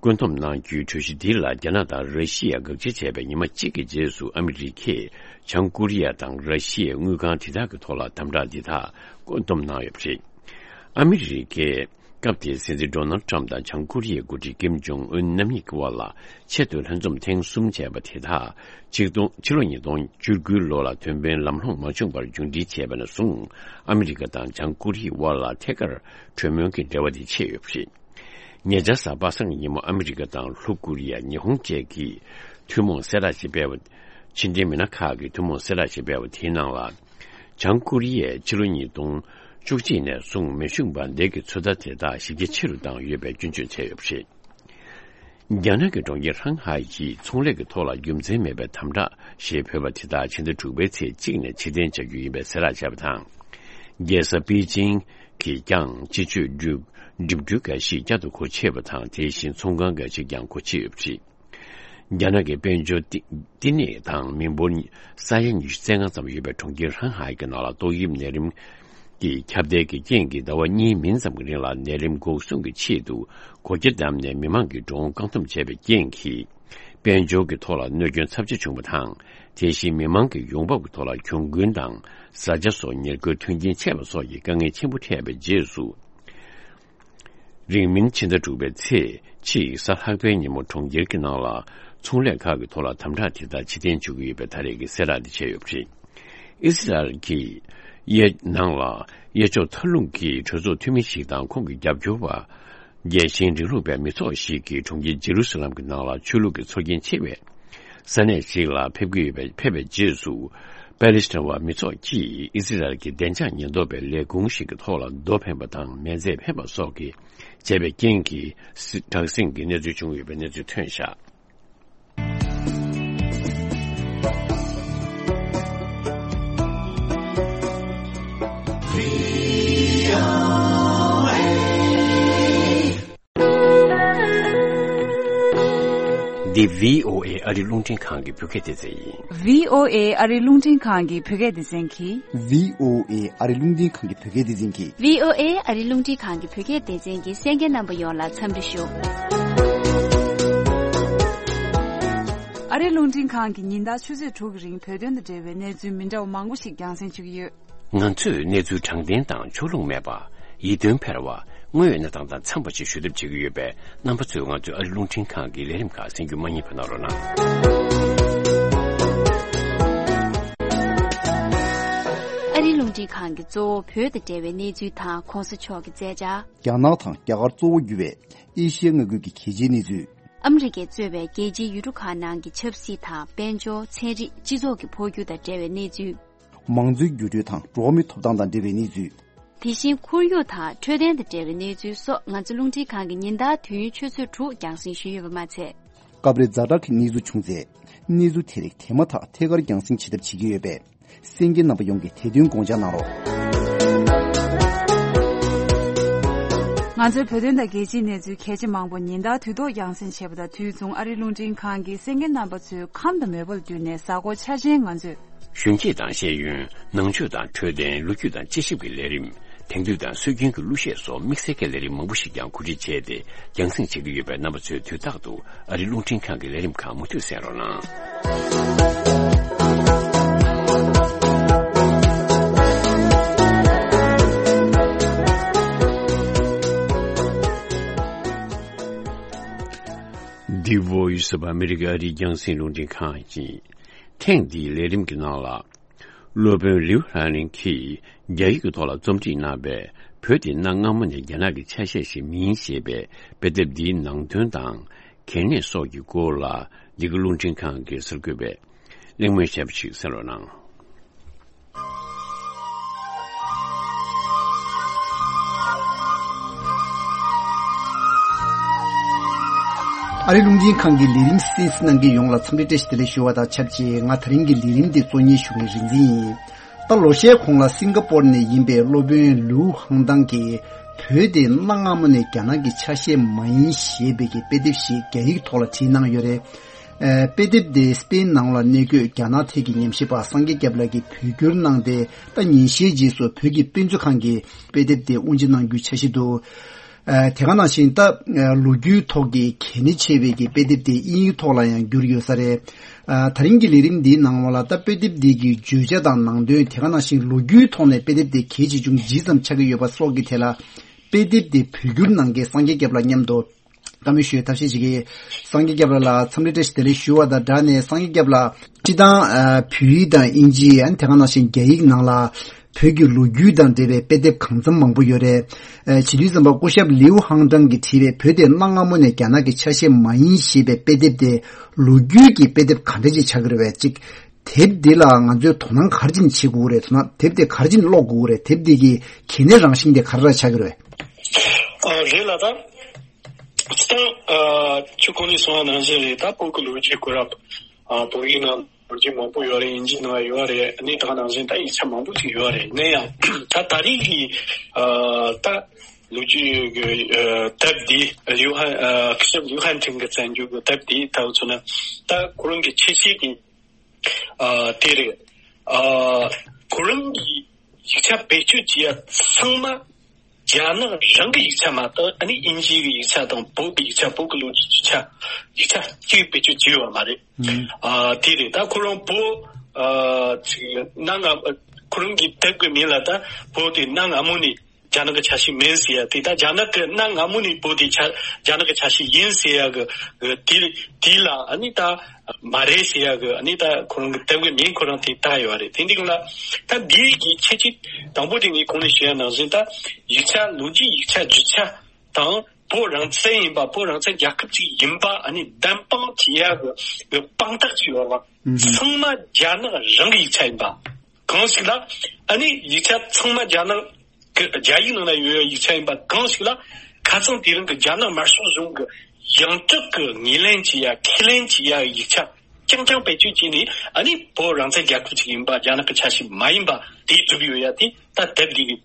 བཀོད་འདོམས་གནང་རྒྱུའི་གྲོས་གཞི་འདི་ལ་རྒྱ་ནག་དང་ར་ཤི་ཡ་དགག་བྱ་བྱས་པའི་ཉི་མ་གཅིག་གི་རྗེས་སུ་ཨ་མི་རི་ཀས་བྱང་ཀོ་རི་ཡ་དང་ར་ཤི་ཡའི་དངུལ་ཁང་དེ་དག་གི་ཐོག་ལ་དམ་དྲག་འདི་དག་བཀོད་འདོམས་གནང་ཡོད་པ་རེད། ཨ་མི་རི་ཀས་སྐབས་དེའི་སྲིད་འཛིན་ཌོ་ནལ་ཊམ་དང་བྱང་ཀོ་རི་ཡའི་འགོ་ཁྲིད་ཀིམ་ཇོང་ཨུན་རྣམ་གཉིས་ཀྱི་དབར་ལ་ཆེད་དུ་ལྷན་འཛོམས་ཐེངས་གསུམ་བྱས་པ་དེ་དག་ཕྱི་ལོ་ཕྱི་ལོ་ཉིས་སྟོང་བཅུ་དགུའི་ལོ་ལ་དོན་ཕན་ལམ་ལྷོང་མ་བྱུང་བར་མཇུག་སྒྲིལ་བྱས་པ་ནས་བཟུང་། ཨ་མི་རི་ཀ་དང་བྱང་ཀོ་རི་ཡའི་དབར་ལ་ཐད་ཀར་གྲོས་མོལ་གྱི་འབྲེལ་བ་དེ་ཆད་ཡོད་པ་རེད། ཉེ་ཆར་གཟའ་པ་སངས་ཀྱི་ཉིན་མོ་ཨ་མི་རི་ཀ་དང་ལྷོ་ཀོ་རི་ཡ། ཉི་ཧོང་བཅས་ཀྱིས་ཐུན་མོང་གསལ་བསྒྲགས་ཤིག་སྤེལ་བ། ཕྱི་འབྲེལ་མི་སྣ་ཁག་གིས་ཐུན་མོང་གསལ་བསྒྲགས་ཤིག་སྤེལ་བ་དེའི་ནང་ལ། བྱང་ཀོ་རི་ཡས་ཕྱི་ལོ་ཉིས་སྟོང་བཅུ་གཅིག་ནས་བཟུང་མེ་ཤུགས་འབར་མདེལ་གྱི་ཚོད་ལྟ་དེ་དག་ཞིབ་རྒྱ་ཆེ་རུ་བཏང་ཡོད་པའི་སྐྱོན་བརྗོད་བྱས་ཡོད་པ་རེད། རྒྱ་ནག་གི་གྲོང་ཁྱེར་ཧྲང་ཧའེ་ཡིས་ཚོང་ལས་ཀྱི་ཐོག་ལ་རྒྱུ་མཚན་མེད་པའི་དམ་དྲག་ཞེས་འབོད་པ་དེ་དག་ཕྱི་ཟླ་དྲུག་པའི་ཚེས་གཅིག་ནས་ཕྱིར་འཐེན་བྱ་རྒྱུ་ཡིན་པའི་གསལ་བསྒྲགས་བྱས་པ་དང་། རྒྱལ་ས་པེ་ཅིང་གིས་ཀྱང་སྤྱི་སྤྱོད་འགྲུལ་འགྲིམ་འགྲུལ་འགའ་ཞིག་བསྐྱར་དུ་སྒོ་ཕྱེ་བ་དང་། དེ་བཞིན་ཚོང་ཁང་འགའ་ཞིག་ཀྱང་སྒོ་ཕྱེ་ཡོད་པ་རེད། རྒྱ་ནག་གི་དཔལ་འབྱོར་བསྟི་བསྟི་གནས་དང་མི་འབོར་ས་ཡ་ཉི་ཤུ་རྩ་ལྔ་ཙམ་ཡོད་པའི་གྲོང་ཁྱེར་ཧྲང་ཧའེ་གྱི་ནང་ལ་ཏོག་དབྱིབས་ནད་རིམས་ཀྱི་ཁྱབ་གདལ་གྱི་རྐྱེན་གྱིས་ཟླ་བ་གཉིས་མིན་ཙམ་གྱི་རིང་ལ་ནད་རིམས་འགོག་སྲུང་གི་ཆེད་དུ་སྒོ་རྒྱ་བསྡམས་ནས་མི་མང་གི་འགྲོ་འོང་བཀག་སྡོམ་བྱས་པའི་རྐྱེན་གྱིས། དཔལ་འབྱོར་གྱི་ཐོག་ལ་གནོད་སྐྱོན་ཚབས་ཆེ་བྱུང་བ་དང་། དེ་བཞིན་མི་མང་གི་ཡོང་འབབ་ཀྱི་ཐོག་ལ་གྱོང་གུན་དང་བཟའ་བཅའ་སོགས་ཉེར་མཁོའི་མཐུན་རྐྱེན་ཆད་པ་སོགས་ཀྱི་དཀའ་ངལ་ཆེན་པོ་འཕྲད་པའི་རྗེས་སུ། རིང་མིན་ཕྱི་ཟླ་དྲུག་པའི་ཚེས་གཅིག་གཟའ་ལྷག་པའི་ཉིན་མོ་གྲོང་ཁྱེར་གྱི་ནང་ལ་ཚོང་ལས་ཁག་གི་ཐོག་ལ་དམ་དྲག་དེ་དག་ཕྱིར་འཐེན་བྱེད་ཀྱི་ཡོད་པའི་ད་རེས་ཀྱི་གསལ་བསྒྲགས་དེ་བྱས་ཡོད་པ་རེད། ཨི་སི་རལ་གྱི་གཡས་ནང་ལ་གཡས་ཕྱོགས་མཐའ་ལྷུང་གི་གྲོས་ཚོགས་འཐུས་མི་ཞིག་དང་ཁོང་གི་རྒྱབ་སྐྱོར་བ། རྒྱལ་ཞེན་རིང་ལུགས་པའི་མི་ཚོགས་ཤིག་གིས་གྲོང་ཁྱེར་ཇེ་རུ་སི་ལམ་གྱི་ནང་ལ་ཆོས་ལུགས་ཀྱི་ཚོར་སྐྱེན་ཆེ་བའི་ས་གནས་ཤིག་ལ་ཕེབས་ཀྱི་ཡོད་པའི་ཕེབས་པའི་རྗེས་སུ། པེ་ལེ་སི་ཐན་བ་མི་ཚོགས་ཀྱིས་ཨི་སི་རལ་གྱི་བདེ་འཇགས་ཉེན་རྟོག་པའི་ལས་ཁུངས་ཤིག་གི་ཐོག་ལ་རྡོ་འཕེན་པ་དང་མེ་མཛད་འཕེན་པ་སོགས་ཀྱི་བྱས་པའི་རྐྱེན་གྱིས་དྲག་ཟིང་གི་གནས་ཚུལ་བྱུང་ཡོད་པའི་གནས་ཚུལ་ཐོན་བཞག་འདི་བྷི་ཨོ་ཨེ་ཨ་རི་རླུང་འཕྲིན་ཁང་གི་བོད་སྐད་སྡེ་ཚན་ཡིན། བྷི་ཨོ་ཨེ་ཨ་རི་རླུང་འཕྲིན་ཁང་གི་བོད་སྐད་སྡེ་ཚན་གྱིས། བྷི་ཨོ་ཨེ་ཨ་རི་རླུང་འཕྲིན་ཁང་གི་བོད་སྐད་སྡེ་ཚན་གྱིས། བྷི་ཨོ་ཨེ་ཨ་རི་རླུང་འཕྲིན་ཁང་གི་བོད་སྐད་སྡེ་ཚན་གྱི་གསན་མཁན་རྣམ་པ་ཡོངས་ལ་འཚམས་འདྲི་ཞུ། ཨ་རི་རླུང་འཕྲིན་ཁང་གི་ཉིན་ལྟར་ཆུ་ཚོད་དྲུག་གི་རིང་བོད་དོན་དང་འབྲེལ་བའི་གནས་ཚུལ་མི་འདྲ་བ་མང་པོ་ཞིག་རྒྱང་སྲིང་ཞུ་གི་ཡོད། ང་ཚོས་གནས་ཚུལ་དྲང་བདེན་དང་ཕྱོགས་ལྷུང་མེད་པ། ཡིད་རྟོན་འཕེར་བ། དངོས་ཡོད་གནས་སྟངས་དང་འཚམས་པ་ཞིག་ཞུ་ཐབས་བྱེད་ཀྱི་ཡོད་པས། རྣམ་པ་ཚོས་ང་ཚོའི་ཨ་རི་རླུང་འཕྲིན་ཁང་གི་ལས་རིམ་ཁག་གསན་རྒྱུ་མ་བསྙེལ་བ་གནང་རོགས་གནང་། ཨ་རི་རླུང་འཕྲིན་ཁང་གིས་གཙོ་བོ་བོད་དང་འབྲེལ་བའི་གནས་ཚུལ་དང་གོང་ས་མཆོག་གི་མཛད་འཆར། རྒྱ་ནག་དང་རྒྱ་གར་གཙོ་བོ་གྱུར་བའི་ཨེ་ཤི་ཡ་མངའ་ཁུལ་གྱི་གལ་ཆེའི་གནས་ཚུལ། ཨ་མི་རི་ཀས་གཙོས་པའི་རྒྱལ་སྤྱིའི་ཡུལ་གྲུ་ཁག་ནང་གི་ཆབ་སྲིད་དང་དཔལ་འབྱོར། ཚན་རིག་སྤྱི་ཚོགས་ཀྱི་འཕོ་འགྱུར་དང་འབྲེལ་བའི་གནས་ཚུལ། མང་གཙོའི་འགྱུར་འགྲོས་དང་འགྲོ་བ་མིའི་ཐོབ་ཐང་དང་འབྲེལ་བའི་གནས་ཚུལ། དེ་བཞིན་ཁོར་ཡུག་དང་འཕྲོད་བསྟེན་དང་འབྲེལ་བའི་གནས་ཚུལ་སོགས་ང་ཚོ་རླུང་འཕྲིན་ཁང་གིས་ཉིན་ལྟར་དུས་ཡུན་ཆུ་ཚོད་དྲུག་རྒྱང་སྲིང་ཞུས་ཡོད་པ་མ་ཚད། སྐབས་རེ་ཛ་དྲག་གི་གནས་ཚུལ་བྱུང་ཚེ། གནས་ཚུལ་དེ་རིགས་དེ་མ་ཐག་ཐད་ཀར་རྒྱང་སྲིང་བྱེད་ཐབས་བྱེད་ཀྱི་ཡོད་པས། གསན་མཁན་རྣམ་པ་ཡོངས་ཀྱིས་དེ་དོན་དགོངས་འཇགས་གནང་རོགས། ང་ཚོའི་བོད་དོན་དང་རྒྱལ་སྤྱིའི་གནས་ཚུལ་གལ་ཆེ་མང་པོ་ཉིན་ལྟར་དུས་ཐོག་རྒྱང་སྲིང་བྱས་པ་དང་། དུས་མཚུངས་ཨ་རིའི་རླུང་འཕྲིན་ཁང་གི་གསན་མཁན་རྣམ་པ་ཚོའི་ཁམས་དང་མོས་པ་ལ་བསྟུན་ནས་གཟའ་འཁོར་འཆར་ཅན་ང་ཚོས། གཞོན་སྐྱེས་དང་ཤེས་ཡོན། ནང་ཆོས་དང་འཕྲོད་བསྟེན། ལོ་རྒྱུས་དང་དཔྱད་ཞིབ་ཀྱི་ལས་རིམ། དེང་དུས་དང་སྲོལ་རྒྱུན་གྱི་གླུ་གཞས་སོགས་དམིགས་བསལ་གྱི་ལས་རིམ་མང་པོ་ཞིག་ཀྱང་གོ་སྒྲིག་བྱས་ཏེ་རྒྱང་སྲིང་བྱེད་ཀྱི་ཡོད་པས། རྣམ་པ་ཚོས་དུས་རྟག་ཏུ་ཨ་རིའི་རླུང་འཕྲིན་ཁང་གི་ལས་རིམ་ཁག་མུ་མཐུད་གསན་རོགས་གནང་། The Voice of America ཨ་རིའི་རྒྱང་སྲིང་རླུང་འཕྲིན་ཁང་ཡིན། ཐེངས་འདིའི་ལས་རིམ་གྱི་ནང་ལ། སློབ་དཔོན་ལིའུ་ཧན་ལིང་གིས་རྒྱ་ཡིག་གི་ཐོག་ལ་རྩོམ་སྒྲིག་གནང་བའི་བོད་དེ་གནའ་སྔ་མོ་ནས་རྒྱ་ནག་གི་ཆ་ཤས་ཤིག་མིན་ཞེས་པའི་དཔེ་དེབ་འདིའི་ནང་དོན་དང་། གལ་གནད་སོགས་ཀྱི་སྐོར་ལ་འདི་ག་རླུང་འཕྲིན་ཁང་གི་གསར་འགོད་པས་གླེང་མོལ་བྱས་པ་ཞིག་གསན་རོགས་གནང་། ཨ་རི་རླུང་འཕྲིན་ཁང་གི་ལས་རིམ་གསན་གཟིགས་གནང་མཁན་ཡོངས་ལ་འཚམས་འདྲི་བཀྲ་ཤིས་བདེ་ལེགས་ཞུ་བ་དང་ཆབས་ཅིག་ང་དེ་རིང་གི་ལས་རིམ་འདི་གཙོ་གཉེར་ཞུ་མཁན་རིག་འཛིན་ཡིན། ད་ལོ་ཤས་གོང་ལ་སིང་ག་པོར་ནས་ཡིན་པའི་སློབ་དཔོན་ལིའུ་ཧང་ཏང་གིས་བོད་དེ་གནའ་སྔ་མོ་ནས་རྒྱ་ནག་གི་ཆ་ཤས་མ་ཡིན་ཞེས་པའི་གི་དཔེ་དེབ་ཞིག་རྒྱ་ཡིག་ཐོག་ལ་བྲིས་གནང་ཡོད་རེད། ཨ། དཔེ་དེབ་དེ་སྤེན་ནང་ལ་གནས་འཁོད་རྒྱ་ནག་ཐད་ཀྱི་ཉམས་ཞིབ་པ་སངས་རྒྱས་སྐྱབས་ལགས་ཀྱིས་བོད་བསྒྱུར་གནང་སྟེ། ད་ཉིན་ཤས་རྗེས་སུ་བོད་ཀྱི་དཔེ་མཛོད་ཁང་གིས་དཔེ་དེབ་དེ་དབུ་འབྱེད་གནང་རྒྱུའི་འཆར་གཞི་འདུག་ཨ། དེ་ག་ནང་བཞིན་ད་ལོ་རྒྱུས་ཐོག་གི་གལ་གནད་ཆེ་བའི་གི་དཔེ་དེབ་དེ་དབྱིན་ཡིག་ཐོག་ལ་ཡང་བསྒྱུར་ཡོད་ས་རེད། ཨ། དེ་རིང་གི་ལས་རིམ་འདིའི་ནང་ལ་ད་དཔེ་དེབ་འདི་གི་བརྗོད་བྱ་དང་ནང་དོན། དེ་ག་ནང་བཞིན་ལོ་རྒྱུས་ཐོག་ནས་དཔེ་དེབ་དེ་གལ་ཆེ་ཆུང་ཇི་ཙམ་ཆགས་ཀྱི་ཡོད་པ་སོགས་ཀྱི་ཐད་ལ། དཔེ་དེབ་དེ་བོད་བསྒྱུར་གནང་མཁན་སངས་རྒྱས་སྐྱབས་ལགས་མཉམ་དུ་བཀའ་མོལ་ཞུ་བའི་ཐབས་ཤེས་བྱེད་ཀྱི། སངས་རྒྱས་སྐྱབས་ལགས་ལ་འཚམས་འདྲི་བཀྲ་ཤིས་བདེ་ལེགས་ཞུ་བ་དང་སྦྲགས་ནས། སངས་རྒྱས་སྐྱབས་ལགས། སྤྱིར་བཏང་། ཨ། བོད་ཡིག་དང་དབྱིན་ཇི། ཨ་ནི་དེ་ག་ནང་བཞིན་རྒྱ་ཡིག་ནང་ལ་བོད་ཀྱི་ལོ་རྒྱུས་དང་འབྲེལ་བའི་དཔེ་དེབ་གང་འཚམ་མང་པོ་ཡོད་རེད། ཨ། བྱེད་དུས་ཙམ་པ་སྐུ་ཞབས་ལིའུ་ཧང་ཀྲང་གིས་བྲིས་པའི་བོད་དེ་གནའ་སྔ་མོ་ནས་རྒྱ་ནག་གི་ཆ་ཤས་མ་ཡིན་ཞེས་པའི་དཔེ་དེབ་དེ་ལོ་རྒྱུས་ཀྱི་དཔེ་དེབ་ག་འདྲ་ཅིག་ཆགས་ཀྱི་རེད་པས། གཅིག་དེབ་འདི་ལ་ང་ཚོས་དོ་སྣང་ག་རེ་བྱེད་དགོས་རེད། དོ་སྣང་དེབ་དེ་ག་རེ་བྱེད་ཀློག་དགོས་རེད། དེབ་འདི་གི་གལ་གནད་རང་བཞིན་དེ་ག་རེ་ཆགས་ཀྱི་རེད། ཨ། རེད་ལགས། ད་སྤྱིར་བཏང་། ཨ། ཁྱོད་གོང་ནས་གསུངས་པ་ནང་བཞིན་རེད། ད་བོད་ཀྱི་ལོ་རྒྱུས་སྐོར་ལ། ཨ། བོད་ཡིག་ནང་ལོ་རྒྱུས་མང་པོ་ཡོད་རེད། དབྱིན་ཇིའི་ནང་ཡོད་རེད། ཨ་ནི་དེ་ག་ནང་བཞིན་ད་ཡིག་ཆ་མང་པོ་ཞིག་ཡོད་རེད། ཡིན་ན་ཡང་ད་ད་རེས་ཀྱི། ཨ། ད་ལོ་རྒྱུས་ཀྱི། ཨ། དེབ་འདི་ལིའུ་ཧན། ཨ། སྐུ་ཞབས་ལིའུ་ཧན་ཐིང་གིས་བཙན་བྱོལ་གྱི་དེབ་འདི་ལྟ་བུ་མཚོན་ན། ད་ཁོ་རང་གི་ཁྱད་ཆོས་ཀྱི། ཨ། དེ་རེད། ཨ། ཁོ་རང་གིས་ཡིག་ཆ་བེད་སྤྱོད་བྱེད་ཡ་ཚང་མ་རྒྱ་ནག་རང་གི་ཡིག་ཆ་མ་གཏོགས། ཨ་ནི་དབྱིན་ཇིའི་ཡིག་ཆ་དང་། བོད་ཀྱི་ཡིག་ཆ། བོད་ཀྱི་ལོ་རྒྱུས་ཀྱི་ཆ། ཡིག་ཆ་གཅིག་བེད་སྤྱོད་བྱས་ཡོད་མ་རེད། ཨ། དེ་རེད། ད་ཁོ་རང་བོད། ཨ། ཅིག་གནའ་སྔ། ཁོ་རང་གི་དེབ་ཀྱི་མིང་ལ་ད་བོད་དེ་གནའ་སྔ་མོ་ནས་རྒྱ་ནག་གི་ཆ་ཤས་མིན་ཟེར་ཡ་དེ། ད་རྒྱ་ནག་གི་གནའ་སྔ་མོ་ནས་བོད་དེ་ཆ། རྒྱ་ནག་གི་ཆ་ཤས་ཡིན་ཟེར་ཡ་གི་དེ། དེ་ལ་ཨ་ནི་ད་མ་རེད་ཟེར་ཡ་གི། ཨ་ནི་ད་ཁོ་རང་གི་དེབ་ཀྱི་མིང་ཁོ་རང་དེ་བཏགས་ཡོད་རེད། དེ་འདི་ལ་ད་འདི་གི་ཁྱད་ཆོས་དང་པོ་དེ་ངས་གོང་ནས་ཞུ་ཡ་ནང་བཞིན། ད་ཡིག་ཆ། ལོ་རྒྱུས་ཡིག་ཆ་བརྗོད་བྱ་དང་། བོད་རང་བཙན་ཡིན་པ། བོད་རང་བཙན་རྒྱལ་ཁབ་ཅིག་ཡིན་པ་ཨ་ནི་བདེན་དཔང་བྱེད་ཡ་གི་དཔང་རྟགས་ཅིག་ཡོད་རེད་པ། ཚང་མ་རྒྱ་ནག་རང་གི་ཡིག་ཆ་ཡིན་པ། གང་ཞིག་ལ། ཨ་ནི་ཡིག་ཆ་ཚང་མ་རྒྱ་ནག་གི་རྒྱ་ཡིག་ནང་ན་ཡོད་ཡ་ཡིག་ཆ་ཡིན་པ་གང་ཞིག་ལ། ཁ་སང་དེ་རིང་གི་རྒྱ་ནག་དམར་ཤོག་གཞུང་གི་ཡང་སྤྲུལ་གི་ངོས་ལེན་བྱེད་ཡ། ཁས་ལེན་བྱེད་ཡ་ཡིག་ཆ་རྐྱང་རྐྱང་བེད་སྤྱོད་བྱས་ནས། ཨ་ནི་བོད་རང་བཙན་རྒྱལ་ཁབ་ཅིག་ཡིན་པ། རྒྱ་ནག་གི་ཆ་ཤས་མ་ཡིན་པ་དེ་སྒྲུབ་ཡོད་ཡ་དེ། ད་དེབ་འདི་གི་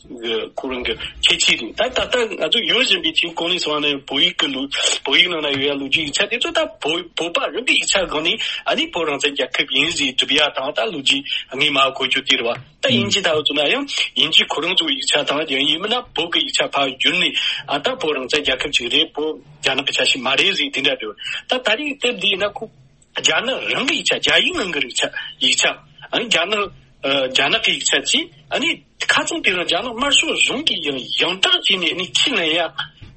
ཁོ་རང་གི་ཁྱད་ཆོས་རེད། ད་ད་ལྟ་ང་ཚོ་ཡོང་བཞིན་པའི་ཆེས་གོང་ནས་སོང་ནས་བོད་ཡིག་གི་ལོ། བོད་ཡིག་ནང་ན་ཡོད་ཡ་ལོ་རྒྱུས་ཡིག་ཆ་དེ་ཚོ་ད་བོད། བོད་པ་རང་གི་ཡིག་ཆ་སྒང་ནས་ཨ་ནི་བོད་རང་བཙན་རྒྱལ་ཁབ་ཡིན་ཟེར་སྒྲུབ་ཡ་དང་། ད་ལོ་རྒྱུས་ངས་མར་གོ་རྒྱུ་དེ་རེད་པ། ད་དབྱིན་ཇི་ལྟ་བུ་ཚོ་ན་ཡང་དབྱིན་ཇི་ཁོ་རང་ཚོའི་ཡིག་ཆ་དང་། ཡང་ཡིན་མིན་ན་བོད་ཀྱི་ཡིག་ཆ་ཕར་བསྒྱུར་ནས། ཨ། ད་བོད་རང་བཙན་རྒྱལ་ཁབ་ཅིག་རེད། བོད་རྒྱ་ནག་གི་ཆ་ཤས་མ་རེད་ཟེར་དེ་འདྲ་རེད། ད་ད་རེས་དེབ་འདི་ཡིན་ན་ཁོ། རྒྱ་ནག་རང་གི་ཡིག་ཆ། རྒྱ་ཡིག་ནང་གི་ཡིག་ཆ། ཡིག་ཆ། ཨ་ནི་རྒྱ་ནག་ཨ། རྒྱ་ནག་གི་ཡིག་ཆ་ཅིག་ཨ་ནི་ཁ་སང་དེ་རིང་རྒྱ་ནག་དམར་ཤོག་གཞུང་གིས་ཡང་ཡང་དག་བྱས་ནས་ཨ་ནི་ཁས་ལེན་ཡ་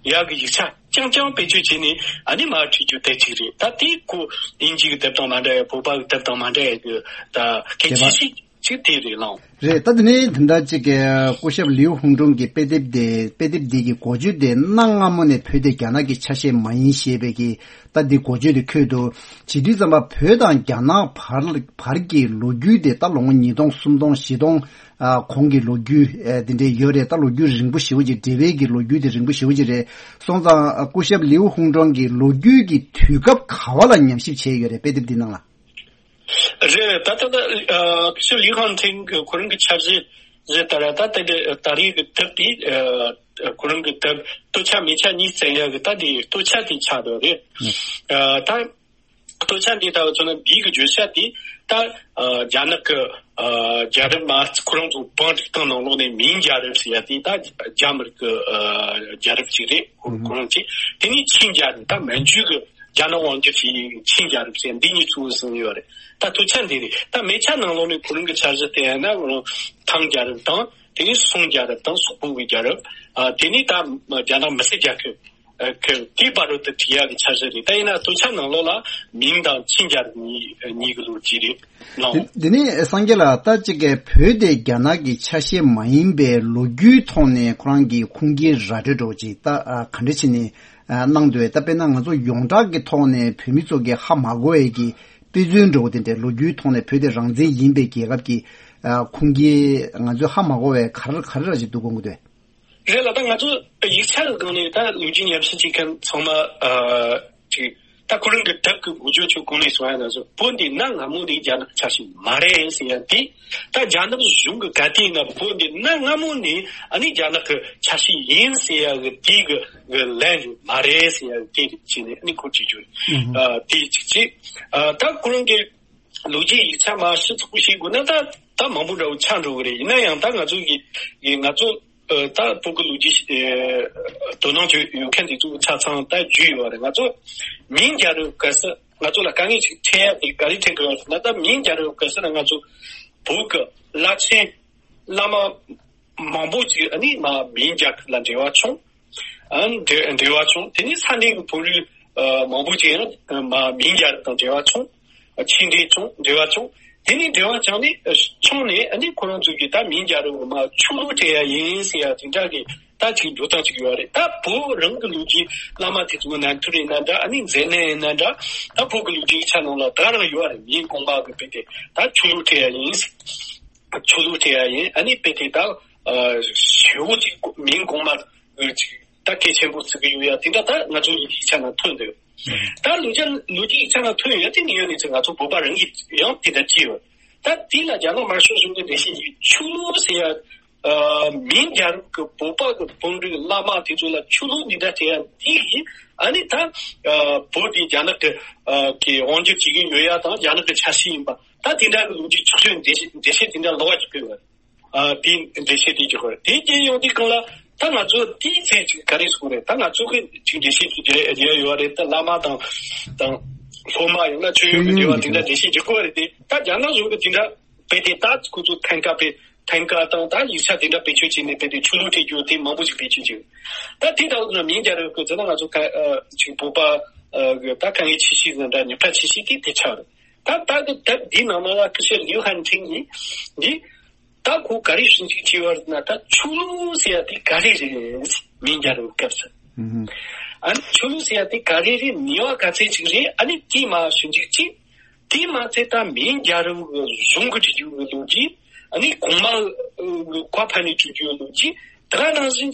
ཡ་གི་ཡིག་ཆ་རྐྱང་རྐྱང་བེད་སྤྱོད་བྱས་ནས་ཨ་ནི་མར་བྲིས་རྒྱུ་དེ་གཅིག་རེད། ད་དེ་ཁོ་དབྱིན་ཇི་གི་དེབ་དང་མ་འདྲ་ཡ། བོད་པ་གི་དེབ་དང་མ་འདྲ་ཡ་གི་ད་གལ་ཆེ་ཤོས་ཅིག་དེ་རེད་ལགས། རེད། ད་དེ་ནས་དེ་འདྲ་ཅིག་གི་སྐུ་ཞབས་ལིའུ་ཧུང་ཀྲུང་གི་དཔེ་དེབ་དེ། དཔེ་དེབ་འདི་གི་འགོ་བརྗོད་དེ། གནའ་སྔ་མོ་ནས་བོད་དེ་རྒྱ་ནག་གི་ཆ་ཤས་མ་ཡིན་ཞེས་པའི་གི། ད་འདི་འགོ་བརྗོད་དེ་འཁོད་འདུག་བྱེད་དུས་ཙམ་པ་བོད་དང་རྒྱ་ནག་བར། བར་གྱི་ལོ་རྒྱུས་དེ་ད་ལོ་ངོ་ཉིས་སྟོང་། སུམ་སྟོང་། བཞི་སྟོང་། ཨ། གོང་གི་ལོ་རྒྱུས། ཨ། དེ་འདྲའི་ཡོད་རེད། ད་ལོ་རྒྱུས་རིང་པོ་ཞེ་པོ་ཅིག་འབྲེལ་བའི་གི་ལོ་རྒྱུས་དེ་རིང་པོ་ཞེ་པོ་ཅིག་རེད། སོང་ཙང་སྐུ་ཞབས་ལིའུ་ཧུང་ཀྲུང་གིས་ལོ་རྒྱུས་ཀྱི་དུས་སྐབས་ག་བ་ལ་ཉམས་ཞིབ་བྱས་ཡོད་རེད། དཔེ་དེབ་འདི་ནང་ལ། རེད། ད་ད་ད། ཨ། སྐུ་ཞབས་ལིའུ་ཧན་ཐིང་གི་ཁོ་རང་གི་འཆར་གཞི་ཟེར་ད་ར། ད་དེ་འདྲ་ད་རེས་ཀྱི་དེབ་དེ། ཨ། ཁོ་རང་གི་དེབ་སྟོད་ཆ་སྨད་ཆ་གཉིས་བཙལ་ཡག་གི་ད་དེ་སྟོད་ཆ་དེ་ཆགས་འདུག་རེད། ཨ་ད་སྟོད་ཆ་འདི་ལྟ་བུ་མཚོན་ན་འདི་གི་བརྗོད་བྱ་དེ་ད་ཨ་རྒྱ་ནག་གི་ཨ་རྒྱལ་རབས་མ་ཁོ་རང་ཚོ་བང་སྒྲིག་སྟངས་ནང་ལོགས་ནས་མིང་རྒྱལ་རབས་ཟེར་ཡ་དེ་ད་རྒྱ་མི་རིགས་ཀྱི་ཨ་རྒྱལ་རབས་ཅིག་རེད། ཁོ་ཁོ་རང་ཚོས་དེ་ནས་ཆིང་རྒྱལ་རབས་ད་མན་ཇུ་གི་རྒྱ་ནག་དབང་སྒྱུར་བྱེད་ཡུལ་ཆིང་རྒྱལ་རབས་ཟེར་འདི་གཉིས་ཚུར་ཟིན་ཡོད་རེད། ད་སྟོད་ཆ་འདི་རེད། ད་སྨད་ཆ་ནང་ལོགས་ནས་ཁོ་རང་གི་འཆར་གཞི་དེ་ཡིན་ན་ཁོ་རང་ཐང་རྒྱལ་རབས་དང་དེ་ནས་སུང་རྒྱལ་རབས་དང་སོག་པོ་གི་རྒྱལ་རབས་ཨ་དེ་ནས་ད་རྒྱ་ནག་མི་སེར་རྒྱལ་ཁབ་ཨ་ཁོ་དེའི་བར་དུ་བྲིས་ཡག་གི་འཆར་གཞི་རེད། ད་ཡིན་ན་སྟོད་ཆ་ནང་ལོགས་ལ་མིང་དང་ཆིང་རྒྱལ་རབས་གཉིས་གཉིས་ཀྱི་ལོ་རྒྱུས་རེད། ལགས། དེ་དེ་ནས་སངས་རྒྱས་ལགས་ད་ཅིག་གི་བོད་དེ་རྒྱ་ནག་གི་ཆ་ཤས་མ་ཡིན་པའི་ལོ་རྒྱུས་ཐོག་ནས་ཁོ་རང་གི་ཁུངས་སྐྱེལ་ར་སྤྲོད་འདྲ་བོ་ཅིག་ད་ཨ་ག་འདྲ་བྱས་ནས་ཨ་གནང་འདུག་ད་དཔེར་ན་ང་ཚོ་ཡོངས་གྲགས་ཀྱི་ཐོག་ནས་བོད་མི་ཚོ་གི་ཧ་མ་གོ་བའི་གི་དཔེ་མཚོན་འདྲ་བོ་དེ་འདྲའི་ལོ་རྒྱུས་ཐོག་ནས་བོད་དེ་རང་བཙན་ཡིན་པའི་རྒྱལ་ཁབ་ཀྱི་ཨ་ཁུངས་སྐྱེལ་ང་ཚོས་ཧ་མ་གོ་བའི་ག་རེ་ག་རེ་ར་ཞིག་འདུག་དགོངས་ཀྱི་འདུག་རེད་ལ། ད་ང་ཚོ་ཡིག་ཆ་གི་སྒང་ནས་ད་ལོ་རྒྱུས་ཉམས་ཞིབ་བྱེད་མཁན་ཚང་མ་ཨ་ཅིག་ད་ཁོ་རང་གི་དེབ་ཀྱི་འགོ་བརྗོད་ཆོག་གོང་ནས་གསུངས་ཡ་ན་བཟོ་བོད་འདི་གནའ་སྔ་མོ་ནས་རྒྱ་ནག་ཆ་ཤས་མ་རེད་ཟེར་ཡ་དེ། ད་རྒྱ་ནག་གཞུང་གི་ག་དུས་ཡིན་ན་བོད་འདི་གནའ་སྔ་མོ་ནས་ཨ་ནི་རྒྱ་ནག་གི་ཆ་ཤས་ཡིན་ཟེར་ཡ་གི་དེ་གི་གི་ལན་མ་རེད་ཟེར་ཡ་གི་དེ་རིགས་བྱས་ནས་ཨ་ནི་ཁོ་ཅིག་བརྗོད་ཨ་དེ་གཅིག་བྱས། ཨ་ད་ཁོ་རང་གི་ལོ་རྒྱུས་ཡིག་ཆ་མ་ཞིབ་ཚགས་པོ་ཤེས་དགོས་ན་ད་ད་མང་པོ་འདྲ་བོ་ཆགས་འགྲོ་གི་རེད། ཡིན་ན་ཡང་ད་ང་ཚོ་གི་གི་ང་ཚོ་ཨ་ད་བོད་ཀྱི་ལོ་རྒྱུས་ཨ་དོ་སྣང་ཅིག་ཡོད་མཁན་དེ་ཚོ་ཆ་ཚང་ད་རྒྱུས་ཡོད་རེད། ང་ཚོ་མིང་རྒྱལ་རབས་སྐབས་སུ་ང་ཚོ་ལ་དཀའ་ངལ་ཅིག་འཕྲད་ཡ་དེ་ག་རེ་འཕྲད་གི་ཡོད་ཟེར་ན། ད་མིང་རྒྱལ་རབས་སྐབས་སུ་ན་ང་ཚོ་བོད་ཀྱི་བླ་ཆེན་བླ་མ་མང་པོ་ཅིག་ཨ་ནི་མ་མིང་རྒྱལ་ཁབ་ལ་འབྲེལ་བ་བྱུང་། ཨ་འབྲེ་འབྲེལ་བ་བྱུང་། དེ་ནས་ས་གནས་ཀྱི་བོད་རིགས་ཨ་མང་པོ་ཅིག་ཡང་མ་མིང་རྒྱལ་རབས་དང་འབྲེལ་བ་བྱུང་། ཨ་ཆིངས་འབྲེལ་བྱུང་འབྲེལ་བ་བྱུང་། དེ་ནས་འབྲེལ་བ་བྱུང་ནས་ཨ་བྱུང་ནས་ཨ་ནི་ཁོ་རང་ཚོ་གིས་ད་མིང་རྒྱལ་རབས་མ་ཆོས་ལུགས་སྤྲད་ཡ་ཡིན་ཟེར་ཡ་དེ་འདྲ་གི་ད་ཅིག་འགྲོ་སྟངས་ཅིག་ཡོད་རེད། ད་བོད་རང་གི་ལོ་རྒྱུས་བླ་མ་དེ་ཚོ་ནང་ཐུར་ཡིན་ན་འདྲ། ཨ་ནི་མཛད་གནས་ཡིན་ན་འདྲ། ད་བོད་ཀྱི་ལོ་རྒྱུས་ཆ་ནང་ལ་ད་རང་ཡོད་རེད། མིང་གོང་མ་གི་དཔེ་དེ་ད་ཆོས་ལུགས་སྤྲད་ཡ་ཡིན། ཆོས་ལུགས་སྤྲད་ཡ་ཡིན། ཨ་ནི་དཔེ་དེ་ད་ཨ་ཞེ་པོ་ཅིག་མིང་གོང་མ་ཅིག་ད་གལ་ཆེན་པོ་བརྩི་གི་ཡོད་ཡ་དེ་འདྲ་ད་ང་ཚོ་ཡི་གེ་ཆ་ནང་ཐོན་འདུག་ད་ལོ་རྒྱུས་ལོ་རྒྱུས་ཡིག་ཆ་ནང་ཐོན་ཡོད་དེ་ནི་ཡོད་ནི་ཚེ་ང་ཚོ་བོད་པ་རང་གིས་ཡང་དེ་འདྲ་བྱས་ཡོད། ད་དེ་ལ་རྒྱ་ནག་དམར་ཤོག་གཞུང་གི་འགྲེལ་བཤད་ཀྱིས་ཆོས་ལུགས་ཟེར་ཡ་ཨ་མིང་རྒྱལ་རབས་ཀྱི་བོད་པ་གི་བོད་འབྲུག་བླ་མ་དེ་ཚོ་ལ་ཆོས་ལུགས་འདི་འདྲ་སྤྲད་ཡ་འདི་གིས་ཨ་ནི་ད་ཨ་བོད་དེ་རྒྱ་ནག་གི་ཨ་གི་དབང་སྒྱུར་བྱེད་ཀྱི་ཡོད་ཡ་དང་རྒྱ་ནག་གི་ཆ་ཤས་ཡིན་པ། ད་དེ་འདྲ་གི་ལོ་རྒྱུས་ཆགས་ཚུལ་འགྲེལ་བཤད་འགྲེལ་བཤད་དེ་འདྲ་ལོགས་ཀྱི་སྤེལ་བ་རེད། ཨ་དེ་འགྲེལ་བཤད་དེ་ཅིག་ཡོད་རེད། དེ་རྐྱེན་ཡོང་དུས་སྒང་ལ་ད་ང་ཚོ་དེའི་ཚེ་ཅིག་ག་རེ་གསུངས་རེད། ད་ང་ཚོ་གི་ཅིག་འགྲེལ་བཤད་ཅིག་རྒྱག་རྒྱག་ཡོད་རེད། ད་བླ་མ་དང་དང་སློབ་མ་ཡང་ན་ཆོས་ཡོན་གྱི་འབྲེལ་བ་དེ་འདྲ་འགྲེལ་བཤད་རྒྱག་གི་ཡོད་རེད་དེ། ད་རྒྱ་ནག་གཞུང་གི་དེ་འདྲ་དཔེ་དེ་ད་ཁོ་ཚོ་ཐན་ཀ་དཔེ་ཐན་ཀ་དང་ད་ཡིག་ཆ་དེ་འདྲ་བེད་སྤྱོད་བྱས་ནས་དཔེ་དེ་ཆོས་ལུགས་སྤྲད་རྒྱུ་དེ་མང་པོ་ཞིག་བེད་སྤྱོད་བྱས་ཡོད། ད་དེ་ལྟ་བུ་ན་མིང་རྒྱལ་རབས་ཀྱི་ཟེར་ན་ང་ཚོ་ཁ་ཨ་ཅིག་བོད་པ་ཨ་གི་ད་དཀའ་ངལ་ཆེ་ཤོས་ཟེར་ན་འདྲ་ཉེན་ཁ་ཆེ་ཤོས་དེ་དེ་ཆགས་རེད། ད་ལྟ་གི་དེབ་འདིའི་ནང་ན་ལ་ཀི་ཤེར་ལིའུ་ཧན་ཁྲིན་ཡིན། འདི་ད་ཁོ་ག་རེ་ཞིབ་འཇུག་བྱས་པ་རེད་ན་ད་ཆོས་ལུགས་ཟེར་ཡ་དེ་ག་རེ་རེད། མིང་རྒྱལ་རབས་སྐབས་སུ། ཨ་ནི་ཆོས་ལུགས་ཟེར་ཡ་དེ་ག་རེ་རེད། ནུས་པ་ག་ཚད་ཅིག་རེད། ཨ་ནི་དེ་མ་ཞིབ་འཇུག་བྱས། དེ་མ་ཚད་ད་མིང་རྒྱལ་རབས་གཞུང་གི་བྲིས་རྒྱུ་གི་ལོ་རྒྱུས། ཨ་ནི་གོང་མ་གི་བཀའ་ཕབ་ནས་བྲིས་རྒྱུ་གི་ལོ་རྒྱུས། དེ་ག་ནང་བཞིན་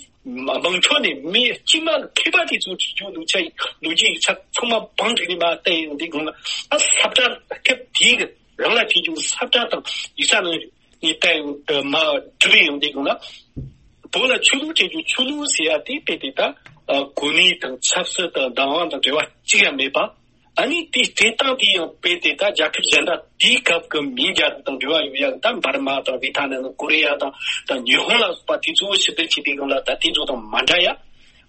དམངས་ཁྲོད་ནས་མི་དཀྱུས་མ་མཁས་པ་དེ་ཚོ་བྲིས་རྒྱུ་ལོ་ཆ་ལོ་རྒྱུས་ཡིག་ཆ་ཚང་མ་བང་བསྒྲིགས་ནས་མར་བལྟས་ཡོང་དུས་སྒང་ལ་ཨ་ས་བཀྲ་སྐབས་དེའི་གི་རང་ལ་བྲིས་རྒྱུ་ས་བཀྲ་དང་ཡིག་ཆ་ནང་ནས་བལྟས་ཡོང་མར་བསྒྲིགས་ཡོང་དུས་སྒང་ལ་བོད་ལ་ཆོས་ལུགས་སྤྲད་རྒྱུ་ཆོས་ལུགས་ཟེར་ཡ་དེ་དཔེ་དེ་ད་གོ་གནས་དང་ཆབ་སྲིད་དང་བདག་དབང་དང་འབྲེལ་བ་གཅིག་ཡང་མེད་པ། ཨ་ནི་དེ་སྤྲད་སྟངས་དེ་ཡང་དཔེ་དེ་ད་རྒྱལ་ཁབ་གཞན་དག་དེའི་སྐབས་ཀྱི་མིང་རྒྱལ་རབས་དང་འབྲེལ་བ་ཡོད་ཡ་ད་འབར་མ་དང་བྷི་ཐ་ནན་དང་ཀོ་རི་ཡ་དང་ད་ཉི་ཧོང་ལ་སོགས་པ་དེ་ཚོ་ཞིབ་བསྡུར་བྱེད་དུས་སྒང་ལ་ད་དེ་ཚོ་དང་མ་འདྲ་ཡ།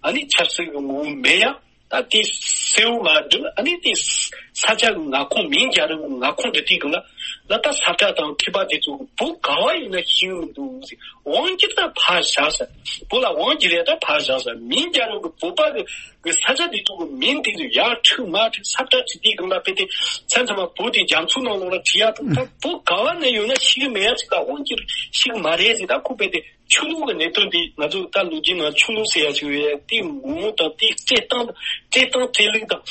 ཨ་ནི་ཆབ་སྲིད་ཀྱི་ངོ་བོ་མེད་ཡ། ད་དེ་གསལ་བོ་མ་བསྒྲུབས། ཨ་ནི་དེ་ས་ཆ་གི་མངའ་ཁོངས་མིང་རྒྱལ་རབས་ཀྱི་མངའ་ཁོངས་འདྲི་དུས་སྒང་ལ་ད་ས་བཀྲ་དང་མཁས་པ་དེ་ཚོ་བོད་ག་བ་ཡིན་ན་ཤེས་ཀྱི་མི་འདུག་ཟེར། དབང་སྒྱུར་ད་ཕར་བཞག་ཟེར། བོད་ལ་དབང་སྒྱུར་ཡ་ད་ཕར་བཞག་ཟེར། མིང་རྒྱལ་རབས་ཀྱི་བོད་པ་གི་གི་ས་ཆ་དེ་ཚོ་གི་མིང་དེ་ཚོ་ཡར་འཁྲུག་མར་འཁྲུག་ས་བཀྲ་བྲིས་དུས་སྒང་ལ་དཔེ་དེ་མཚམས་མཚམས་མ་བོད་དེ་རྒྱ་མཚོ་ནང་ལོགས་ལ་བྲིས་ཡ་དང་ད་བོད་ག་བ་ན་ཡོད་ན་ཤེས་ཀྱི་མེད་ཡ་ཅིག་ད་དབང་སྒྱུར་ཤེས་ཀྱི་མ་རེད་ཟེར། ད་ཁོ་དཔེ་དེ་ཆོས་ལུགས་ཀྱི་གནད་དོན་འདི་ང་ཚོ་ད་ལོ་རྒྱུས་ནང་ཆོས་ལུགས་ཟེར་ཡ་ཅིག་ཡོད་ཡ་དེ་ངོ་བོ་དང་དེའི་སྤྲད་སྟངས་སྤྲད་སྟངས་སྤྲད་ལུགས་དང་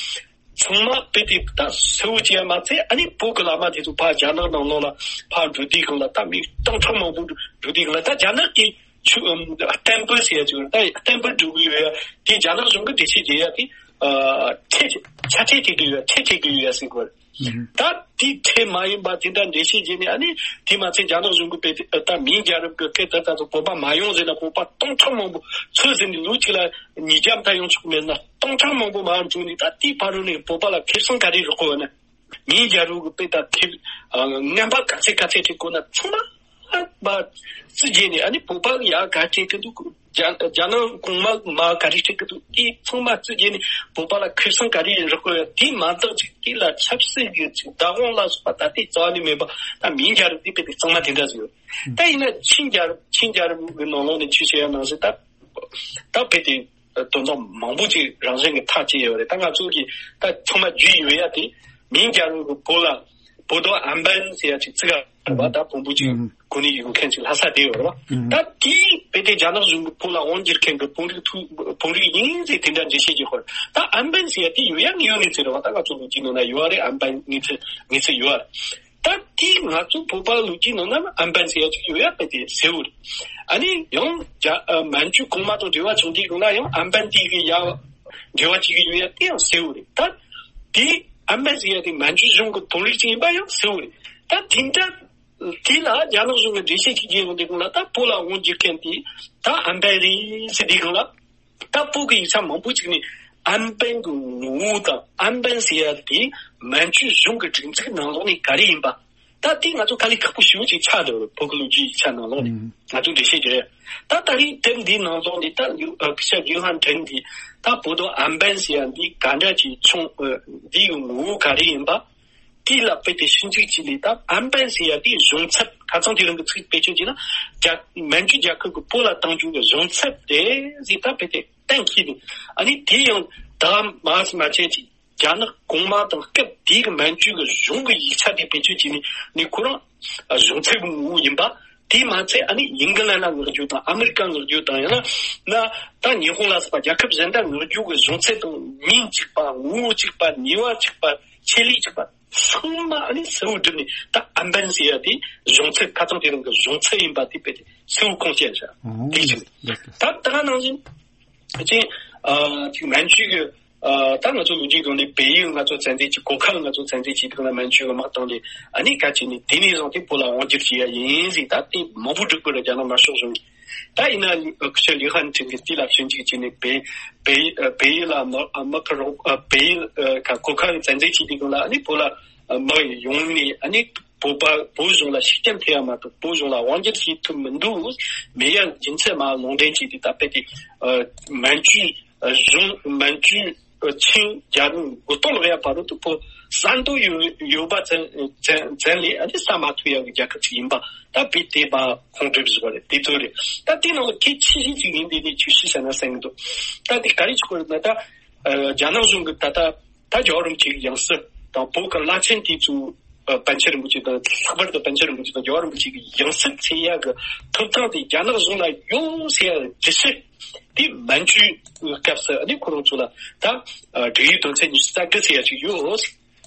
ཚང་མ་དཔེ་དེ་ད་གསལ་བོ་བྱས་ཡ་མ་ཚད། ཨ་ནི་བོད་ཀྱི་བླ་མ་དེ་ཚོ་ཕར་རྒྱ་ནག་ནང་ལོགས་ལ་ཕར་འགྲོ་དུས་སྒང་ལ་ད་མི་སྟོང་ཕྲག་མང་པོ་འགྲོ་དུས་སྒང་ལ་ད་རྒྱ་ནག་གི་ཆོས་ཨམ་བསྟན་པ་ཟེར་ཡ་ཅིག་ཡོད་རེད། ད་བསྟན་པ་སྒྲུབ་ཀྱི་ཡོད་ཡ་དེ་རྒྱ་ནག་གཞུང་གི་འགྲེལ་བཤད་རྒྱག་ཡ་དེ་ ཨ་ཁྲལ་ཆ་ཁྲལ་སྤྲད་ཀྱི་ཡོད། ཁྲལ་སྤྲད་ཀྱི་ཡོད་ཟེར་གོ། ད་དེ་ཁྲལ་མ་ཡིན་པ་དེ་འདྲ་འགྲེལ་བཤད་བྱས་ནས། ཨ་ནི་དེ་མ་ཚད་རྒྱ་ནག་གཞུང་གིས་དཔེ་དེ་ད་མིང་རྒྱལ་རབས་ཀྱི་སྐད་ད་ད་ཚོ་བོད་པ་མ་ཡོང་ཟེར་ན། བོད་པ་སྟོང་ཕྲག་མང་པོ་ཚོད་ཟིན་ནས་ལོ་གཅིག་ལ་ཉིས་བརྒྱ་མཐའ་ཡོང་ཆོག་མེད་ན། སྟོང་ཕྲག་མང་པོ་མར་འགྲོ་ནས། ད་དེའི་བར་དུ་ནས་བོད་པ་ལ་ཁེ་བཟང་ག་རེ་རག་གོ་ན། མིང་རྒྱལ་རབས་ཀྱི་དཔེ་ད་ཁེ་ཨ་རྔན་པ་ག་ཚད་ག་ཚད་སྤྲད་དགོས་ན་ཚང་མ་མ་རྩིས་བྱས་ནས། ཨ་ནི་བོད་པ་ཡ་ག་སྤྲད་ཀྱི་འདུག་རྒྱ་རྒྱ་ནག་གོང་མ་མ་ག་རེ་སྤྲད་ཀྱི་འདུག་དེ་ཚང་མ་རྩིས་བྱས་ནས། བོད་པ་ལ་ཁེ་བཟང་ག་རེ་རག་གི་ཡོད། དེ་མ་གཏོགས་ཅིག་དེ་ལ་ཆབ་སྲིད་ཀྱི་ཅིག་བདག་དབང་ལ་སོགས་པ་ད་ལྟའི་རྩ་བ་ནས་མེད་པ། ད་མིང་རྒྱལ་རབས་དེ་དཔེ་དེ་གཙང་མ་དེ་འདྲ་ཟིག་ཡོད། ད་ཡིན་ན་ཆིང་རྒྱལ་རབས། ཆིང་རྒྱལ་རབས་ཀྱི་ནང་ལོགས་ནས་ཆི་བཤད་ཡ་ནང་བཞིན། ད་ད་དཔེ་དེ་དོན་དག་མང་པོ་ཅིག་རང་བཞིན་གྱི་ཐག་བཅད་ཡོད་རེད། ད་ང་ཚོ་གིས་ད་ཚང་མ་བརྗོད་ཡོད་ཡ་དེ། མིང་རྒྱལ་རབས་ཀྱི་བོད་ལ་བོད་དོ་ཨན་པན་ཟེར་ཡ་ཅིག་བརྩི་ག་རེད་པ། ད་བོན་པོ་ཅིག་ཨུམ། གོ་གནས་ཡོད་མཁན་ཅིག་ལྷ་ས་དེ་ཡོད་རེད་པ། ཨུམ། ད་དེའི་དཔེ་དེ་རྒྱ་ནག་གཞུང་གིས་བོད་ལ་དབང་བསྒྱུར་མཁན་གྱི་བོན་རིགས་ཐུ་བོན་རིགས་ཡིན་ཟེར་དེ་འདྲ་འགྲེལ་བཤད་བྱེད་དགོས་རེད། ད་ཨན་པན་ཟེར་ཡ་དེ་ཡོད་ཡ་ངེས་ཡོད་གནས་ཚུལ་རེད་པ། ད་ང་ཚོ་ལོ་རྒྱུས་ནང་ན་ཡོད་རེད། ཨན་པན་གནས་ཚུལ་གནས་ཚུལ་ཡོད་རེད། ད་དེ་ང་ཚོ་བོད་པ་ལོ་རྒྱུས་ནང་ན་ཨན་པན་ཟེར་ཡ་ཅིག་ཡོད་ཡ་དཔེ་དེ་གསལ་བོ་རེད། ཨ་ནི་ཡང་རྒྱ་ཨ་མན་ཇུ་གོང་མ་དང་འབྲེལ་བ་བྱུང་དུས་སྒང་ལ་ཡང་ཨན་པན་དེ་གི་ཡ་འབྲེལ་བ་བྱེད་ཀྱི་ཡོད་ཡ་དེ་ཡང་གསལ་བོ་རེད། ད་དེ་ཨན་པན་ཟེར་ཡ་དེ་མན་ཇུ་གཞུང་གི་བོན་རིགས་ཅིག་ཡིན་པ་ཡང་གསལ་བོ་རེད། ད་དེ་འདྲ་དེ་ལ་རྒྱ་ནག་གཞུང་གིས་འགྲེལ་བཤད་བྱེད་ཀྱི་ཡོང་དུས་སྒང་ལ། ད་བོད་ལ་དབང་བསྒྱུར་མཁན་དེ་ད་ཨན་པན་རེད་ཟེར་དུས་སྒང་ལ། ད་བོད་ཀྱི་ཡིག་ཆ་མང་པོ་ཅིག་ནས་ཨན་པན་གྱི་ངོ་བོ་དང་ཨན་པན་ཟེར་ཡ་དེ་མན་ཇུ་གཞུང་གི་སྒྲིག་འཛུགས་ནང་ལོགས་ནས་ག་རེ་ཡིན་པ། ད་དེ་ང་ཚོ་དཀའ་ལས་ཁག་པོ་ཞེ་པོ་ཅིག་ཆགས་འདུག་བོད་ཀྱི་ལོ་རྒྱུས་ཡིག་ཆ་ནང་ལོགས་ནས། ཨང་། ང་ཚོ་འགྲེལ་བཤད་རྒྱག་ཡ། ད་ད་རེས་དེབ་འདིའི་ནང་ལོགས་ནས་ད་ལིའུ་ཨ་སྐུ་ཞབས་ལིའུ་ཧན་ཀྲེང་གིས་ད་བོད་དོ་ཨན་པན་ཟེར་ཡ་འདི་ག་འདྲ་ཅིག་བྱུང་། ཨ་འདི་ཡི་ངོ་བོ་ག་རེ་ཡིན་པ། དེ་ལ་དཔེ་དེ་ཞིབ་འཇུག་བྱས་ནས། ད་ཨན་པན་ཟེར་ཡ་དེའི་གཞུང་ཚབ། ཁ་སང་དེ་རིང་གི་ཚིག་བེད་སྤྱོད་བྱས་ན། རྒྱ་མན་ཇུ་རྒྱལ་ཁབ་ཀྱིས་བོད་ལ་བཏང་རྒྱུ་གི་གཞུང་ཚབ་རེད་ཟེར་ད་དཔེ་དེ་གཏན་འཁེལ་ནས། ཨ་ནི་དེ་ཡང་ད་མ་མ་བྱས་ཅིག་རྒྱ་ནག་གོང་མ་དང་སྐབས་དེའི་གི་མན་ཇུ་གི་གཞུང་གི་ཡིག་ཆ་དེ་བེད་སྤྱོད་བྱས་ནས་ནི་ཁོ་རང་གཞུང་ཚབ་ཀྱི་ངོ་བོ་ཡིན་པ། དེ་མ་ཚད་ཨ་ནི་ཨིང་ལན་ལ་མངགས་རྒྱུ་དང་། ཨ་མི་རི་ཀ་མངགས་རྒྱུ་དང་། ཡང་ན་ན་ད་ཉི་ཧོང་ལ་སོགས་པ་རྒྱལ་ཁབ་གཞན་དག་མངགས་རྒྱུ་གི་གཞུང་ཚབ་དང་། མིང་གཅིག་པ། ངོ་བོ་གཅིག་པ། ནུས་པ་གཅིག་པ། ཆེད་ལས་གཅིག་པ། ཚང་མ་ཨ་ནི་གསལ་བོ་བསྒྲུབས་ནས། ད་ཨན་པན་ཟེར་ཡ་དེ་གཞུང་ཚབ། ཁ་སང་དེ་རིང་གི་གཞུང་ཚབ་ཡིན་པ་དེ་དཔེ་དེ་གསལ་བོ་ཁུངས་སྐྱེལ་བཞག་ཨོ། དེ་གཅིག་རེད། ད་ད་ག་ནང་བཞིན་ཅིག་ཨ་ཅིག་མན་ཇུ་གི་ཨ་ད་ང་ཚོ་ལོ་རྒྱུས་སྒང་ནས་བལ་ཡུལ་ང་ཚོ་བཙན་འཛུལ་བྱས། གོར་ཁ་ལ་ང་ཚོ་བཙན་འཛུལ་བྱས། དེ་ལ་མན་ཇུ་གི་དམག་བཏང་སྟེ། ཨ་ནི་ག་ཅིག་ནས་དེ་ནས་བཟུང་སྟེ་བོད་ལ་དབང་བསྒྱུར་བྱས་ཡ་ཡིན་ཟེར། ད་དེ་མང་པོ་བསྒྲིགས་པ་རེད། རྒྱ་ནག་དམར་ཤོག་གཞུང་གིས། ད་ཡིན་ན་སྐུ་ཞབས་ལིའུ་ཧན་ཀྲེང་གིས་དེ་ལ་ཞིབ་འཇུག་བྱས་ནས། བལ་བལ་བལ་ཡུལ་ལ་དམག་དམག་ཁུལ་རོགས། ཨ་བལ་ཡུལ་ཨ་ག་གོར་ཁ་བཙན་འཛུལ་བྱས་དུས་སྒང་ལ། ཨ་ནི་བོད་ལ་དམག་ཡོང་ནས། ཨ་ནི་བོད་པ་བོད་གཞུང་ལ་ཤུགས་རྐྱེན་ཐེབས་ཡ་མ་གཏོགས་བོད་གཞུང་ལ་དབང་བསྒྱུར་བྱེད་ཐུབ་མི་འདུག་མེད་ཡ་རྒྱུ་མཚན་མར་ལུང་འདྲེན་བྱས་ཏེ། ད་དཔེ་དེ་ཨ་མན་ཇུ་གཞུང་མན་ཇུ་ཆིང་རྒྱལ་རབས་མགོ་རྟིང་སློག་ཡ་བར་དུ་བོད་ས་མཐོ་ཡོད་ཡོད་པ་ཙམ་ཙམ་ཙམ་ལས། ཨ་ནི་ས་མ་མཐོ་ཡ་གི་རྒྱལ་ཁབ་ཅིག་ཡིན་པ། ད་དཔེ་དེ་མར་ཁུངས་འདྲེན་བཟོ་བ་རེད། དེ་ཚོ་རེད། ད་དེ་ནང་ལ་གལ་ཆེ་ཤོས་ཅིག་ཡིན་དེ་ནས་ཆུ་བཞི་ཟེར་ན་ཟེར་གི་འདུག་ད་དེ་ག་རེ་ཆགས་ཀྱི་རེད་ན། ད་ཨ་རྒྱ་ནག་གཞུང་གིས་ད་ལྟ་ད་རྒྱལ་བ་རིན་པོ་ཆེ་གི་ཡང་སྲིད་དང་། བོད་ཀྱི་བླ་ཆེན་དེ་ཚོ་ཨ་པཎ་ཆེན་རིན་པོ་ཆེ་དང་། ལྷག་པར་དུ་པཎ་ཆེན་རིན་པོ་ཆེ་དང་རྒྱལ་བ་རིན་པོ་ཆེ་གི་ཡང་སྲིད་འཚོལ་ཡ་གི་ཐོབ་ཐང་དེ་རྒྱ་ནག་གཞུང་ལ་ཡོད་ཟེར་ཡ་འགྲེལ་བཤད་དེ་མན་ཇུའི་སྐབས་སུ། ཨ་ནི་ཁོ་རང་ཚོ་ལ་ད་ཨ་སྒྲིག་ཡིག་དོན་ཚན་ཉི་ཤུ་རྩ་དགུ་ཟེར་ཡ་ཅིག་ཡོད།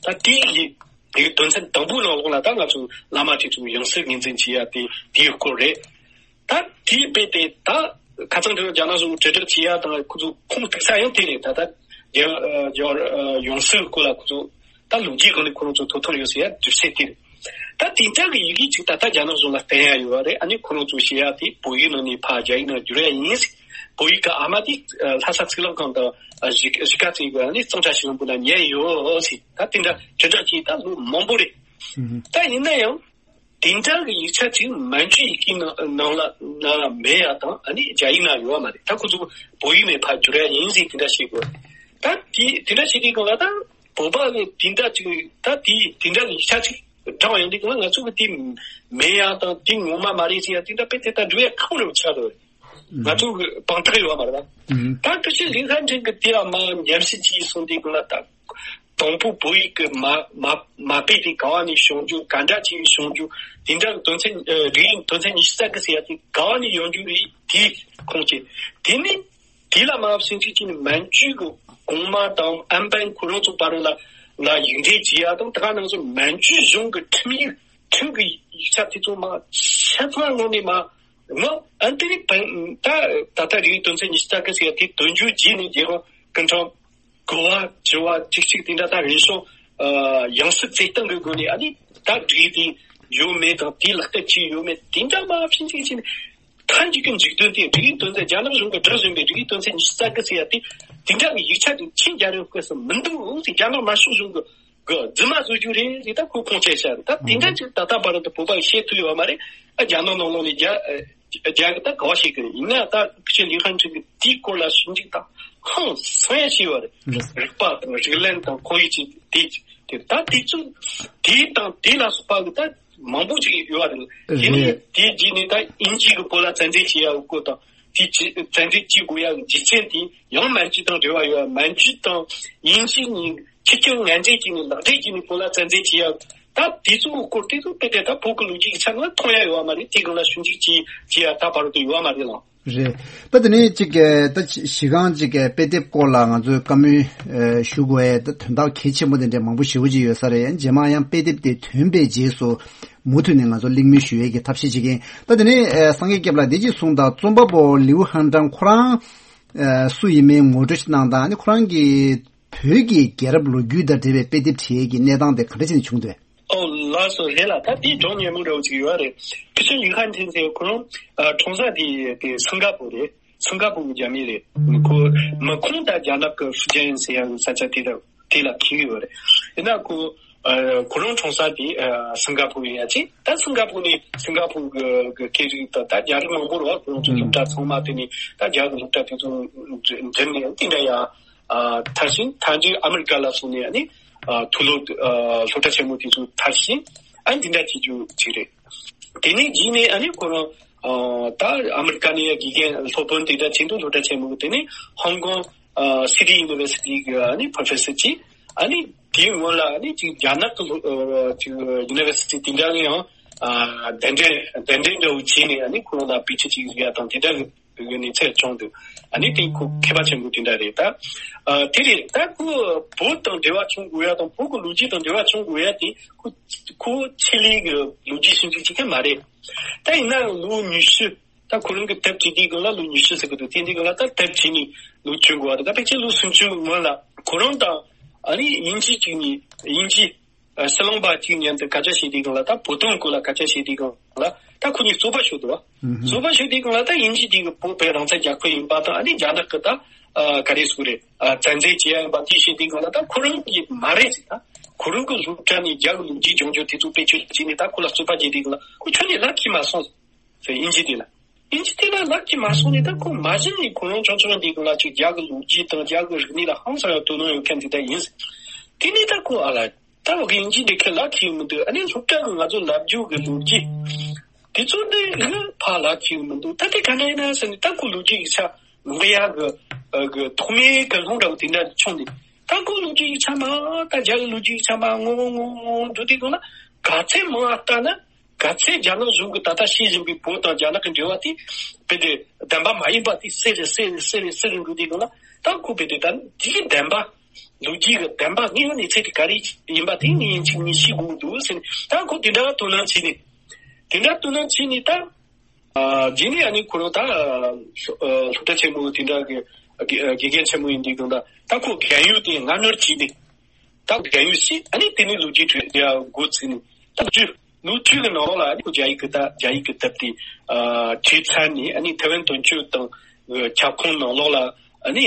ད་དེ་ཡི་དེ་དོན་ཚན་དང་པོའི་ནང་ལོགས་ལ་ད་ང་ཚོ་བླ་མ་དེ་ཚོ་ཡང་སྲིད་ངོས་འཛིན་བྱེད་ཡ་དེ་དེའི་སྐོར་རེད། ད་དེའི་དཔེ་དེ་ད་ཁ་སང་དེ་རྒྱ་ནག་གཞུང་དྲིལ་བསྒྲགས་བྱེད་ཡ་དང་། ཁོ་ཚོ་ཁུངས་གཏུགས་ས་ཡང་དེ་རེད། ད་ད་རྒྱ་རྒྱ་ཡང་སྲིད་སྐོར་ལ་ཁོ་ཚོ་ད་ལོ་རྒྱུས་སྒང་ནས་ཁོ་རང་ཚོ་ཐོབ་ཐང་ཡོད་ཟེར་ཡ་དུས་ཚོད་དེ་རེད། ད་དེ་འདྲ་གི་ཡི་གེ་ཅིག་ད་ལྟ་རྒྱ་ནག་གཞུང་ལ་བསྟན་ཡ་ཡོད་རེད། ཨ་ནི་ཁོ་རང་ཚོ་བཤད་ཡ་དེ་བོད་ཡིག་ནང་ནས་ཕར་རྒྱ་ཡིག་ནང་བསྒྱུར་ཡ་ཡིན་ཟེར། བོད་ཡིག་གི་ཨ་མ་དེ་ལྷ་ས་ཚིག་ལམ་ཁང་དང་གཞིས་གཞིས་ཀ་ཚིག་གི་ཨ་ནི་གཙང་སྦྲ་ཤིང་ལ་བུ་ལ་ཉན་ཡོད་ཟེར། ད་དེ་འདྲ་དྲིལ་བསྒྲགས་ཀྱིས་ད་ལོ་མང་པོ་རེད། ཨུ་ཧུ། ད་ཡིན་ན་ཡང་དེ་འདྲ་གི་ཡིག་ཆ་ཅིག་མན་ཇུའི་ཡི་གེ་ནང་ནང་ལ་ནང་ལ་མེད་ཡ་དང་། ཨ་ནི་རྒྱ་ཡིག་ནང་ཡོད་མ་རེད། ད་ཁོ་ཚོ་བོད་ཡིག་ནས་ཕར་བསྒྱུར་ཡ་ཡིན་ཟེར་དེ་འདྲ་བཤད་དགོས། ད་དེ་དེ་འདྲ་བྱེད་དུས་སྒང་ལ་ད་བོད་པ་གི་དེ་འདྲ་ཅིག་ད་དེ་དེ་འདྲ་གི་ཡིག་ཆ་ཅིག་བགྲངས་ཡོང་དུས་སྒང་ལ། ང་ཚོ་གི་དེ་མེད་ཡ་དང་དེ་ངོ་མ་མ་རེད་ཟེར་ཡ་དེ་འདྲ་དཔེ་དེ་ལྟར་འགྲོ་ཡ་ཁག་པོ་རེད་ཆགས་འདུག་ང་ཚོ་གི་དཔང་རྟགས་ཡོད་མ་རེད་པ། ད་སྐུ་ཞབས་ལིན་ཧན་ཁྲིན་གི་དེ་ལ་མར་ཉམས་ཞིབ་བྱས་སོང་དུས་སྒང་ལ། ད་དང་པོ་བོད་ཡིག་གི་མ་མ་མ་དཔེ་དེ་ག་བ་ནས་བྱུང་རྒྱུ། ག་འདྲ་བྱས་བྱུང་རྒྱུ། དེ་འདྲ་གི་དོན་ཚན་ཨ་རིགས་དོན་ཚན་ཉི་ཤུ་རྩ་དགུ་ཟེར་ཡ་དེ་ག་བ་ནས་ཡོང་རྒྱུ་རེད། དེ་ཁུངས་སྐྱེལ། དེ་ནས་དེ་ལ་མར་ཞིབ་འཇུག་བྱས་ནས་མན་ཇུ་གི་གོང་མ་དང་ཨན་པན་ཁོ་རང་ཚོ་བར་ལ་ལ་ཡིག་འབྲེལ་བྱེད་ཡ་དང་། དེ་ག་ནང་བཞིན་མན་ཇུ་གཞུང་གི་ཁྲིམས་ཡིག་ཁྲིམས་ཀྱི་ཡིག་ཆ་དེ་ཚོ་མར་ཆ་ཚང་ངོས་ནས་མར་ངོ་ཨ་དེ་རིང་བན་ད་ད་ལྟ་རིགས་དོན་ཚན་ཉི་ཤུ་རྩ་དགུ་ཟེར་ཡ་དེ་དོན་འཁྱོལ་བྱས་ནས་རྒྱལ་ཡོངས་ཀུན་ཁྲན་ གོ་བ་དྲི་བ་གཅིག་གཅིག་དེ་འདྲ་ད་རེ་ཞོ་ཡང་སྲིད་བརྩེ་སྟངས་ཀྱི་སྒོ་ནས་ཨ་ནི་ད་འགྲིག་དེ་ཡོད་མེད་དང་དེ་ལག་བསྟར་བྱས་ཡོད་མེད་དེ་འདྲ་མ་ཕྱིན་ཅིག་ཕྱིན། མཐའ་མཇུག་གི་མཇུག་དོན་དེ་འགྲིག་ཡིག་དོན་ཚན་རྒྱ་ནག་གཞུང་གི་སྒྲིག་བཞིན་པའི་འགྲིག་ཡིག་དོན་ཚན་ཉི་ཤུ་རྩ་དགུ་ཟེར་ཡ་དེ་དེ་འདྲ་གི་ཡིག་ཆ་དེ་ཆིན་རྒྱལ་རབས་སྐབས་སུ་མི་འདུག་ཟེར། རྒྱ་ནག་དམར་ཤོག་གཞུང་གི་གི་རྫུན་མ་བཟོ་རྒྱུ་རེད་ཟེར་ད་ཁོས་ཁུངས་སྐྱེལ་བྱས་རེད། ད་དེ་འདྲ་ཅིག་ད་ལྟ་བར་དུ་བོད་པ་ཡིས་བཤད་ཐུབ་ཡོད་མ་རེད། ཨ་རྒྱ་ནག་ནང་ལོགས་ནས་རྒྱ་རྒྱ་གི་ད་ག་བ་ཞིག་གི་ཡིན་ན་ད་ཁུ་ཆེ་ལི་ཧན་ཁྲིན་གི་དེའི་སྐོར་ལ་ཞིབ་འཇུག་དང་ཧང་སང་ཡ་བྱས་ཡོད་རེད། རིག་པ་དང་རིག་གླེང་དང་ཁོར་ཡུག་ཅིག་དེ་དེ་ད་དེ་ཚོ་དེ་དང་དེ་ལ་སོགས་པ་གི་ད་མང་པོ་ཅིག་ཡོད་རེད། དེ་ནས་རེད། དེའི་རྗེས་ནས་ད་དབྱིན་ཇི་གི་བོད་ལ་བཙན་འཛུལ་བྱེད་ཡ་གི་སྐོར་དང་དེ་ཅི་བཙན་འཛུལ་བྱེད་དགོས་ཡ་གི་རྒྱུ་མཚན་དེ་ཡང་མན་ཇུ་དང་འབྲེལ་བ་ཡོད། མན་ཇུ་དང་དབྱིན་ཇི་གཉིས་ཁྱི་སྐྱོང་ངན་འབྲེལ་གྱིས་ནི་ལག་འབྲེལ་གྱིས་ནི་བོད་ལ་བཙན་འཛུལ་བྱེད་ཡ་ད་དེ་ཚོའི་སྐོར་དེ་ཚོ་དཔེ་དེ་ད་བོད་ཀྱི་ལོ་རྒྱུས་ཀྱི་ཆ་ནས་མཐོང་ཡ་ཡོད་བ་མ་རེད། དེ་གང་ལ་ཞིབ་འཇུག་བྱེད་བྱེད་ཡ་ད་བར་དུ་ཡོད་བ་མ་རེད་ལགས། རེད། ད་དེ་ནས་ཅིག་གི་ད་གཞི་གཞི་རྐང་ཅིག་གི་དཔེ་དེབ་སྐོར་ལ་ང་ཚོས་བཀའ་མོལ་ཨེ་ཞུ་དགོས་ཡ་ད་དོན་དག་གལ་ཆེན་པོ་དེ་འདྲ་མང་པོ་ཞེ་པོ་ཅིག་ཡོད་ས་རེད། རྗེས་མ་ཡང་དཔེ་དེབ་དེ་ཐོན་པའི་རྗེས་སུ་མུ་མཐུད་ནས་ང་ཚོ་གླེང་མོལ་ཞུ་ཡས་ཀྱི་ཐབས་ཤེས་བྱེད་ཀྱིན། ད་དེ་ནས་ཨེ་སངས་རྒྱས་སྐྱབས་ལགས་འདི་ཅིག་གསུངས་དང་། རྩོམ་པ་པོ་ལིའུ་ཧན་ཀྲང་ཁོ་རང་ཨེ་སུ་ཡིན་མིན་ངོ་སྤྲོད་ཅིག་གནང་དང་། ཨ་ནི་ཁོ་རང་གིས་བོད་ཀྱི་རྒྱལ་རབས་ལོ་རྒྱུས་དང་འབྲེལ་བའི་དཔེ་དེབ་བྲིས་ཡས་ཀྱི་གནས་སྟངས་དེ་ག་འདྲ་བྱས་ནས་བྱུང་འདུག། ཨོ་ལགས་སོ་རེད་ལགས། ད་དེའི་སྒྲོམ་ཉེ་མོ་འདྲ་བོ་ཅིག་ཡོད་རེད། ཕི་ཤིན་ལི་ཧན་ཐིན་ཟེར་ཁོ་རང་ཨ་གྲོང་གསེབ་དེ་དེ་སིང་ག་པུར་རེད། སིང་ག་པུར་གྱི་རྒྱ་མི་རེད། ཁོ་མི་ཁོང་ད་རྒྱ་ནག་གི་ཧྥུ་ཅན་ཟེར་ཡ་གི་ས་ཆ་དེ་ལ་དེ་ལ་འཁེལ་ཡོད་རེད། ཡིན་ན་ཁོ་ཨ་ཁོ་རང་གྲོང་གསེབ་དེ་ཨ་སིང་ག་པུར་ཡིན་ཡ་ཅིག། ད་སིང་ག་པུར་ནས་སིང་ག་པུར་གི་གི་སྐད་རིགས་ད་ད་རྒྱ་རིགས་མང་པོ་རེད་བ། ཁོ་རང་ཚོ་སློབ་གྲྭ་ཚང་མ་དེ་ནས་ད་རྒྱ་གི་སློབ་གྲྭ་དེ་ཚོ་འཛིན་ནས་དེ་འདྲ་ཡ། ཨ་མཐར་ཕྱིན་མཐའ་མཇུག་ཨ་མི་རི་ཀ་ལ་སོང་ནས་ཨ་ནི་ཨ་མཐོ་སློབ་ཨ་སློབ་གྲྭ་ཆེན་མོ་དེ་ཚོ་མཐར་ཕྱིན་ཨ་འདི་འདྲ་བྱེད་རྒྱུ་ཅིག་རེད། དེ་ནས་རྗེས་ནས་ཨ་ནི་ཁོ་རང་ཨ་ད་ཨ་མི་རི་ཀ་ནས་ཡ་དགེ་རྒན་སློབ་དཔོན་དེ་འདྲ་ཆེད་དུ་སློབ་གྲྭ་ཆེན་མོ་གི་དེ་ནས་ཧོང་ཀོང་ཨ་སི་ཊི་ཡུ་ནི་ཝར་སི་ཊི་གི་ཨ་ནི་པོ་རོ་ཕེ་སར་ཅིག། ཨ་ནི་དེའི་སྔོན་ལ་ཨ་ནི་ཅིག་རྒྱ་ནག་གི་སློབ་ཨ་ཅིག་ཡུ་ནི་ཝར་སི་ཊི་དེ་འདྲ་གི་ཡང་ཨ་གདན་འདྲེན་གདན་འདྲེན་འདྲ་བོ་བྱས་ནས་ཨ་ནི་ཁོ་རང་ལ་དཔེ་ཁྲིད་ཅིག་ཡ་དང་དེ་འདྲ་གི་གནས་ཚད་བྱུང་འདུག། ཨ་ནི་དེ་ཁོ་མཁས་པ་ཆེན་པོ་དེ་འདྲ་རེད་ད། ཨ་དེ་རེད་ད། ཁོ་བོད་དང་འབྲེལ་བ་བྱུང་དགོས་ཡ་དང་བོད་ཀྱི་ལོ་རྒྱུས་དང་འབྲེལ་བ་བྱུང་དགོས་ཡ་དེ་ཁོ་ཁོ་ཆེད་ལས་ཀྱི་ལོ་རྒྱུས་ཞིབ་འཇུག་བྱེད་མཁན་མ་རེད། ད་ཡིན་ན་ལོ་ཉི་ཤུ། ད་ཁོ་རང་གི་དེབ་བྲིས་དུས་སྒང་ལ་ལོ་ཉི་ཤུ་ཟེར་གི་འདུག། དེ་དུས་སྒང་ལ་ད་དེབ་བྲིས་ནས་ལོ་བཅུ་འགོར་བ་དང་ད་ཕལ་ཆེར་ལོ་སུམ་ཅུ་སྔོན་ལ་ཁོ་རང་དང་ཨ་ནི་དབྱིན་ཇི་གཅིག་ནས་དབྱིན་ཇི། ཨ་ཕྱི་ལོང་པ་གཅིག་མཉམ་དུ་སྐད་ཆ་བཤད་དུས་སྒང་ལ་ད་བོད་དོན་སྐོར་ལ་སྐད་ཆ་བཤད་དུས་སྒང་ལ་ད་ཁོ་གཉིས་རྩོད་པ་ཤོར་འདུག་བ། ཨུ་ཧུམ། རྩོད་པ་ཤོར་དུས་སྒང་ལ་ད་དབྱིན་ཇི་དེ་གི་བོད་པའི་རང་བཙན་རྒྱལ་ཁབ་ཡིན་པ་དང་ཨ་ནི་རྒྱ་ནག་གི་ད་ཨ་ག་རེ་ཟེར་དགོས་རེད། ཨ་བཙན་འཛུལ་བྱེད་ཡ་ཡིན་པ་དེ་བཤད་དུས་སྒང་ལ་ད་ཁོ་རང་གིས་མ་རེད་ཟེར། ད་ཁོ་རང་གི་སློབ་གྲྭ་ནས་རྒྱ་གི་ལོ་རྒྱུས་སྦྱོང་རྒྱུ་དེ་ཚོ་བེད་སྤྱོད་བྱས་ནས་ད་ཁོ་ལ་རྩོད་པ་བྱེད་དུས་སྒང་ལ་ཁོ་ཁྱོན་ནས་ལབ་ཀྱི་མ་སོང་ཟེར། དབྱིན་ཇི་དེ་ལ། དབྱིན་ཇི་དེ་ལ་ལབ་ཀྱི་མ་སོང་ནས་ད་ཁོ་མ་གཞི་ནས་ཁོ་རང་ཆུང་ཆུང་དེ་སྒང་ལ་ཅིག་རྒྱ་གི་ལོ་རྒྱུས་དང་རྒྱ་གི་རིག་གནས་ལ་ཧང་སང་ཡང་དོ་སྣང་ཡོད་མཁན་དེ་འདྲ་ཡིན། དེ་ནས་ད་ཁོ་ཨ་ལ། ད་འོ་གི་དབྱིན་ཇི་འདི་ཁས་ལབ་ཀྱི་ཡོད་མི་འདུག། ཨ་ནི་སློབ་གྲྭ་གི་ང་ཚོ་ལབ་རྒྱུ་གི་ལོ་རྒྱུས་དེ་ཚོ་འདི་ཨ་ཕར་ལབ་ཀྱི་ཡོད་མི་འདུག། ད་དེ་ག་འདྲ་ཡིན་ན་ཟེར་ནས་ད་ཁོ་ལོ་རྒྱུས་ཡིག་ཆ་ལུང་གཡག་གི་ཨ་གི་ཐོག་མའི་གི་ལུང་འདྲ་བོ་དེ་འདྲ་བྱུང་ནས་ད་ཁོ་ལོ་རྒྱུས་ཡིག་ཆ་མ་ད་རྒྱ་གི་ལོ་རྒྱུས་ཡིག་ཆ་མ་ངོ་ངོ་ངོ་ངོ་འགྲོ་དུས་སྒང་ལ་ག་ཚད་མང་ང་ལྟ་ན་ག་ཚད་རྒྱ་ནག་གཞུང་གི་ད་ལྟ་ཤེས་བཞིན་པའི་བོད་དང་རྒྱ་ནག་གི་འབྲེལ་བ་དེ་བེད་དེ་བདེན་པ་མ་ཡིན་པ་དེ་གསལ་རེ་གསལ་རེ་གསལ་རེ་གསལ་རེ་འགྲོ་དུས་སྒང་ལ་ད་ཁོ་བེད་དེ་ད་འདི་བདེན་པ། ལོ་རྒྱུས་ཀྱི་བདེན་པ་དངོས་ཡོད་གནས་ཚུལ་དེ་ག་རེ་ཡིན་པ་དེ་ངས་ཡིན་གཅིག་མིན་གཅིག་ཤེས་དགོས་འདུག་ཟེར་ནས་ད་ཁོ་དེ་འདྲ་དོ་སྣང་བྱས་ནས་དེ་འདྲ་དོ་སྣང་བྱས་ནས་ད་ཨ་རྗེས་ནས་ཨ་ནི་ཁོ་རང་ད་ཨ་སློབ་གྲྭ་ཆེན་མོ་དེ་འདྲ་གི་དགེ་དགེ་རྒན་ཆེན་མོ་ཡིན་དུས་སྒང་ད་ད་ཁོ་རྒན་ཡོལ་དེ་སྔ་སྣུར་བྱས་ནས་ད་རྒན་ཡོལ་བྱས་ཨ་ནི་དེ་ནས་ལོ་རྒྱུས་ཁྲོད་ཡ་འགོ་བཙུགས་ནས་ད་བཅུ་ལོ་བཅུ་གི་ནང་ལོགས་ལ་ཨ་ནི་ཁོ་རྒྱ་ཡིག་གི་ད་རྒྱ་ཡིག་གི་དེབ་དེ་ཨ་བྲིས་ཚར་ནས་ཨ་ནི་ཐེ་ཝན་དོན་གཅོད་དང་ཁྱབ་ཁོངས་ནང་ལོགས་ལ་ཨ་ནི་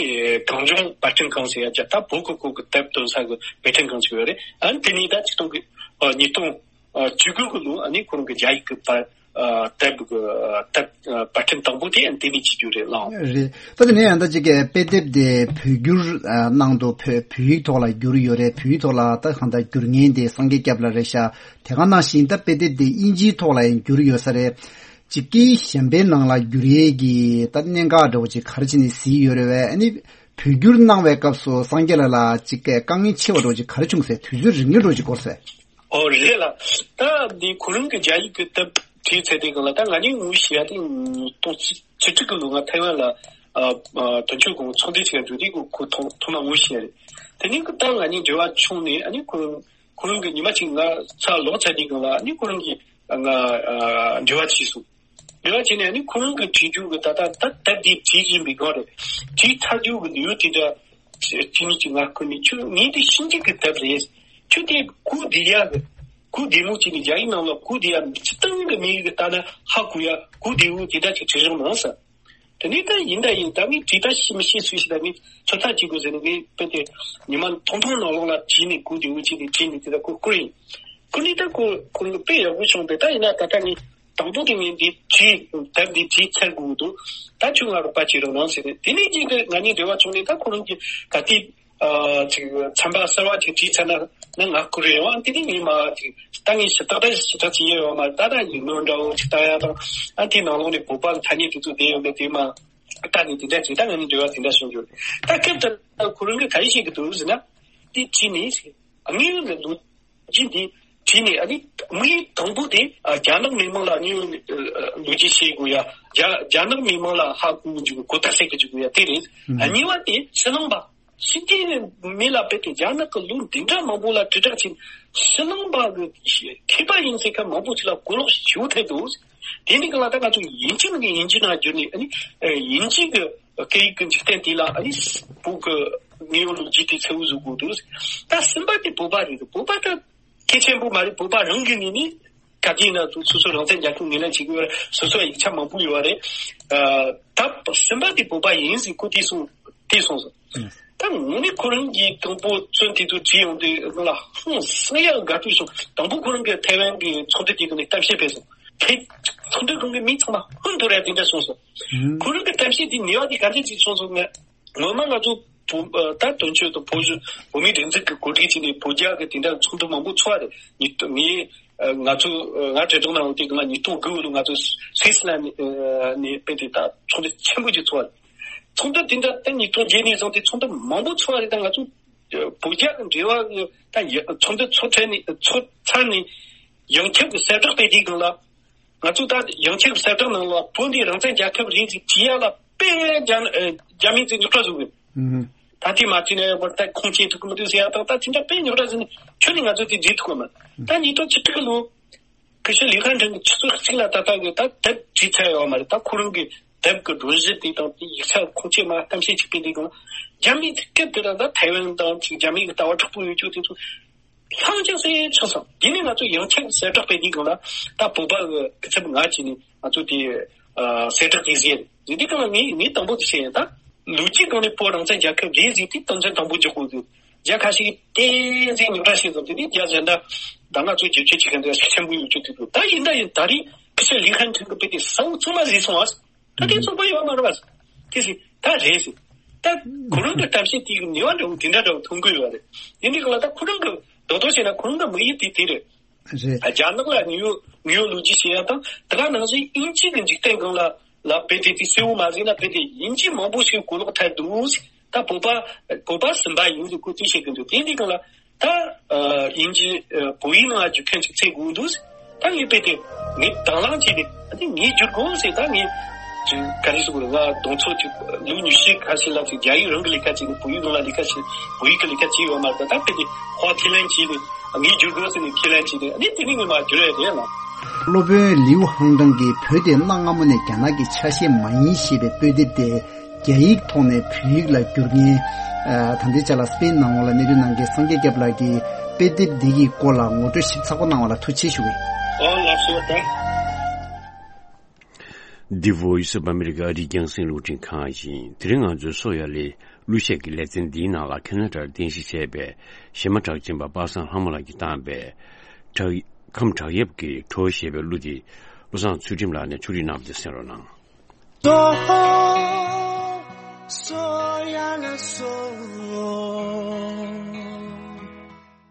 གངས་ལྗོངས་པར་སྐྲུན་ཁང་ཟེར་ཡ་ཅིག་ད་བོད་ཀྱི་སྐོར་གྱི་དེབ་འདོན་ས་གི་པར་སྐྲུན་ཁང་ཅིག་ཡོད་རེད། ཨ་ནི་དེ་ནས་ད་ཆིག་སྟོང་གི་ཨ་ཉིས་སྟོང་ཨ་བཅུ་དགུ་གི་ལོ་ཨ་ནི་ཁོ་རང་གི་རྒྱ་ཡིག་གི་པར་ཨ་དེབ་གི་དེབ་ཨ་པར་སྐྲུན་དང་པོ་དེ་ཨ་ནི་དེ་ནས་བྱེད་རྒྱུ་རེད་ལགས། རེད། ད་དེ་ནས་ཡང་ད་ཅིག་གི་དཔེ་དེབ་དེ་བོད་བསྒྱུར་ཨ་གནང་འདུག། བོད་བོད་ཡིག་ཐོག་ལ་བསྒྱུར་ཡོད་རེད། བོད་ཡིག་ཐོག་ལ་ད་གང་ལྟར་བསྒྱུར་མཁན་དེ་སངས་རྒྱས་སྐྱབས་ལགས་རེད་ཤག། དེ་ག་ནང་བཞིན་ད་དཔེ་དེབ་དེ་དབྱིན་ཇིའི་ཐོག་ལ་ཡང་བསྒྱུར་ཡོད་ས་རེད། ཅིག་གིས་གཞན་པའི་ནང་ལ་བསྒྱུར་ཡས་ཀྱི་ད་གནད་འགག་འདྲ་བོ་ཅིག་ག་རེ་བྱས་ནས་གཟིགས་ཡོད་རེད་བས། ཨ་ནི་བོད་བསྒྱུར་གནང་བའི་སྐབས་སུ་སངས་རྒྱས་ལགས་ལ་ཅིག་གི་དཀའ་ངལ་ཆེ་བ་འདྲ་བོ་ཅིག་ག་རེ་བྱུང་ཟེར། དུས་ཚོད་རིང་ངེ་འདྲ་བོ་ཅིག་འགོར་ཟེར། ཨོ་རེད་ལགས། ད་འདི་ཁོ་རང་གི་རྒྱ་ཡིག་གི་དེབ་བྲིས་ཚར་དུས་སྒང་ལ་ད་ང་གཉིས་ངོ་ཤེས་ཡ་དེ་ཉིས་སྟོང་བཅུ་དྲུག་གི་ལོ་ང་ཐའེ་ཝན་ལ་ཨ་ཨ་དོན་གཅོད་ཁང་ཚོགས་འདུ་ཅིག་ལ་འགྲོ་དུས་ཁོ་ཁོ་ཐོག་ཐོག་མ་ངོ་ཤེས་ཡ་རེད། དེ་ནས་ཁོ་ད་ང་གཉིས་འབྲེལ་བ་བྱུང་ནས་ཨ་ནི་ཁོ་རང་ཁོ་རང་གི་ཉི་མ་གཅིག་ང་ཚ་ལོག་ཚར་དུས་སྒང་ལ་ཨ་ནི་ཁོ་རང་གིས་ང་ཨ་འབྲེལ་བ་བྱས་སོང་། འབྲེལ་བ་བྱས་ནས་ཨ་ནི་ཁོ་རང་གི་བྲིས་རྒྱུ་གི་ད་ད་ད་དེབ་འདི་བྲིས་བཞིན་པའི་སྒང་རེད། བྲིས་ཚར་རྒྱུ་གི་ལེའུ་དེ་འདྲ་ གཅིག་གཉིས་ཀྱི་ང་ཁུར་ནས་ཁྱོད་ངས་འདི་ཤིན་ཅིག་གི་དེབ་རེད། ཁྱོད་དེ་གུ་བདེ་ཡ་གི་གུ་བདེ་མོ་གཅིག་ནས་རྒྱ་ཡིག་ནང་ལ་གུ་བདེ་ཡ་སྤྱི་བཏང་གི་མི་ཡིག་གི་ལྟ་ན་ཧ་གོ་ཡ་གུ་བདེ་བོ་དེ་འདྲ་ཅིག་བྲིས་རོགས་གནང་ཟེར། དེ་ནས་ད་ཡིན་ད་ཡིན་ད་ངས་བྲིས་ད་ཤི་མི་ཤི་སུས་ཤི་ད་ངས་ཚོད་ལྟ་བྱེད་དགོས་ཟེར་ནས་ངས་དཔེ་དེ་ཉི་མ་ཐུང་ཐུང་ནང་ལོགས་ལ་བྲིས་ནས་གུ་བདེ་བོ་བྱས་ནས་བྲིས་ནས་དེ་ད་ཁོ་བསྐུར་ཡིན། བསྐུར་ནས་ད་ཁོ་ཁོ་ལ་དཔེ་ཡག་པོ་བྱུང་བས་ད་ཡིན་ན་ད་ལྟ་ངས་དང་པོ་དེ་ངས་འདི་བྲིས་དེབ་འདི་བྲིས་ཚར་དགོས་འདུག་ད་ཁྱོད་ང་རོགས་པ་བྱེད་རོགས་གནང་ཟེར་ནས་དེ་ནས་རྗེས་ཀྱི་ང་གཉིས་འབྲེལ་བ་བྱུང་ནས་ད་ཁོ་རང་གི་ག་དུས་ཨ་ཅིག་ཚན་པ་གསར་བ་ཅིག་བྲིས་ཚར་ན་ནི་ང་བསྐུར་རེད་བ། དེ་ནས་ངས་མ་ཅིག་ད་ངས་ཞིབ་ཏག་ཏག་ཞིབ་ཏག་ཅིག་ཡེ་ཡོད་མ་རེད། ད་ད་ཡིག་ནོར་འདྲ་བོ་ཅིག་བཏང་ཡ་དང་ཨ་དེའི་ནང་ལོགས་ནས་བོད་པ་ཐ་སྙད་དེ་ཚོ་བསྡད་ཡོད་མེད་དེ་མ་ལྟ་ནས་དེ་འདྲ་བྱས། ད་ང་གཉིས་འབྲེལ་བ་དེ་འདྲ་བྱུང་རྒྱུ་རེད། ད་སྐབས་དེར་ཁོ་རང་གིས་ག་རེ་བཤད་ཀྱི་འདུག་ཟེར་ན། དེ་བྲིས་ནས་དངོས་ཡོད་ཀྱི་ལོ་རྒྱུས་འདི་བྲིས་ནས་ཨ་ནི་དམིགས་ཡུལ་དང་པོ་དེ་ཨ་རྒྱ་ནག་མི་མང་ལ་དངོས་ཡོད་ལོ་རྒྱུས་བཤད་དགོས་ཡ། རྒྱ་རྒྱ་ནག་མི་མང་ལ་ཧ་གོ་རྒྱུ་གོ་བརྡ་སྤྲད་དགོས་ཡ་དེ་རེད། ཨ་གཉིས་པ་དེ་ཕྱི་ནང་པ་ཕྱི་རྒྱལ་མི་ལ་དཔེ་དེ་རྒྱ་ནག་གི་ལོ་འདི་འདྲ་མང་པོ་ལ་དྲིལ་བསྒྲགས་བྱས་ཕྱི་ནང་པ་གི་མཁས་པ་ཡིན་ཟེར་མཁན་མང་པོ་ཅིག་ལ་གོ་ལོག་ཞུ་ཐུབ་འདུག་དེ་འདི་ག་ལ་ད་ང་ཚོ་ཡིན་གཅིག་ནང་གི་ཡིན་གཅིག་ནང་བསྒྱུར་ནས་ཨ་ནི་ཡིན་གཅིག་གི་སྐད་ཡིག་གི་འཇིག་རྟེན་དེ་ལ་ཨ་ནི་བོད་ཀྱི་དངོས་ཡོད་ལོ་རྒྱུས་དེ་གསལ་བོ་བཟོ་དགོས་འདུག་ད་གསུམ་པ་དེ་བོད་པ་རེད། བོད་པ་ད་གལ་ཆེན་པོ་མ་རེད། བོད་པ་རང་གི་ངོས་ནས་ག་དུས་ན་ཚོ་སོ་སོ་རང་བཙན་རྒྱལ་ཁབ་ངོས་ལེན་བྱེད་དགོས་རེད། སོ་སོ་ཡིག་ཆ་མང་པོ་ཡོད་རེད། ད་གསུམ་པ་དེ་བོད་པ་ཡིན་ཟེར་ཁོ་དེ་གསུངས་དེ་གསུངས་སོང་། ད་ངོ་མ་ཁོ་རང་གིས་དང་པོ་བཙོན་དེ་ཚོ་བྲིས་ཡོང་དུས་ང་ལ་ཧང་སང་ཡག་དགའ་སྤྲོ་བྱུང་། དང་པོ་ཁོ་རང་གིས་ཐའེ་ཝན་གྱི་ཚོགས་འདུ་དེ་གི་ནས་གཏམ་བཤད་སྤེལ་སོང་། ཁྱེད་ཚོགས་འདུ་ཁང་གི་མི་ཚང་མ་ཧོན་དུ་རེད་དེ་འདྲ་གསུངས་སོང་། ཁོ་རང་གི་གཏམ་བཤད་དེ་ནུས་པ་དེ་ག་འདྲ་ཅིག་བྱུང་སོང་ངས། ངོ་མ་ང་ཚོ་བོད་ད་དོན་གཅོད་དང་བོད་གཞུང་བོད་མིའི་སྒྲིག་འཛུགས་ཀྱི་གོ་སྒྲིག་བྱས་ནས་བོད་རྒྱ་གི་དེ་འདྲ་ཚོགས་འདུ་མང་པོ་ཚོགས་རེད། ཉིས་སྟོང་ངས་ང་ཚོ་ང་དྲིལ་བསྒྲགས་གནང་བ་དེ་གི་ང་ཉིས་སྟོང་དགུ་ལོ་ང་ཚོ་སུད་སི་ལན་ནས་དཔེ་དེ་ད་ཚོགས་འདུ་ཆེན་པོ་ཅིག་ཚོགས་རེད། ཚོགས་འདུ་དེ་འདྲ་ད་ཉིས་སྟོང་བརྒྱད་ནས་བཟུང་སྟེ་ཚོགས་འདུ་མང་པོ་ཚོགས་རེད། ད་ང་ཚོ་བོད་རྒྱ་གི་འབྲེལ་བ་གི་ད་ཚོགས་འདུ་ཚོགས་ཚར་ནས་ཚོགས་ཚར་ནས་ཡང་ཁྱབ་ཀྱི་གསལ་བསྒྲགས་སྤེལ་དུས་སྒང་ལ། ང་ཚོ་ད་ཡང་ཁྱབ་གསལ་བསྒྲགས་ནང་ལ་བོད་འདི་རང་བཙན་རྒྱལ་ཁབ་རེད་ཅེས་བྲིས་ཡ་ལ་དཔེ་རྒྱ་རྒྱ་མི་ཚོས་རྙོག་དྲ་བཟོ་གི། ད་དེ་མ་བྲིས་ན་ཡང་ད་ཁུངས་སྐྱེལ་ཐུབ་ཀྱི་མི་འདུག་ཟེར་ཡ་དང་ད་དེ་འདྲ་དཔེ་རྙོག་དྲ་བཟོས་ནས་ཁྱོན་ནས་ང་ཚོས་དེ་འགྲིག་ཐུབ་ཀྱི་མ་རེད། ད་ཉིས་སྟོང་བཅུ་དྲུག་ལོ་ཀི་ཤུ་ལི་ཧན་ཁྲིན་གྱི་ཆུ་ཚོད་གཅིག་ལ་ད་ལྟ་གི་ད་དེབ་བྲིས་ཚར་ཡོད་མ་རེད། ད་ཁོ་རང་གི་དེབ་ཀྱི་སྒྲོམ་གཞི་དེ་དང་དེ་ཡིག་ཆ་ཁུངས་སྐྱེལ་མ་གཏམ་བཤད་ཅིག་སྤེལ་དུས་སྒང་རྒྱ་མིའི་སྐད་དེ་ལ་ད་ཐའེ་ཝན་དང་ཅིག་རྒྱ་མིའི་ལྟ་བ་དྲག་པོ་ཡོད་རྒྱུ་དེ་ཚོ། ལྷང་ཅག་སེ་ཆགས་སོང་། དེ་ནས་ང་ཚོ་ཡང་ཁྱབ་གསལ་བསྒྲགས་སྤེལ་དུས་སྒང་ལ་ད་བོད་པ་གི་སྐུ་ཚབ་ང་བྱས་ནས་ང་ཚོ་དེ་གསལ་བསྒྲགས་དེ་ཟེར་ཟེར་དུས་སྒང་ལ་ངས་ངས་དང་པོ་དེ་བཤད་ཡིན། ད་ལོ་རྒྱུས་སྒང་ནས་བོད་རང་བཙན་རྒྱལ་ཁབ་རེད་ཟེར་དུས་དོན་ཚན་དང་པོ་འཇོག་དགོས་ཟེར། རྒྱ་ཁ་ཤས་ཀྱིས་བསྟན་འཛིན་རྙོག་དྲ་བཤད་སོང་། དེ་ནས་རྒྱ་གཞན་དག་ད་ང་ཚོ་བསྒྱུར་བཅོས་བྱེད་མཁན་དེ་ཤུགས་ཆེན་པོ་ཡོད་རྒྱུ་དེ་འདུག་ད་ཡིན་ད་ཡིན་ད་རེས་ཁི་ཤ་ལི་ཧན་ཁྲིན་གི་དཔེ་དེ་ས་འུག་ཚང་མ་བཟས་སོང་ཨ། ད་དེ་ཚོགས་པ་ཡོད་མ་རེད་པ། དེ་ཟེར་ད་རེད་ཟེར། ད་ཁོ་རང་གི་གཏམ་བཤད་དེ་གི་ནུས་པ་འདྲ་བོ་དེ་འདྲ་འདྲ་བོ་ཐོན་གི་ཡོད་རེད། དེ་འདྲ་གི་ལ་ད་ཁོ་རང་གི་རྡོག་རྡོག་བྱས་ན་ཁོ་རང་གི་དམིགས་ཡུལ་དེ་དེ་རེད། རེད། རྒྱ་ནག་ལ་ངོས་ངོས་ལོ་རྒྱུས་བཤད་ཡ་དང་དེ་ག་ནང་བཞིན་དབྱིན་ཇི་གི་འཇིག་རྟེན་སྒང་ལ་ལ་དཔེ་དེ་དེ་གསལ་བོ་མ་ཟིན་ན་དཔེ་དེ་དབྱིན་ཇི་མང་པོ་ཞིག་གོ་ལོག་ཐལ་འདུག་ད་བོད་པ་བོད་པ་སུམ་པ་ཡིན་ཟེར་ཁོ་ཚོས་བཤད་གི་འདུག་དེ་འདྲ་གི་ལ། ད་ཨ་དབྱིན་ཇི་ཨ་བོད་ཡིག་ནང་བསྒྱུར་མཁན་ཅིག་འཚོལ་དགོས་འདུག་ད་ངས་དཔེ་དེ་ངས་དང་བླངས་བྱས་ཏེ་ཨ་ནི་ངས་བསྒྱུར་དགོས་ཟེར། ད་ངས་ཅིག་ག་རེ་ཟེར་དགོས་རེད། ང་གདོང་ཚོད་ཅིག་ལོ་ཉི་ཤུ་ཁ་ཤས་ལ་ཅིག་རྒྱ་ཡིག་རང་གི་ལས་ཀ་བྱས་ནས་བོད་ཡིག་ནང་ལ་ལས་ཀ་བྱས་བོད་ཡིག་གི་ལས་ཀ་བྱས་ཡོད་མ་རེད། ད་དཔེ་དེ་ཁོ་ཁས་ལེན་བྱས་ནས་ངས་བསྒྱུར་དགོས་ཟེར་ནས་ཁས་ལེན་བྱས་ནས་ཨ་ནི་དེ་ནས་ངས་མར་བསྒྱུར་ཡ་རེད་ལ། སློབ་དཔོན་ལིའུ་ཧང་ཀྲང་གིས་བོད་དེ་གནའ་སྔ་མོ་ནས་རྒྱ་ནག་གི་ཆ་ཤས་མ་ཡིན་ཞེས་པའི་དཔེ་དེབ་དེ། རྒྱ་ཡིག་ཐོག་ནས་བོད་ཡིག་ལ་བསྒྱུར་མཁན། ཨ་ད་ལྟའི་ཆ་ལ་སྤེན་ནང་ལོགས་ལ་གནས་སྡོད་གནང་མཁན་སངས་རྒྱས་སྐྱབས་ལགས་ཀྱིས་དཔེ་དེབ་འདི་གི་སྐོར་ལ་ངོ་སྤྲོད་ཞིབ་ཚགས་པོ་གནང་བ་ལ་ཐུགས་རྗེ་ཆེ་ཞུ་གི་ཡིན། ཨོ་ལགས་སོ་ད། འདི་Voice of America ཨ་རིའི་རྒྱང་སྲིང་རླུང་འཕྲིན་ཁང་ཡིན། དེ་རིང་ང་ཚོའི་བསོད་ཡར་ལས་གླུ་གཞས་ཀྱི་ལེ་ཚན་འདིའི་ནང་ལ་ཁེ་ན་ཌར་རྟེན་གཞི་བྱས་པའི་གཞས་མ་གྲགས་ཅན་པ་པ་སངས་ལྷ་མོ་ལགས་ཀྱིས་བཏང་བའི་བྲག་ཁམས་བྲག་གཡབ་ཀྱི་བྲོ་ཞེས་པའི་གླུ་དེ་བློ་བཟང་ཚུལ་ཁྲིམས་ལགས་ནས་ཕྱོགས་སྒྲིག་གནང་བ་དེ་གསན་རོགས་གནང་།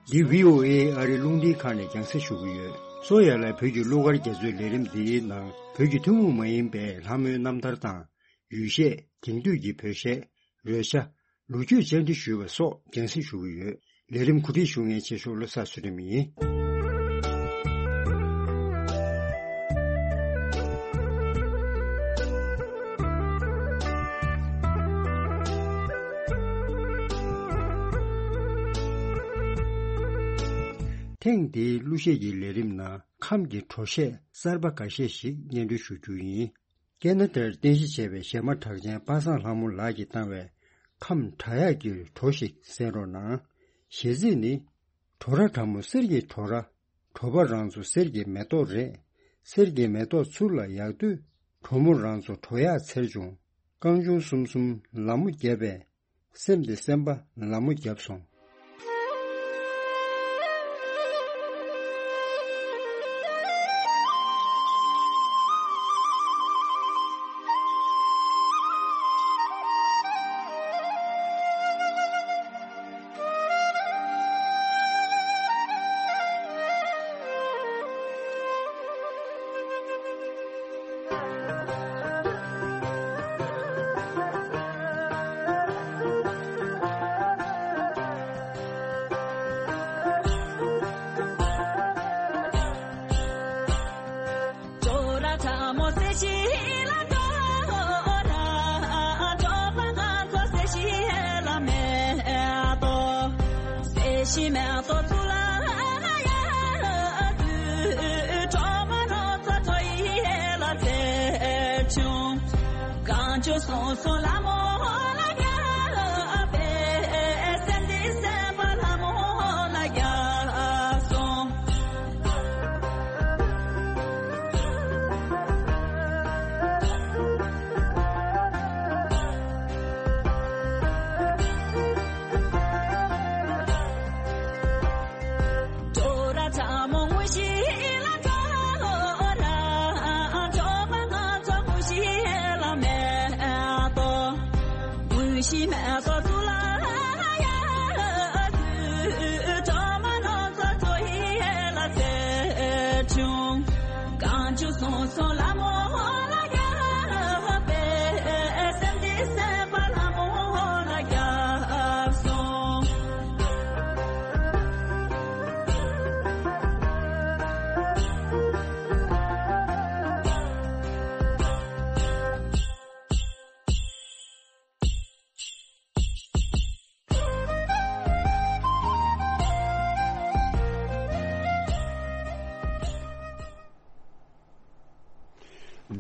འདི་བྷི་ཨོ་ཨེ་ཨ་རི་རླུང་འཕྲིན་ཁང་ནས་རྒྱང་སྲིང་ཞུ་གི་ཡོད། བསོད་ཡར་ལས་བོད་ཀྱི་གླུ་གར་རྒྱ་མཚོའི་ལས་རིམ་འདིའི་ནང་བོད་ཀྱི་ཐུན་མོང་མ་ཡིན་པའི་ལྷ་མོའི་རྣམ་ཐར་དང་། ཡུལ་གཞས། དེང་དུས་ཀྱི་བོད་གཞས། རོལ་ཆ། ལོ་རྒྱུས་བཅར་འདྲི་ཞུས་པ་སོགས་རྒྱང་སྲིང་ཞུ་གི་ཡོད། ལས་རིམ་གོ་སྒྲིག་ཞུ་མཁན་ཆེ་ཤོས་བློ་བཟང་ཚུལ་ཁྲིམས་ཡིན། ཐེངས་འདིའི་གླུ་གཞས་ཀྱི་ལས་རིམ་ནང་ཁམས་ཀྱི་བྲོ་གཞས་གསར་པ་འགའ་ཤས་ཤིག་སྙན་སྒྲོན་ཞུ་རྒྱུ་ཡིན། ཁེ་ན་ཌར་རྟེན་གཞི་བྱས་པའི་གཞས་མ་གྲགས་ཅན་པ་སངས་ལྷ་མོ་ལགས་ཀྱིས་བཏང་བའི་ ཁམས་དྲག་ཡག་གི་བྲོ་ཞིག་གསན་རོགས་གནང་། གཞས་ཚིག་ནི། བྲོ་ར་གྲང་མོ་གསེར་གྱི་བྲོ་ར། བྲོ་བ་རང་ཚོ་གསེར་གྱི་མེ་ཏོག་རེད། གསེར་གྱི་མེ་ཏོག་ཚུར་ལ་ཡག་དུས། བྲོ་མོ་རང་ཚོ་བྲོ་ཡག་འཚེར་བྱུང་། རྐང་ཆུང་གསུམ་གསུམ་ལ་མོ་བརྒྱབ་པས། སེམས་དེ་སེམས་པ་ལ་མོ་བརྒྱབ་སོང་།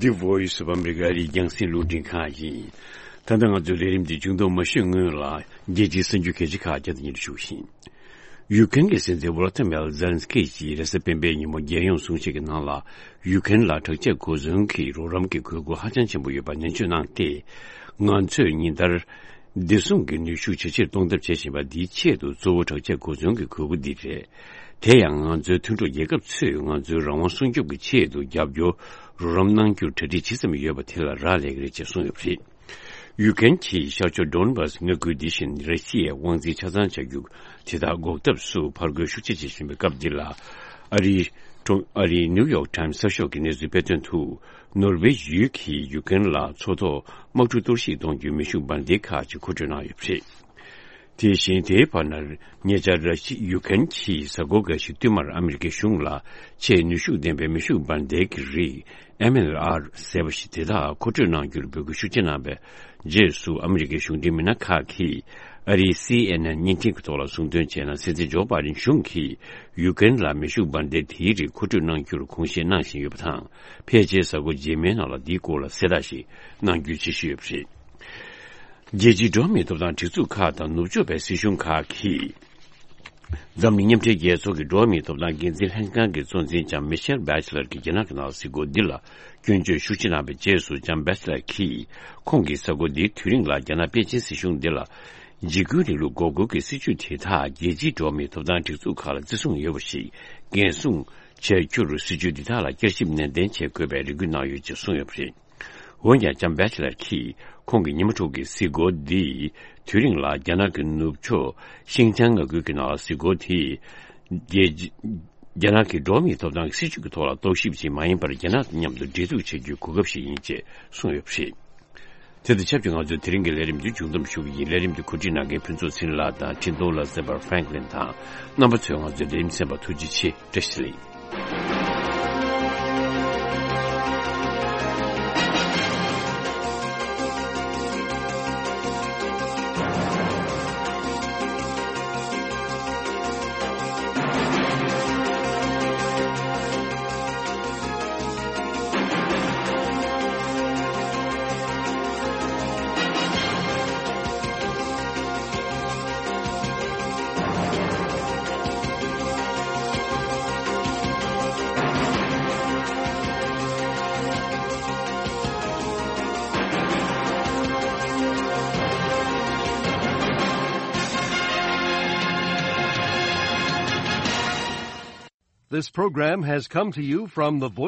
The Voice of America རྒྱང་སྲིང་རླུང་འཕྲིན་ཁང་ཡིན། ད་ལྟ་ང་ཚོའི་ལས་རིམ་འདི་མཇུག་བསྡོམས་མ་ཞུས་སྔོན་ལ་རྒྱལ་སྤྱིའི་གསར་འགྱུར་གལ་ཆེ་ཁག་བསྐྱར་དུ་སྙན་སྒྲོན་ཞུ་བཞིན། ཡུ་ཀེན་གྱི་སྲིད་འཛིན་ཝོ་ལ་ཏི་མེར་ཛེ་ལན་སི་ཀི་ཡིས་རེས་གཟའ་སྤེན་པའི་ཉིན་མོ་རྒྱལ་ཡོངས་གསུང་བཤད་ཀྱི་ནང་ལ། ཡུ་ཀེན་ལ་དྲག་ཆས་གོ་མཚོན་གྱི་རོགས་རམ་གྱི་དགོས་མཁོ་ཧ་ཅང་ཆེན་པོ་ཡོད་པ་ནན་བརྗོད་གནང་སྟེ། ང་ཚོས་ཉིན་ལྟར་བདེ་སྲུང་གི་ནུས་ཤུགས་ཇེ་ཆེར་གཏོང་ཐབས་བྱེད་བཞིན་པ་འདིའི་ཆེད་དུ་གཙོ་བོ་དྲག་ཆས་གོ་མཚོན་གྱི་དགོས་མཁོ་འདི་རེད། དེ་ཡང་ང་ཚོའི་མཐུན་གྲོགས་རྒྱལ་ཁབ་ཚོས་ང་ཚོའི་རང་དབང་སྲུང་སྐྱོབ་ཀྱི་ཆེད་དུ་རྒྱབ་སྐྱོར་རོགས་རམ་གནང་རྒྱུར་གྲ་སྒྲིག་ཇི་ཙམ་ཡོད་པ་དེ་ལ་རག་ལས་ཀྱི་རེད་ཅེས་གསུངས་ཡོད་པ་རེད། ཡུ་ཀེན་གྱིས་ཤར་ཕྱོགས་ཌོན་བྷ་སི་མངའ་ཁུལ་འདི་བཞིན་ར་ཤི་ཡའི་དབང་འཛིན་ཆ་ཚང་བྱ་རྒྱུ་དེ་དག་འགོག་ཐབས་སུ་ཕར་རྒོལ་ཤུགས་ཆེ་བྱེད་བཞིན་པའི་སྐབས་འདི་ལ། ཨ་རིའི་ཀྲུང་ཨ་རིའི་ནིའུ་ཡོག་ཊའིམ་གསར་ཤོག་གིས་གནས་ཚུལ་སྤེལ་དོན་དུ། ནོར་ཝེ་ཡུལ་གྱིས་ཡུ་ཀེན་ལ་མཚོ་ཐོག་དམག་གྲུ་གཏོར་བཤིག་གཏོང་རྒྱུའི་མེ་ཤུགས་འབར་མདེལ་ཁག་ཅིག་མཁོ་སྤྲོད་གནང་ཡོད་པ་རེད། དེ་བཞིན་དེའི་བར་ན། ཉེ་ཆར་ར་ཤི་ཡུ་ཀེན་གྱིས་གཟའ་འཁོར་འགའ་ཞིག་བསྟུད་མར་ཨ་མི་རི་ཀའི་གཞུང་ལ་ཆེས་ནུས་ཤུགས་ལྡན་པའི་མེ་ཤུགས་འབར་མདེལ་གྱི་རིགས་ཨེམ་ཨེལ་ཨར་ཟེར་བ་ཞིག་དེ་དག་མཁོ་སྤྲོད་གནང་རྒྱུར་འབོད་སྐུལ་ཤུགས་ཆེ་གནང་བའི་རྗེས་སུ། ཨ་མི་རི་ཀའི་གཞུང་འབྲེལ་མི་སྣ་ཁག་གིས་ཨ་རིའི་སི་ཨེན་ཨེན་བརྙན་འཕྲིན་གྱི་ཐོག་ལ་གསུངས་དོན་བྱས་ན། སྲིད་འཛིན་ཇོ་པཱ་ཏིན་གཞུང་གིས་ཡུ་ཀེན་ལ་མེ་ཤུགས་འབར་མདེལ་དེའི་རིགས་མཁོ་སྤྲོད་གནང་རྒྱུར་དགོངས་བཞེས་གནང་བཞིན་ཡོད་པ་དང་། ཕལ་ཆེར་གཟའ་འཁོར་རྗེས་མའི་ནང་ལ་འདིའི་སྐོར་ལ་གསལ་བསྒྲགས་ཤིག་གནང་རྒྱུའི་འཆར་གཞི་ཡོད་པ་རེད། རྒྱལ་སྤྱིའི་འགྲོ་བ་མིའི་ཐོབ་ཐང་སྒྲིག་འཛུགས་ཁག་དང་ནུབ་ཕྱོགས་པའི་སྲིད་གཞུང་ཁག་གིས། འཛམ་གླིང་མཉམ་འབྲེལ་རྒྱལ་ཚོགས་ཀྱི་འགྲོ་བ་མིའི་ཐོབ་ཐང་འགན་འཛིན་ལྷན་ཁང་གི་གཙོ་འཛིན་ལྕམ་མི་ཤེལ་བྷེ་ཆི་ལར་གྱིས་རྒྱ་ནག་གི་ནང་གཟིགས་སྐོར་འདི་ལ་སྐྱོན་བརྗོད་ཤུགས་ཆེ་གནང་བའི་རྗེས་སུ། ལྕམ་བྷེ་ཆི་ལར་གྱིས་ཁོང་གི་གཟའ་འཁོར་འདིའི་དུས་རིང་ལ་རྒྱ་ནག་པེ་ཅིན་སྲིད་གཞུང་འདི་ལ། འཇིགས་སྐུལ་རིང་ལུགས་འགོག་རྒོལ་གྱི་སྲིད་བྱུས་དེ་དག་རྒྱལ་སྤྱིའི་འགྲོ་བ་མིའི་ཐོབ་ཐང་སྒྲིག་འཛུགས་ཁག་ལ་བརྩི་སྲུང་ཡོད་པ་ཞིག་འགན་སྲུང་བྱ་རྒྱུར། སྲིད་བྱུས་འདི་དག་ལ་བསྐྱར་ཞིབ་ནན་ཏན་བྱེད་དགོས་པའི་རེ་སྐུལ་གནང་ཡོད་ཅེས་གསུངས་ཡོད་པ་རེད། འོན་ཀྱང་། ལྕམ་བྷེ་ཆི་ལར་གྱིས་ཁོང་གི་ཉི་མ་དྲུག་གི་གཟིགས་སྐོར་འདིས། དུས་རིང་ལ་རྒྱ་ནག་གི་ནུབ་ཕྱོགས་ཤིང་ཅང་མངའ་ཁུལ་གྱི་ནང་གཟིགས་སྐོར་དེས། རྒྱལ། རྒྱ་ནག་གི་འགྲོ་བ་མིའི་ཐོབ་ཐང་གི་སྲིད་བྱུས་ཀྱི་ཐོག་ལ་རྟོག་ཞིབ་ཅིག་མ་ཡིན་པར། རྒྱ་ནག་དང་མཉམ་དུ་འབྲེལ་གཏུག་བྱ་རྒྱུའི་གོ་སྐབས་ཤིག་ཡིན་ཅེས་གསུངས་ཡོད་པ་རེད། དེ་དང་ཆབས་ཅིག་ང་ཚོའི་དེ་རིང་གི་ལས་རིམ་འདི་མཇུག་བསྡོམས་ཞུ་གི་ཡིན། ལས་རིམ་འདི་གོ་སྒྲིག་གནང་མཁན་ཕུན་ཚོགས་ཚེ་རིང་ལགས་དང་། འཕྲིན་གཏོང་ལ་སེ་བར་ཧྥ་རན་ཀི་ལིན་དང་། རྣམ་པ་ཚོས་ང་ཚོའི་ལས་རིམ་གསན་པར་ཐུགས་རྗེ་ཆེ། བཀྲ་ཤིས་བདེ་ལེགས། This program has come to you from the Voice